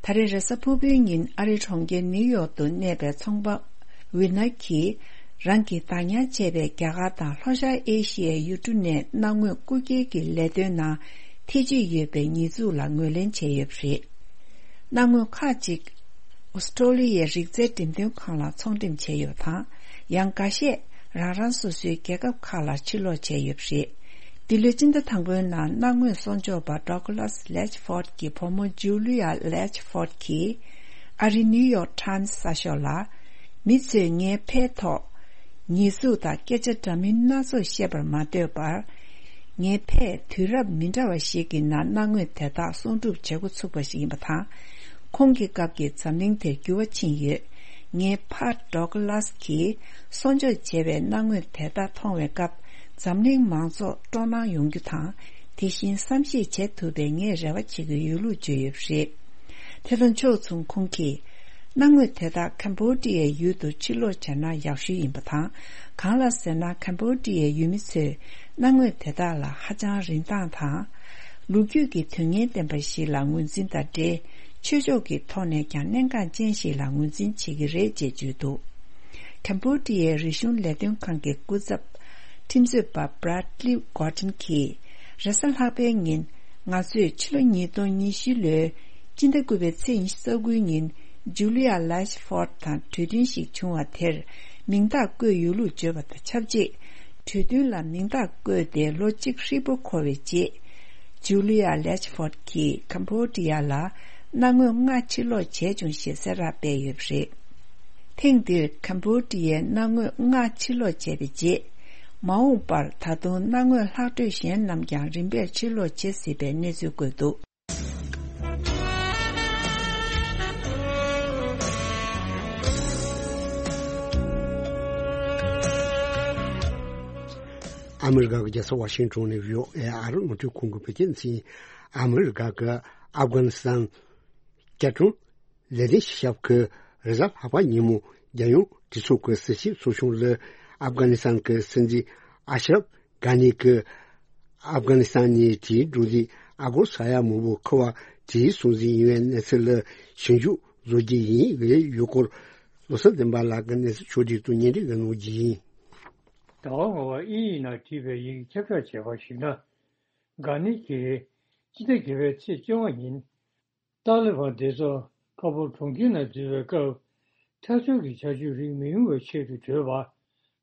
ད་རེས་རེས་གཟའ་ཕུར་བུའི་ཉིན་ཨ་རིའི་གྲོང་ཁྱེར་ནིའུ་ཡོག་ཏུ་གནས་པའི་ཚོང་པ་ཝི་ནར་གྱིས། རང་གིས་བདག་ཉར་བྱས་པའི་རྒྱ་གར་དང་ལྷོ་ཤར་ཨེ་ཤི་ཡའི་ཡུལ་གྲུ་ནས་སྣང་ངོ་རྐུ་འཁྱེར་གྱི་ལས་དོན་ནང་ཐེ་བྱུས་ཡོད་པའི་ཉེས་འཛུགས་ལ་ངོས་ལེན་བྱས་ཡོད་པ་རེད། སྣང་ངོ་ཁག་ཅིག་ཨོ་སི་ཀྲོ་ལི་ཡའི་རིག་རྩལ་འགྲེམས་སྟོན་ཁང་ལ་ཚོང་འགྲེམས་བྱས་ཡོད་པ་དང་། ཡང་འགའ་ཤས་རང་རང་སོ་སོའི་རྒྱལ་ཁབ་ཁག་ལ་ཕྱིར་ལོག་བྱས་ཡོད་པ་རེད། འདི་ལོའི་སྤྱི་ཟླ་དང་པོའི་ནང་གནའ་དངོས་གསོག་འཇོག་པ་Douglas Latchford གྱི་བུ་མོ་Julia Latchford གྱིས་ཨ་རིའི་New York Times གསར་ཤོག་ལ། མི་ཚོས་ངའི་ཕའི་ཐོག་ཉེས་འཛུགས་དང་སྐད་ཆ་འདྲ་མིན་སྣ་ཚོགས་བཤད་པར་མ་ལྟོས་པར། ངའི་ཕས་དུས་རབས་མི་འདྲ་བ་ཞིག་གི་ནང་གནའ་དངོས་དེ་དག་གསོག་སྒྲུབ་བྱེད་འགོ་ཚུགས་པ་ཞིག་ཡིན་པ་དང་། ཁོང་གི་སྐབས་ཀྱི་འཛམ་གླིང་དེར་འགྱུར་བ་ཕྱིན་ཡོད། ངའི་ཕ་Douglas གྱིས་གསོག་འཇོག་བྱས་པའི་གནའ་དངོས་དེ་དག་མཐོང་བའི་སྐབས། འཛམ་གླིང་མང་ཚོགས་སྤྲོ་སྣང་ཡོང་རྒྱུ་དང་། དེ་བཞིན་བསམ་ཤེས་བྱེད་ཐུབ་པའི་ངས་རེ་བ་བྱེད་ཀྱི་ཡོད་ལུགས་བརྗོད་ཡོད་པ་རེད། དེ་དང་ཕྱོགས་མཚུངས་ཁོང་གིས། གནའ་དངོས་དེ་དག་ཁམ་བྷོ་ཌི་ཡའི་ཡུལ་དུ་ཕྱིར་ལོག་བྱས་ན་ཡག་ཤོས་ཡིན་པ་དང་། གང་ལ་ཟེར་ན། ཁམ་བྷོ་ཌི་ཡའི་ཡུལ་མི་ཚོས་གནའ་དངོས་དེ་དག་ལ་ཧ་ཅང་རིན་ཐང་དང་། ལོ་རྒྱུས་ཀྱི་དོན་སྙིང་ལྡན་པ་ཞིག་ལ་ངོས་འཛིན་དང་འབྲེལ། ཆོས་ཕྱོགས་ཀྱི་ཐོག་ནས་ཀྱང་གནད་འགག་ཅན་ཞིག་ལ་ངོས་འཛིན་བྱེད་ཀྱི་རེད་ཅེས་བརྗོད་འདུག་ཁམ་བྷོ་ཌི་ཡའི་རིག་གཞུང་ལས་དོན་ཁང་གི་སྐུ་ཚབ། ཁྲིམས་རྩོད་པ་Bradley Gordon གྱིས། རེས་གཟའ་ལྷག་པའི་ཉིན། ང་ཚོས་ཕྱི་ལོ་ཉིས་སྟོང་ཉི་ཤུ་ལོའི་སྤྱི་ཟླ་དགུ་པའི་ཚེས་ཉི་ཤུ་རྩ་དགུའི་ཉིན། Julia Latchford དང་གྲོས་མཐུན་ཞིག་བྱུང་བ་དེར། མིང་རྟགས་བཀོད་ཡོད་ལུགས་བརྗོད་པ་དང་ཆབས་ཅིག་གྲོས་མཐུན་ལ་མིང་རྟགས་བཀོད་དེ་ལོ་གཅིག་ཧྲིལ་པོ་འཁོར་བའི་རྗེས། Julia Latchford གྱིས་ཁམ་བྷོ་ཌི་ཡ་ལ་གནའ་དངོས་ལྔ་ཕྱིར་ལོག་བྱས་བྱུང་ཞེས་གསལ་བསྒྲགས་སྤེལ་ཡོད་པ་རེད། ཐེངས་འདིར་ཁམ་བྷོ་ཌི་ཡའི་གནའ་དངོས་ལྔ་ཕྱིར་ལོག་བྱས་པའི་རྗེས། མ་འོངས་པར་ད་དུང་གནའ་དངོས་ལྷག་འཕྲོས་གཞན་རྣམས་ཀྱང་རིམ་པས་ཕྱིར་ལོག་བྱེད་སྲིད་པའི་གནས་ཚུལ་བཀོད་འདུག་ཨ་མི་རི་ཀ་གི་རྒྱལ་ས་ཝ་ཤིང་ཊོན་ནས་བྷི་ཨོ་ཨེ་ཨ་རི་རླུང་འཕྲིན་ཁང་གི་བོད་སྐད་སྡེ་ཚན། ཨ་མི་རི་ཀ་གི་ཨབ་གྷ་ནི་སི་ཐན་བསྐྱར་སྐྲུན་ལས་དོན་སྤྱི་ཁྱབ་ཀྱིས་རེས་གཟའ་ལྷག་པ་ཉིན་མོ་རྒྱལ་ཡོངས་གྲོས་ཚོགས་ཀྱི་ཟུར་བཞུགས་ཚོགས་ཆུང་ལ་ཨབ་གྷ་ནི་སི་ཐན་གྱི་སྲིད་འཛིན་ཨ་ཤ་རབ་གྷ་ནི་གྱིས་ཨབ་གྷ་ནི་སི་ཐན་ནས་དེའི་འབྲུ་རིགས་ཨ་སྒོར་ས་ཡ་མང་པོ་མཁོ་བ་དེའི་སྲུང་འཛིན་ཡིན་པའི་གནས་ཚུལ་ལ་ཞིབ་འཇུག་བཟོ་རྒྱུ་ཡིན་ངེས་ཡོད་སྐོར། ལོ་གསར་བདེན་པ་ལགས་ཀྱིས་གནས་ཚུལ་ཕྱོགས་སྒྲིག་ཏུ་སྙན་སྒྲོན་གནང་རྒྱུ་ཡིན། ཟླ་བ་ལྔ་པ་དབྱིན་ཡིག་ནང་བྲིས་པའི་ཡི་གེ་ཁྱབ་བསྒྲགས་བྱས་པར་གཞིགས་ན། གྷ་ནི་གིས་སྤྱི་ཟླ་བརྒྱད་པའི་ཚེས་བཅོ་ལྔ་ཉིན། ཏཱ་ལི་བན་སྡེ་ཚོགས་ཁ་བོར་གྲོང་ཁྱེར་ནང་འཛུལ་བའི་སྐབས། ཐག་ཆོད་ཀྱི་བྱ་སྤྱོད་རིགས་མི་ཡོང་བའི་ཆེད་དུ་བྲོས་པ།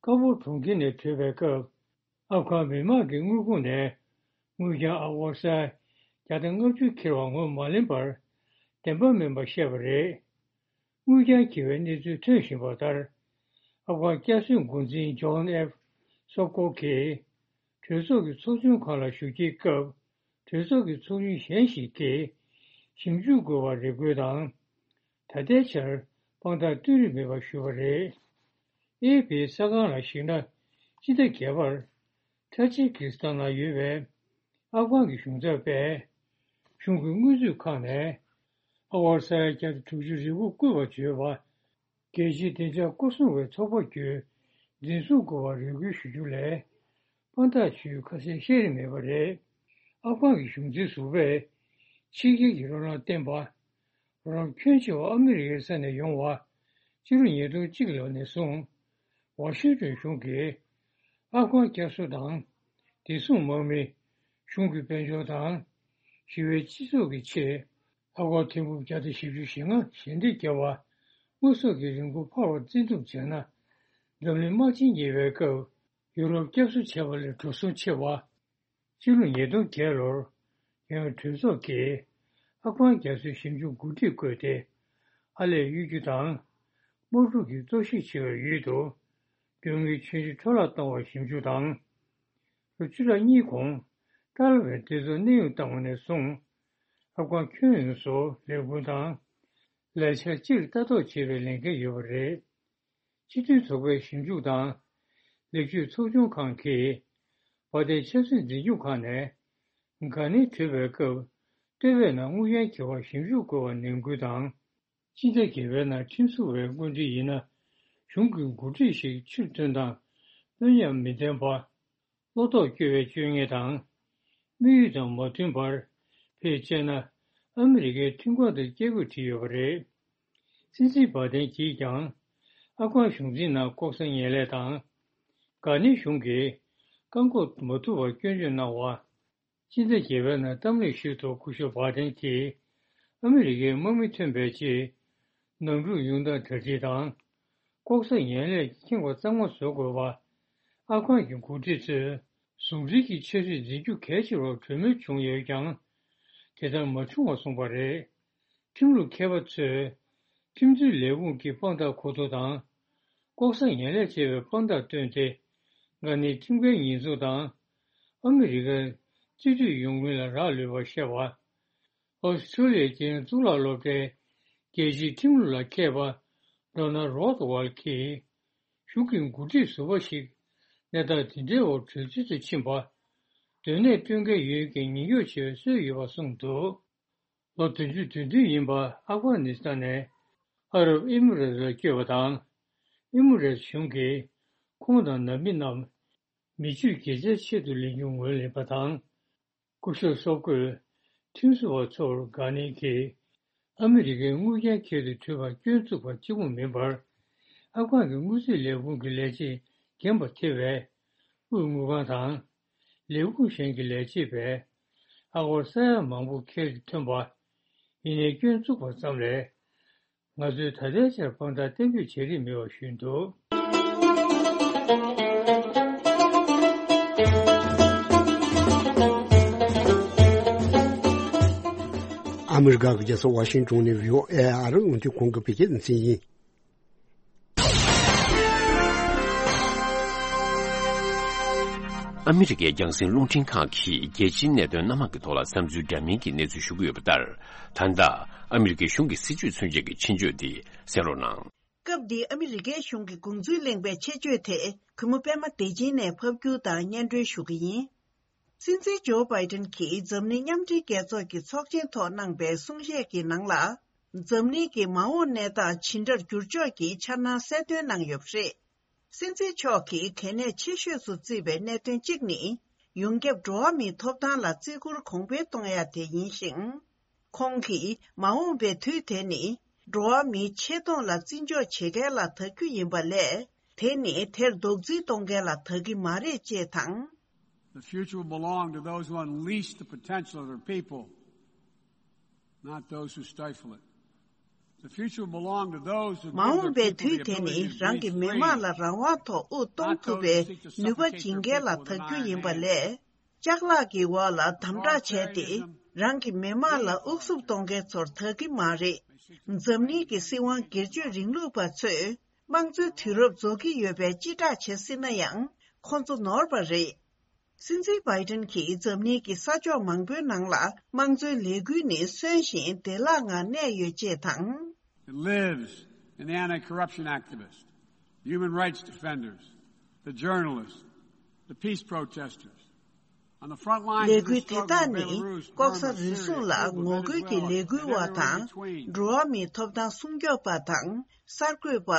ཁ་བོར་གྲོང་ཁྱེར་ནས་བྲོས་པའི་སྐབས། ཨབ་གྷན་མི་མང་གི་དངུལ་ཁང་ནས་དངུལ་རྐྱང་ཨ་སྒོར་ས་བརྒྱ་དང་ལྔ་བཅུ་འཁྱེར་བ་ངོས་མ་ལེན་པར། བདེན་པ་མིན་པ་བཤད་པ་རེད། དངུལ་རྐྱང་འཁྱེར་བའི་གནས་ཚུལ་ཐོན་བཞིན་པ་ལྟར། ཨབ་གྷན་བསྐྱར་གསོའི་འགོ་འཛིན་ཇོན་ཨེཕ་སོབ་ཀོ་གིས། གྲོས་ཚོགས་ཀྱི་ཚོགས་ཆུང་ཁག་ལ་ཞུགས་ཀྱི་སྐབས། གྲོས་ཚོགས་ཀྱི་ཚོགས་མི་གཞན་ཞིག་གིས་ཞིབ་འཇུག་དགོས་པར་རེ་སྐུལ་དང་། ད་ལྟའི་ཆར་དཔང་རྟགས་བསྟུན་རིན་མེད་པ་ཞུས་པ་རེད། ཨེ་ཨེཕ་པིའི་གསར་ཁང་ལ་གཞིགས་ན། སྤྱི་ཟླ་བརྒྱད་པར་ཐ་ཇི་ཀི་སི་ཐན་ནང་ཡོད་པའི་ཨབ་གྷན་གྱི་གཞུང་ཚབ་པས། གཞུང་གི་དངུལ་མཛོད་ཁང་ནས་ཨ་སྒོར་ས་ཡ་བརྒྱ་དང་དྲུག་ཅུ་རེ་དགུ་བརྐུས་པར་བརྗོད་པ། རྒྱལ་སྤྱིའི་བདེ་འཇགས་སྐོར་སྲུང་བའི་ཚོགས་པ་བརྒྱུད་འཛིན་བཟུང་དགོས་པར་རེ་སྐུལ་ཞུ་རྒྱུ་ལས། དཔང་རྟགས་ཞུ་ཡུལ་ཁ་གསལ་བཤད་རིན་མེད་པ་རེད། ཨབ་གྷན་གྱི་གཞུང་འཛིན་ཟུར་པས་ཕྱི་རྒྱལ་གྱི་རོགས་རམ་བརྟེན་པ། རོགས་རམ་ཁྱོན་ཆེ་བ་ཨ་མི་རི་ཀའི་ས་ནས་ཡོང་བ། ཕྱི་ལོ་ཉིས་སྟོང་གཅིག་ལོ་ནས་བཟུང་། ཝ་ཤིང་ཏོན་གཞུང་གིས་ཨབ་གྷན་བསྐྱར་གསོ་དང་། བདེ་སྲུང་དམག་མི། གཞུང་གི་དཔལ་འབྱོར་དང་། ཞི་བའི་སྤྱི་ཚོགས་ཀྱི་ཆེད། ཨ་སྒོར་ཐེར་འབུམ་བརྒྱ་དང་བཞི་བཅུ་ཞེ་ལྔ་ཞལ་འདེབས་བརྒྱབ་པ། དངོས་ཟོག་གི་རིན་གོང་འཕར་བར་བརྩི་འདུམ་བྱས་ན། འཛམ་གླིང་དམག་ཆེན་ཉེ་བའི་སྐབས། ཡུ་རོབ་བསྐྱར་གསོ་བྱས་པ་ལས་འགྲོ་སོང་ཆེ་བ། སྤྱི་ལོ་ཉིས་སྟོང་བརྒྱད་ལོར། རྒྱལ་ཡོངས་གྲོས་ཚོགས་ཀྱིས། ཨབ་གྷན་རྒྱ་མཚོའི་ཞིབ་འཇུག་འགོ་ཁྲིད་བསྐོས་ཏེ། ཨར་ལས་གཡུག་རྒྱུ་དང་། དམག་འཁྲུག་གི་གཏོར་བཤིག་ཆེ་བའི་ཡུལ་དུ། དོན་དངོས་ཆོས་བརྒྱུད་འཕྲོ་བརླག་གཏོང་བར་ཞིབ་འཇུག་དང་། ལོ་བཅུ་ཕྲག་གཉིས་གོང་། ཏཱ་ལི་བན་སྡེ་ཚོགས་གནས་དབྱུང་བཏང་བ་ནས་བཟུང་། ཨབ་གྷན་ཁྱོན་ཡོངས་སུ་ལས་འགུལ་དང་། ལས་འཆར་སྤྱིར་ལྟ་རྟོག་བྱེད་པའི་ལས་འགན་ཡོད་པ་རེད། སྤྱི་མཐུན་ཚོགས་པའི་ཞིབ་འཇུག་དང་། ལེགས་བཅོས་ཚོགས་ཆུང་ཁང་གིས། བར་བརྟན་ཆབ་སྲིད་འཛིན་སྐྱོང་ཁང་ནས། གྷ་ནི་བྲོས་པའི་སྐབས། ལྟེ་བའི་ནང་དངུལ་རྐྱང་འཁྱེར་བར་ཞིབ་འཇུག་དགོས་པར་ནན་སྐུལ་དང་། སྤྱི་ཟླ་བརྒྱད་པའི་ནང་ཁྲིམས་བཟོ་བའི་བཀོད་སྒྲིག་ཡིན་ན། གཞུང་གི་འགོ་ཁྲིད་ཞིག་ཕྱིར་ཐོན་དང་། དཔོན་ཉམས་མི་ལྡན་པ། བློ་ལྡོག་སྐྱོ་བའི་སྤྱོད་ངན་དང་། དམིགས་ཡུལ་དང་མ་མཐུན་པར། ཕལ་ཆེར་ན། ཨ་མི་རི་ཀའི་མཐུན་ཁང་དུ་སྐྱེལ་དགོས་བྲིས་ཡོད་པ་རེད། སྲིད་འཛིན་བྷ་དན་གྱིས་ཀྱང་། ཨབ་གྷན་གཞུང་འཛིན་ནང་ལྐོག་ཟ་ངན་ལས་དང་། གྷ་ནི་གཞུང་གིས། བཀག་འགོག་མ་ཐུབ་པར་སྐྱོན་བརྗོད་གནང་བ། སྤྱི་ཟླ་བརྒྱད་པའི་ནང་གཏམ་གླེང་ཞིག་ཏུ་སྐུ་ཞབས་བྷ་དན་གྱིས། ཨ་མི་རི་ཀའི་དམག་མི་ཐོན་པའི་རྗེས། ནང་འཁྲུག་ཡོང་སྟངས་གྲ་སྒྲིག་དང་། ལྐོག་ཟ་ངན་ལས་ཀྱི་ཁེངས་པ་གཙང་མ་བཟོ་དགོས་པ། ཨབ་གྷན་གྱི་འགོ་ཁྲིད་ཚོས་ཟུང་འབྲེལ་གྱི་འཆར་གཞི་འཛིན་རྒྱུ་གལ་ཆེ་བར་གྲོས་མོལ་བྱུང་ཡོད་ཀྱང་། དེ་ལྟར་མ་བྱུང་བ་གསུངས་པ་རེད། ཁྲིམས་ལུགས་མཁས་པ་ཚོས་ཁྲིམས་རྩོད་ལས་ཁུངས་ཀྱི་དཔང་རྟགས་མཁོ་འདོན་དང་། ལྐོག་ཟ་ངན་ལས་བྱས་པའི་དཔང་རྟགས་བཏོན་ཏེ། འགའ་ནི་ཁྲིམས་འགལ་ཉེས་འཛུགས་དང་། ཨ་མི་རི་ཀར་རྩིས་སྤྲོད་ཡོང་མིན་ལ་རག་ལུས་པར་བཤད་པ། ཨོ་སི་ཁྲུ་ལི་ཡའི་རྒྱལ་ཡོངས་གཙུག་ལག་སློབ་གྲྭའི་རྒྱལ་སྤྱིའི་ཁྲིམས་ལུགས་ལ་མཁས་པ་ཌོ་ནལ་རོ་ཐ་ཝལ་གྱིས། གཞུང་གི་འགོ་ཁྲིད་ཟུར་པ་ཞིག་གནས་སྟངས་དེ་འདྲའི་འོག་གྲོས་ཚུལ་དུ་ཕྱིན་པ། སྡོད་གནས་སྤྲོད་འགན་ཡོད་ཀྱང་ཉེན་སྐྱོབ་བྱེད་པའི་སྲོལ་ཡོད་པ་གསུངས་འདུག་ལོ་བདུན་ཅུ་དོན་བདུན་ཡིན་པ་ཨབ་གྷ་ནི་སི་ཐན་ནས་ཨ་རབ་ཨི་མི་རེ་ལ་བསྐྱོད་པ་དང་། ཨི་མི་རེ་གཞུང་གིས་ཁོང་དང་ནང་མི་རྣམས་མི་སྤྱོད་རྒྱལ་ཆེར་ཆེད་དུ་ལེན་རྒྱུ་ངོས་ལེན་པ་དང་། སྐུ་ཞབས་སོག་པོས་ཁྲིམས་བཟོ་བ་ཚོར་དགའ་ནན་གྱིས་ཨ་མི་རི་ཀའི་དངུལ་རྐྱང་ཁྱེར་དུ་བྲོས་པར་སྐྱོན་བཙུགས་པ་གཅིག་པུ་མིན་པར། ཨབ་གྷན་གྱི་དངུལ་རྩིས་ལས་ཁུངས་ཀྱི་ལས་བྱེད་རྒན་པ་ཐེ་བའི་དབུས་དངུལ་ཁང་དང་། ལས་ཁུངས་གཞན་གྱི་ལས་བྱེད་པས་ཨ་སྒོར་ས་ཡ་མང་པོ་ཁྱེར་དུ་ཐོན་པ། ཡིན་ནའི་སྐྱོན་བཙུགས་པ་ཙམ་ལས། ང་ཚོས་ད་ལྟའི་ཆར་དཔང་རྟགས་གཏན་འབེབས་བྱེད་རིན་མེད་པ་ཞུས་འདུག་ཨ་མི་རི་ཀ་གི་རྒྱལ་ས་ཝ་ཤིང་ཏོན་ནས་བྷི་ཨོ་ཨེ་ཨ་རི་རླུང་འཕྲིན་ཁང་གི་བོད་སྐད་སྡེ་ཚན་ཡིན། ཨ་མི་རི་ཀའི་རྒྱང་སྲིང་རླུང་འཕྲིན་ཁང་གིས་རྒྱལ་སྤྱིའི་གནད་དོན་སྣ་མང་གི་ཐོག་ལ་བསམ་ཚུལ་འདྲ་མིན་གྱི་གནས་ཚུལ་ཞུ་གི་ཡོད་པ་ལྟར། ད་ལྟ་ཨ་མི་རི་ཀའི་གཞུང་གི་སྲིད་བྱུས་མཚོན་ཆེད་ཀྱི་ཆེད་བརྗོད་འདི་གསན་རོགས་གནང་། སྐབས་འདིའི་ཨ་མི་རི་ཀའི་གཞུང་གི་དགོངས་ཚུལ་གླེང་པའི་ཆེད་བརྗོད་དེ་གུས་མོ་པད་མ་བདེ་ཆེན་ནས་ཕབ་སྒྱུར་དང་སྙན་སྒྲོན་ཞུ་གི་ཡིན། སྲིད་འཛིན་ཇོ་བྷའི་ཏན་གྱིས་འཛམ་གླིང་མཉམ་འབྲེལ་རྒྱལ་ཚོགས་ཀྱི་ཚོགས་ཆེན་ཐོག་གནང་པའི་གསུང་བཤད་ཀྱི་ནང་ལ། འཛམ་གླིང་གི་མ་འོངས་གནས་སྟངས་ཇི་འདྲར་འགྱུར་ཕྱོགས་ཀྱི་འཆར་སྣང་གསལ་སྟོན་གནང་ཡོད་པ་རེད། སྲིད་འཛིན་མཆོག་གིས་གལ་གནད་ཆེ་ཤོས་སུ་བརྩིས་པའི་གནད་དོན་གཅིག་ནི། ཡོངས་ཁྱབ་འགྲོ་བ་མིའི་ཐོབ་ཐང་ལ་བརྩི་བཀུར་གོང་འཕེལ་གཏོང་ཡ་དེ་ཡིན་ཞིང་། ཁོང་གིས་མ་འོངས་པའི་དུས་དེ་ནི། འགྲོ་བ་མིའི་ཆེ་མཐོང་ལ་བརྩི་འཇོག་བྱེད་མཁན་ལ་ཐག་རྒྱུ་ཡིན་པ་ལས། དེ་ནི་དེར་རྡོག་རྫིས་གཏོང་མཁན་ལ་ཐག་གི་མ་རེད་ཅེས་དང་། The future will belong to those who unleash the potential of their people, not those who stifle it. The future will belong to those who མ་འོངས་པའི་དུས་དེ་ནི་རང་གི་མི་དམངས་ལ་རང་དབང་ཐོག་དབུགས་གཏོང་ཐུབ་པའི་ནུས་པ་སྦྱིན་མཁན་ལ་ཐག་རྒྱུ་ཡིན་པ་ལས། ལྕགས་ལག་གི་འོག་ལ་དམ་དྲག་བྱས་ཏེ་རང་གི་མི་དམངས་ལ་དབུགས་སུབ་གཏོང་མཁན་ཚོར་ཐག་གི་མ་རེད། འཛམ་གླིང་གི་སྲིད་དབང་སྒེར་གཅོད་རིང་ལུགས་པ་ཚོས་དམངས་གཙོའི་དུས་རབས་རྫོགས་ཀྱི་ཡོད་པའི་སྤྱི་བསྒྲགས་བྱེད་སྲིད་ན་ཡང་ཁོང་ཚོ་ནོར་བ་རེད། སྲིད་འཛིན་བྷའི་ཏན་གྱིས་འཛམ་གླིང་གི་ས་ཕྱོགས་མང་པོའི་ནང་ལ་དམངས་གཙོའི་ལས་འགུལ་ནི་གསོན་ཞིང་བདེ་བླག་ངང་གནས་ཡོད་ཅེས་དང་། It lives in the anti-corruption activists, human rights defenders, the journalists, the peace protesters. On the front lines of ལས་འགུལ་དེ་དག་ནི་ལྐོག་ཟ་རུལ་སུངས་ལ་ངོ་རྒོལ་གྱི་ལས་འགུལ་བ་དང་། འགྲོ་བ་མིའི་ཐོབ་ཐང་སྲུང་སྐྱོབ་པ་དང་གསར་འགོད་པ།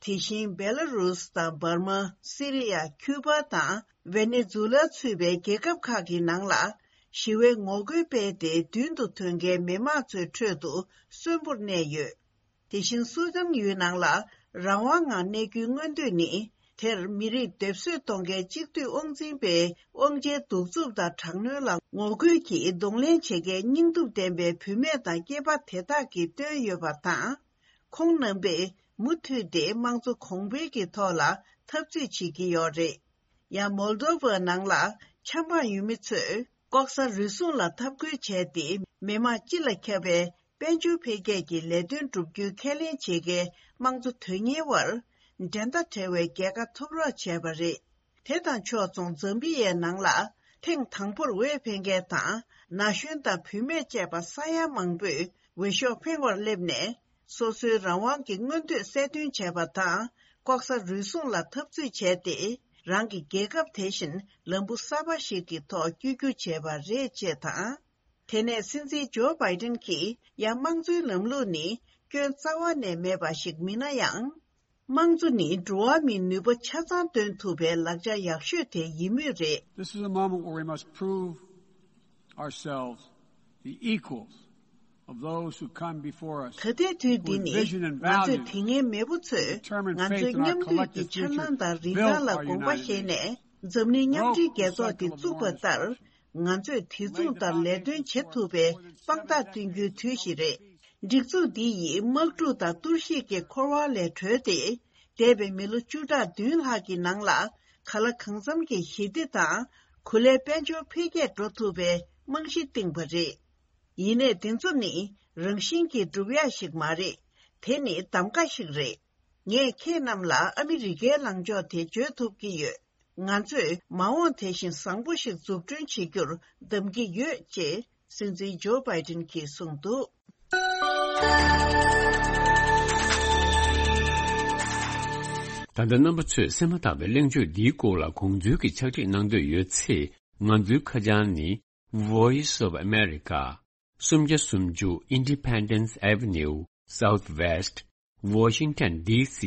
དེ་བཞིན་བེ་ལ་རུས་དང་འབར་མ། སི་རི་ཡ། ཁྱུ་པ་དང་ཝེ་ནེ་ཛུ་ལ་ཚུད་པའི་རྒྱལ་ཁབ་ཁག་གི་ནང་ལ་ཞི་བའི་ངོ་རྒོལ་སྤེལ་ཏེ་མདུན་དུ་ཐོན་མཁན་མི་མང་ཚོའི་ཁྲོད་དུ་གསོན་པོར་གནས་ཡོད། དེ་བཞིན་སུ་དཱན་ཡུལ་ནང་ལ་རང་དབང་ངང་གནས་རྒྱུའི་མངོན་འདོད་ནི། དེར་མི་རིགས་སྡེབ་གསོད་གཏོང་མཁན་གཅིག་སྡུད་དབང་འཛིན་པའི་དབང་ཆའི་གདུག་རྩུབ་དང་དྲག་གནོན་ལ་ངོ་རྒོལ་གྱིས་གདོང་ལེན་བྱེད་མཁན་སྙིང་སྟོབས་ལྡན་པའི་བུད་མེད་དང་སྐྱེས་པ་དེ་དག་གིས་བཏོན་ཡོད་པ་དང་། ཁོང་རྣམ་པས་མུ་མཐུད་དེ་དམངས་གཙོ་གོང་འཕེལ་གྱི་ཐོག་ལ་འཐབ་རྩོད་བྱེད་ཀྱི་ཡོད་རེད། ཡང་མོལ་དོ་བ་ནང་ལ་ཆབ་འབངས་ཡུལ་མི་ཚོས་ལྐོག་ཟ་རུལ་སུངས་ལ་འཐབ་རྒོལ་བྱས་ཏེ་མི་དམངས་སྤྱི་ལ་ཁྱབ་པའི་དཔལ་འབྱོར་འཕེལ་རྒྱས་ཀྱི་ལས་དོན་བསྒྲུབ་རྒྱུའི་ཁས་ལེན་བྱེད་མཁན་དམངས་གཙོ་དོན་གཉེར་བར་འགྲན་ཟླ་བྲལ་བའི་རྒྱལ་ཁ་ཐོབ་རོགས་བྱས་པ་རེད། དེ་དང་ཕྱོགས་མཚུངས་ཛམ་བི་ཡའི་ནང་ལ་ཐེངས་དང་པོར་འོས་འཕེན་མཁན་དང་ན་གཞོན་དང་བུད་མེད་བཅས་པ་ས་ཡ་མང་པོས་འོས་ཤོག་འཕེན་པར་སླེབས་ནས། སོ་སོའི་རང་དབང་གི་མངོན་འདོད་གསལ་སྟོན་བྱས་པ་དང་། ལྐོག་ཟ་རུལ་སུངས་ལ་འཐབ་རྩོད་བྱས་ཏེ། རང་གི་རྒྱལ་ཁབ་དེ་བཞིན་ལམ་བུ་གསར་པ་ཞིག་གི་ཐོག་བསྐྱོད་རྒྱུ་བྱས་པ་རེད་ཅེས་དང་། དེ་ནས་སྲིད་འཛིན་ཇོ་བྷའི་ཏན་གྱིས་ཡང་དམངས་གཙོའི་ལམ་ལུགས་ནི་སྐྱོན་རྩ་བ་ནས་མེད་པ་ཞིག་མིན་ན་ཡང་། དམངས་གཙོ་ནི་འགྲོ་བ་མིའི་ནུས་པ་ཆ་ཚང་འདོན་ཐུབ་པའི་ལག་ཆ་ཡག་ཤོས་དེ་ཡིན་མུས་རེད། This is a moment where we must prove ourselves the equals of those who come before us, ད་ལྟའི་དུས་འདི་ནི་ང་ཚོས་དེ་སྔའི་མེས་པོ་ཚོས་ང་ཚོའི་མཉམ་འདུས་ཀྱི་འཆར་སྣང་དང་རིན་ཐང་ལ་དགོངས་པ་བཞེས་ནས། འཛམ་གླིང་མཉམ་འབྲེལ་རྒྱལ་ཚོགས་འདི་བཙུགས་པ་ལྟར། ང་ཚོས་དེ་མཚུངས་ལྟར་ལས་དོན་བྱེད་ཐུབ་པའི་དཔང་རྟགས་སྟོན་རྒྱུའི་དུས་ཤིག་རེད། སྒྲིག་འཛུགས་འདི་ཡིས་དམག་འཁྲུག་དང་གཏོར་བཤིག་གི་འཁོར་བ་ལས་གྲོལ་ཏེ། འདས་པའི་མི་ལོ་བཅུ་ཕྲག་བདུན་ལྷག་གི་ནང་ལ་ག་ལ་གང་འཚམ་གྱི་ཞི་བདེ་དང་གོ་ལའི་དཔལ་འབྱོར་འཕེལ་རྒྱས་འགྲོ་ཐུབ་པའི་རྨང་གཞི་བཏིང་པ་རེད། ཡིན་ནའི་དེ་ཚོ་ནི་རང་བཞིན་གྱིས་འགྲུབ་ཡག་ཞིག་མ་རེད། དེ་ནི་གདམ་ག་ཞིག་རེད། ངས་ཁྱེད་རྣམས་ལ་ཨ་མི་རི་ཀའི་ལངས་ཕྱོགས་དེ་བརྗོད་ཐུབ་ཀྱི་ཡོད། ང་ཚོས་མ་འོངས་དེ་བཞིན་བཟང་པོ་ཞིག་འཛུགས་སྐྲུན་བྱེད་རྒྱུར་གདམ་གྱི་ཡོད་ཅེས་སྲིད་འཛིན་ཇོ་བྷའི་ཏིན་གྱིས་གསུངས་འདུག་ད་ལྟ་རྣམ་པ་ཚོས་གསན་མ་ཐག་པའི་གླེང་བརྗོད་འདིའི་སྐོར་ལ་གོང་ཚུལ་གྱི་ཕྱག་བྲིས་གནང་འདོད་ཡོད་ཚེ། ང་ཚོའི་ཁ་བྱང་ནི། Voice of America། སུམ་བརྒྱ་སུམ་ཅུ་Independence Avenue Southwest Washington D C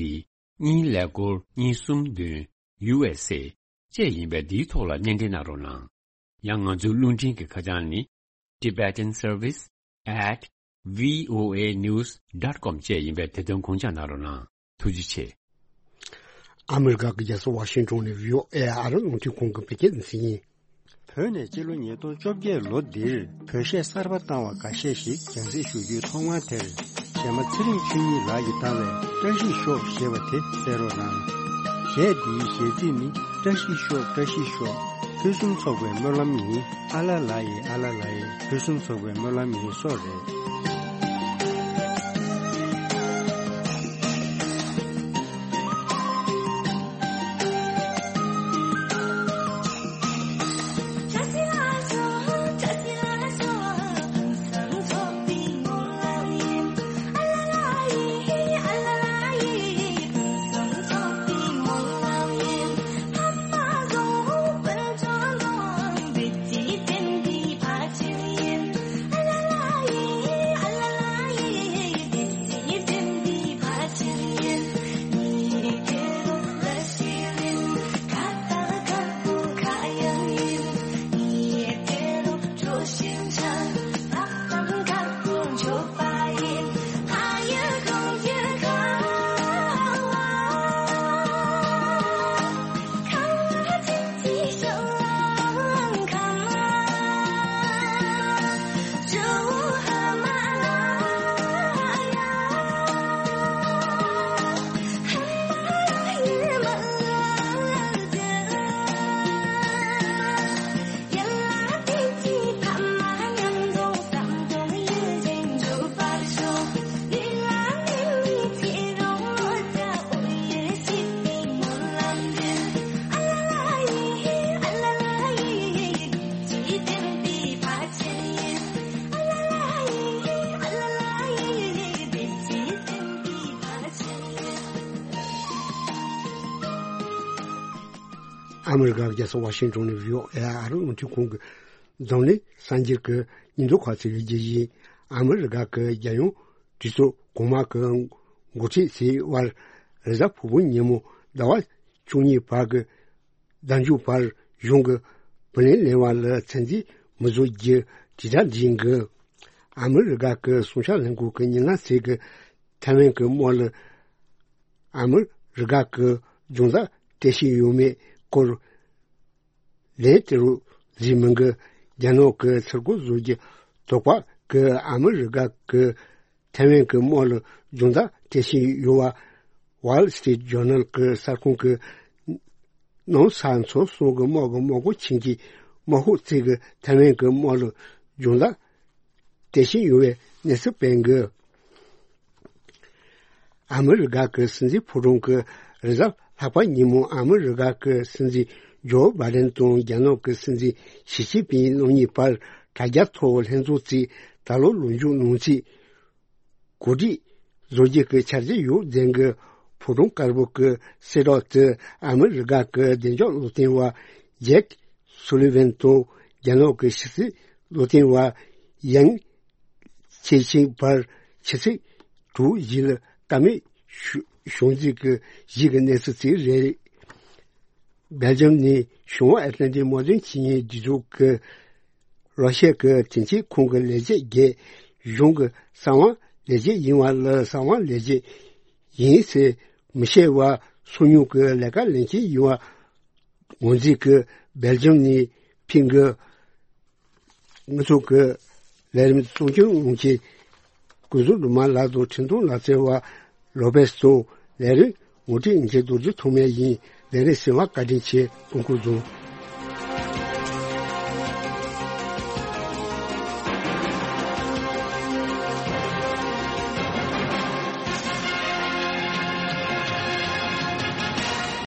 གཉིས་ཀླད་ཀོར་གཉིས་གསུམ་བདུན་U S A བཅས་ཡིན་པས། འདིའི་ཐོག་ལ་སྙན་འབྲེལ་གནང་རོགས་གནང་། ཡང་ང་ཚོའི་རླུང་འཕྲིན་གྱི་ཁ་བྱང་ནི། Tibetan Service at V O A news dot com བཅས་ཡིན་པས། དེ་དོན་དགོངས་འཇགས་གནང་རོགས་གནང་། ཐུགས་རྗེ་ཆེ། ཨ་མི་རི་ཀ་གི་རྒྱལ་ས་ཝ་ཤིང་ཏོན་ནས་V O A ཨ་རི་རླུང་འཕྲིན་ཁང་གི་བོད་སྐད་སྡེ་ཚན་ཡིན། བོད་ནས་སྤྱི་ལོ་ཉིས་སྟོང་བཅོ་བརྒྱད་ལོ་འདིར་བོད་གཞས་གསར་པ་བཏང་བ་འགའ་ཤས་ཤིག་རྒྱང་སྲིང་ཞུ་རྒྱུའི་ཐོག་མར་དེར། གཞས་མ་ཚེ་རིང་ཆོས་ཉིད་ལགས་ཀྱིས་བཏང་བའི་བཀྲ་ཤིས་ཤོག་ཞེས་པ་དེ་གསན་རོགས་གནང་། གཞས་འདིའི་གཞས་ཚིག་ནི། བཀྲ་ཤིས་ཤོག་བཀྲ་ཤིས་ཤོག་ཕུན་སུམ་ཚོགས་པའི་སྨོན་ལམ་ཡིན། ཨ་ལ་ལ་ཡེ་ཨ་ལ་ལ་ཡེ། ཕུན་སུམ་ཚོགས་པའི་སྨོན་ལམ་ཡིན་སོགས་རེད། ཨ་མི་རི་ཀ་རྒྱལ་ས་ཝ་ཤིང་ཏོན་ནས་V O A ཨ་རི་རླུང་འཕྲིན་ཁང་གི་འཛམ་གླིང་གསར་འགྱུར་གྱི་སྙིང་བསྡུས་ཁག་ཚིག་གི་རྒྱུ་ཡིན། ཨ་མི་རི་ཀ་གི་རྒྱལ་ཡོངས་གྲོས་ཚོགས་གོང་མ་གི་འགོ་ཁྲིད་ཚོའི་དབར་རེས་གཟའ་ཕུར་བུ་ཉིན་མོ་ཟླ་བ་བཅུ་གཉིས་བར་གྱི་ཟླ་མཇུག་བར་གཞུང་གི་བུ་ལོན་ལེན་པ་ལ་ཚད་འཛིན་མི་བཟོ་རྒྱུ་དྲིལ་བསྒྲགས་བྱེད་འགོ། ཨ་མི་རི་ཀ་གི་སྲུང་སྐྱོབ་ལྷན་ཁང་གི་ཉེ་ལམ་ཟུར་གྱི་ཐའེ་ཝན་གྱི་དམག་ལ་ཨ་མི་རི་ཀ་གི་སྦྱོང་བརྡར་སྤྲད་བཞིན་ཡོད་མེད་སྐོར་ལན་སྤྲད་རོགས་ཟེར་མི་འགའ་རྒྱ་ནག་གི་ཚུར་རྒོལ་བཟོ་རྒྱུ་དོགས་པ་གིས་ཨ་མི་རི་ཀ་གི་ཐའེ་ཝན་གྱི་དམག་ལ་སྦྱོང་བརྡར་སྤྲད་བཞིན་ཡོད་པ། Wall Street Journal གྱི་གསར་ཁང་གི་ནང་ས་མཚམས་གསུམ་གྱི་དམག་གི་དམག་སྒར་ཆེན་གྱི་དམག་ཤོག་ཚོས་ཀྱི་ཐའེ་ཝན་གྱི་དམག་ལ་སྦྱོང་བརྡར་སྤྲད་བཞིན་ཡོད་པའི་གནས་ཚུལ་སྤེལ་འགོ། ཨ་མི་རི་ཀ་གི་སྲིད་འཛིན་ཕོ་བྲང་གི་རེས་གཟའ་ལྷག་པ་ཉིན་མོ་ཨ་མི་རི་ཀ་གི་སྲིད་འཛིན་ཇོ་བྷའི་ཌེན་དང་རྒྱ་ནག་གི་སྲིད་འཛིན་ཞི་ཅིན་ཕིང་རྣམ་གཉིས་བར་དྲ་རྒྱ་ཐོག་ལྷན་ཚོགས་ཚོས་ད་ལོ་ལོ་མཇུག་ནང་ཚུད་གོ་སྒྲིག་བཟོ་རྒྱུ་གི་འཆར་གཞི་ཡོད་ཟེར་གི། ཕོ་བྲང་དཀར་པོ་གི་གསལ་བསྒྲགས་དེ་ཨ་མི་རི་ཀ་གི་བདེ་འཇགས་སློབ་སྟོན་པ་ཇེཀ་སུ་ལི་ཝན་དང་རྒྱ་ནག་གི་ཕྱི་སྲིད་སློབ་སྟོན་པ་ཡང་ཆེ་ཆིང་བར་ཆུ་ཚོད་དྲུག་བཞི་ལ་བལྟ་མོལ་ཞུ་ཞུ་མཛད་ཀྱི་གཞི་གི་གནས་ཚུལ་ཅིག་རེད། སྦེལ་ཇམ་ནི་བྱང་ཨེཊ་ལན་ཊིག་དམག་དོན་ཆེད་གཉེར་སྒྲིག་འཛུགས་ཀྱི་རོ་ཤི་ཡ་གི་དོན་གཅོད་ཁང་གི་ལས་བྱེད་བརྒྱད། གཞུང་གི་གསང་བ་ལས་བྱེད་ཡིན་པ་ལ་གསང་བ་ལས་བྱེད་ཡིན་ཟེར་མི་བཤད་པ། སོ་ཉུལ་གྱི་ལས་ཀ་ལེན་མཁན་ཡིན་པ་ངོས་འཛིན་གྱིས་སྦེལ་ཇམ་ནས་ཕིང་གི་དངོས་ཐོག་གི་ལས་རིམ་གཙོ་སྐྱོང་གནང་མཁན་སྐུ་ཟུར་སྒྲོལ་མ་ལགས་དང་འཕྲིན་གཏོང་ལག་རྩལ་བ་ལོ་པེས་སོགས་ལས་རིམ་ ངོ་སྤྲོད་ཡིན་མཁན་རྡོ་རྗེ་ཐོགས་མེད་ཡིན། ལས་རིམ་གསན་པར་བཀའ་དྲིན་ཆེ། སྐུ་ཁམས་བཟང་།